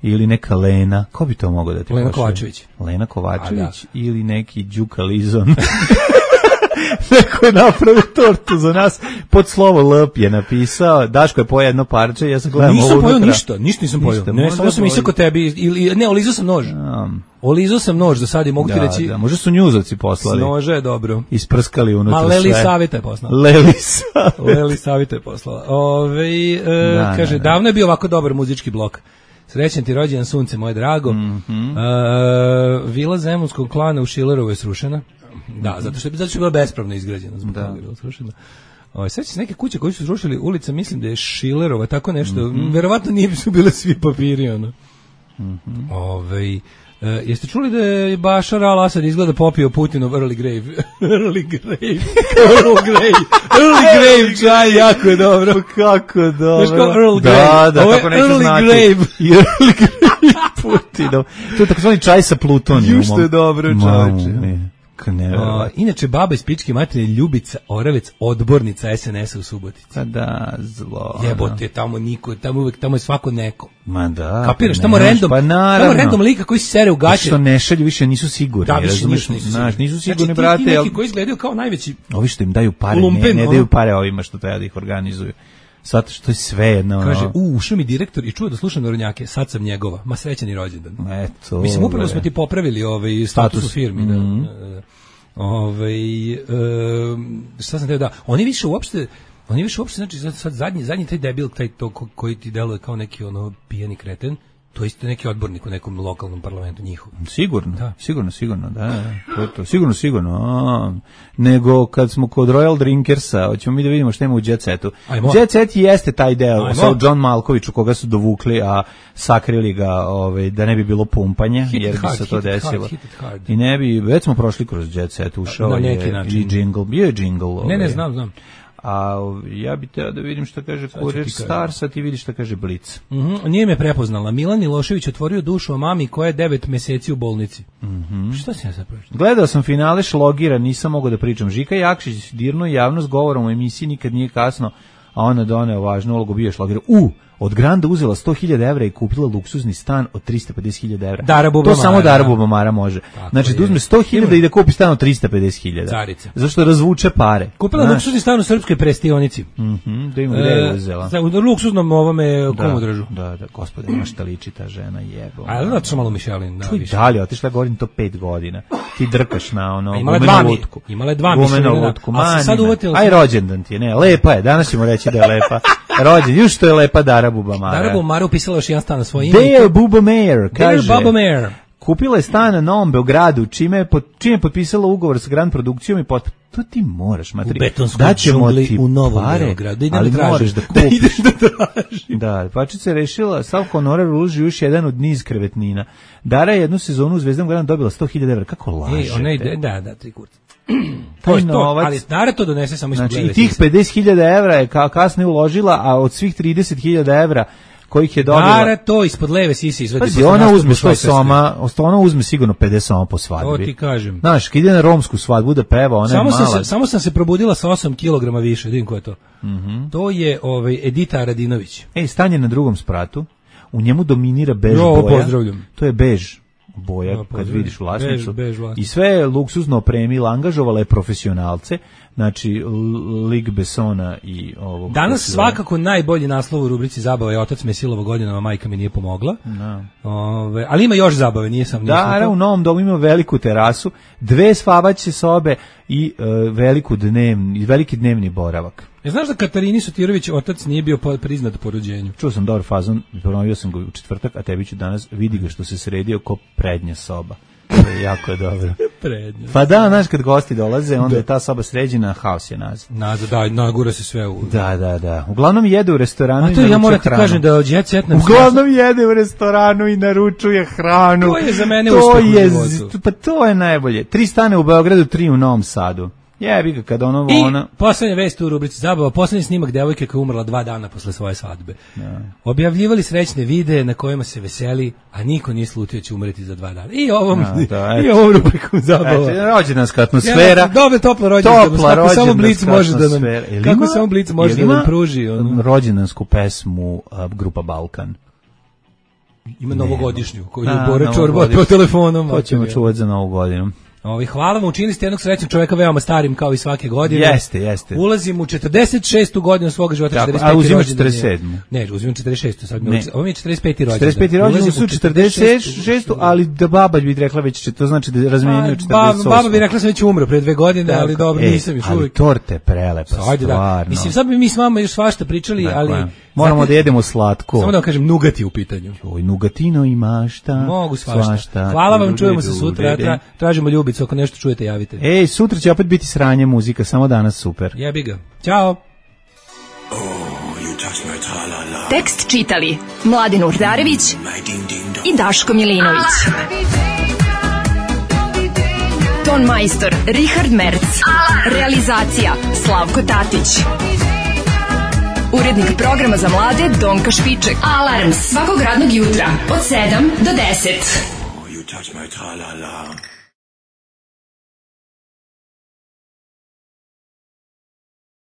ili neka Lena. Ko bi to mogao da ti Lena Kovačević. Lena Kovačević ili neki Đuka Lizon. Neko je napravio tortu za nas, pod slovo L je napisao, Daško je pojeo jedno parče, ja sam gledam nisam pojeo ništa nisam pojeo, ne, samo sam isako tebi, ne, olizao sam nož. Olizao sam nož za sad i mogu ti reći. Da, možda su njuzovci poslali. Nože je dobro. Isprskali unutra sve. Ma Leli Savita je poslala. Leli Savita je poslala. Kaže, davno je bio ovako dobar muzički blok. Srećan ti rođendan sunce, moje drago. Vila Zemunskog klana u Šilerovu je srušena. Da, zato što je bila bespravno izgrađena. Zbog toga je bila srušena. Seća se neke kuće koje su srušili, ulica, mislim da je Šilerova, tako nešto. Verovatno nije su bile svi papiri, ono. Jeste čuli da je Bašar al-Asad izgleda popio Putinov early grave? Early grave čaj, jako je dobro. Kako je dobro. Znaš kao Earl Grey? Da, kako neću znati. Early grave Putinov. To je takozvani čaj sa plutonijumom. Jušto je dobro, čovječe. Inače, baba iz pičke materije Ljubica Oravec, odbornica SNS-a u Subotici. Da, zlo. Jebote, tamo je svako neko. Ma da. Kapiraš, tamo random lika koji se sere u gaće. Što ne šalju, više nisu sigurni. Da, više nisu sigurni, brate. Ti neki koji izgledaju kao najveći. Ovi što im daju pare, ne daju pare ovima što treba da ih organizuju. Zato što je sve jedno. Kaže, ušao mi direktor i čuo da slušam Narodnjake, sad sam njegova. Ma srećan i rođendan. Eto. Mislim, upravo smo ti popravili status u firmi. Šta sam teo da... Oni više uopšte, znači sad zadnji taj debil, taj to koji ti deluje kao neki pijani kreten, to je isto neki odbornik u nekom lokalnom parlamentu njihov. Sigurno, da. To sigurno. Nego kad smo kod Royal Drinkersa, hoćemo mi da vidimo šta ima u Jet Setu. Jet Set jeste taj deo sa John Malkoviću koga su dovukli, a sakrili ga da ne bi bilo pumpanja, jer bi se to desilo. I ne bi, već smo prošli kroz Jet Set, ušao je i jingle, bio je jingle. Ne, znam. A ja bih teo da vidim šta kaže Kurir Starsa, ti vidiš šta kaže Blic. Nije me prepoznala. Milan Milošević otvorio dušu o mami koja je 9 meseci u bolnici. Šta si ja sad pročitao? Gledao sam finale Šlogira, nisam mogao da pričam. Žika Jakšić dirnuo javnost govorom u emisiji Nikad nije kasno, a ona doneo važnu ulogu, bio je Šlogira. Od Granda uzela 100.000 evra i kupila luksuzni stan od 350.000 evra. To samo Dara Bubamara može. Znači, da uzme 100.000 i da kupi stan od 350.000. Carica. Zašto razvuče pare. Kupila luksuzni stan u srpskoj prestionici. Da ima gde je uzela. U luksuznom ovome komodražu. Da, gospode, ima šta liči ta žena, jebo. A da što malo Mišelin. Čuj, dalje, otišla govorim to 5 godina. Ti drkaš na gumenu lutku. Imala je 2 Mišelina. A sad uvatila. Aj, rođendan ti je, ne, lepa je, danas ćemo reći da je lepa. Rođen, još što je lepa Dara Bubamara. Dara Bubamara upisala još jedan stan na svoje ime. Dare Bubamare, kaže. Kupila je stan na Novom Beogradu, čime je potpisala ugovor sa Grand Produkcijom i to ti moraš, matri. U betonskoj džungli u Novom Beogradu. Ali moraš da kupiš. Da, Pačica je rešila, Sav Honorar uloži još jedan od niz krevetnina. Dara je jednu sezonu u Zvezdan Gradu dobila 100.000 evra. Kako lažete? Da, 3 kurca. To je to, ali Dara to donese samo iz Znači, i tih 50.000 evra je kasnije uložila, a od svih 30.000 evra kojih je dobila... Dara to ispod leve sisi izvadi. Pazi, ona uzme sigurno 50 soma po svadbi. To ti kažem. Znaš, kad ide na romsku svadbu da peva, ona je mala. Samo sam se probudila sa 8 kg više, vidim ko je to. To je Edita Radinović. Stan je na drugom spratu, u njemu dominira bež boja. Pozdravljam. To je bež boja, kad vidiš vlasnicu. I sve je luksuzno opremila, angažovala je profesionalce znači Lig Bessona i ovog. Danas svakako najbolji naslov u rubrici Zabava je Otac me silovao godinama, majka mi nije pomogla. Ali ima još zabave, nije sam. Da, u novom domu ima veliku terasu, 2 spavaće sobe i veliki dnevni boravak. Znaš da Katarini Sotirović otac nije bio priznat po rođenju? Čuo sam dobar fazon, ponovio sam ga u četvrtak, a tebi ću danas, vidi ga što se sredio ko prednja soba. To je jako dobro. Prednja. Pa da, znaš, kad gosti dolaze, onda je ta soba sređena, haos je nazad. Da, nagura se sve u... Da. Uglavnom jede u restoranu i naručuje hranu. Ja moram ti kažem da Jet Set nam... Uglavnom jede u restoranu i naručuje hranu. To je za mene uspeh u životu. Pa to je najbolje. 3 stane u Beogradu, 3 u Novom Sadu. Jebi ga kad ona... I poslednja vest u rubrici Zabava, poslednji snimak devojke koja je umrla 2 dana posle svoje svadbe. Objavljivali srećne videe na kojima se veseli, a niko nije slutio će umreti za 2 dana. I ovom rubrikom Zabava. Rođendanska atmosfera. Dobre, topla rođendanska. Kako samo Blic može da nam... Kako samo Blic može da nam pruži. Rođendansku pesmu grupa Balkan. Ima novogodišnju koju je Bore Čorba po telefonom. To ćemo čuvati za novu godinu. Hvala vam, učinili ste jednog srećnog čoveka veoma starim kao i svake godine. Jeste. Ulazim u 46. godinu svog života, 45. A uzimam 47. Ne, uzimam 46. Sad ovo mi je 45. rođendan. 45. rođendan su 46. ali da baba bi rekla već, to znači da razmenjuju 48. Baba bi rekla sam već umro pre 2 godine, ali dobro, nisam još uvijek. Ali torte prelepa, stvarno. Mislim, sad bi mi s vama još svašta pričali, ali... Moramo da jedemo slatko. Samo da vam kažem, nugati u pitanju. Nugatino i mašta. Mogu svašta. Hvala vam, čujemo se sutra. Tražimo ljubicu, ako nešto čujete, javite. Ej, sutra će opet biti sranje muzika, samo danas super. Jebi ga. Ćao. Tekst čitali Mladin Urdarević i Daško Milinović. Ton majstor Richard Merc. Realizacija Slavko Tatić. Urednik programa za mlade Donka Špiček. Alarms svakog radnog jutra od 7 do 10.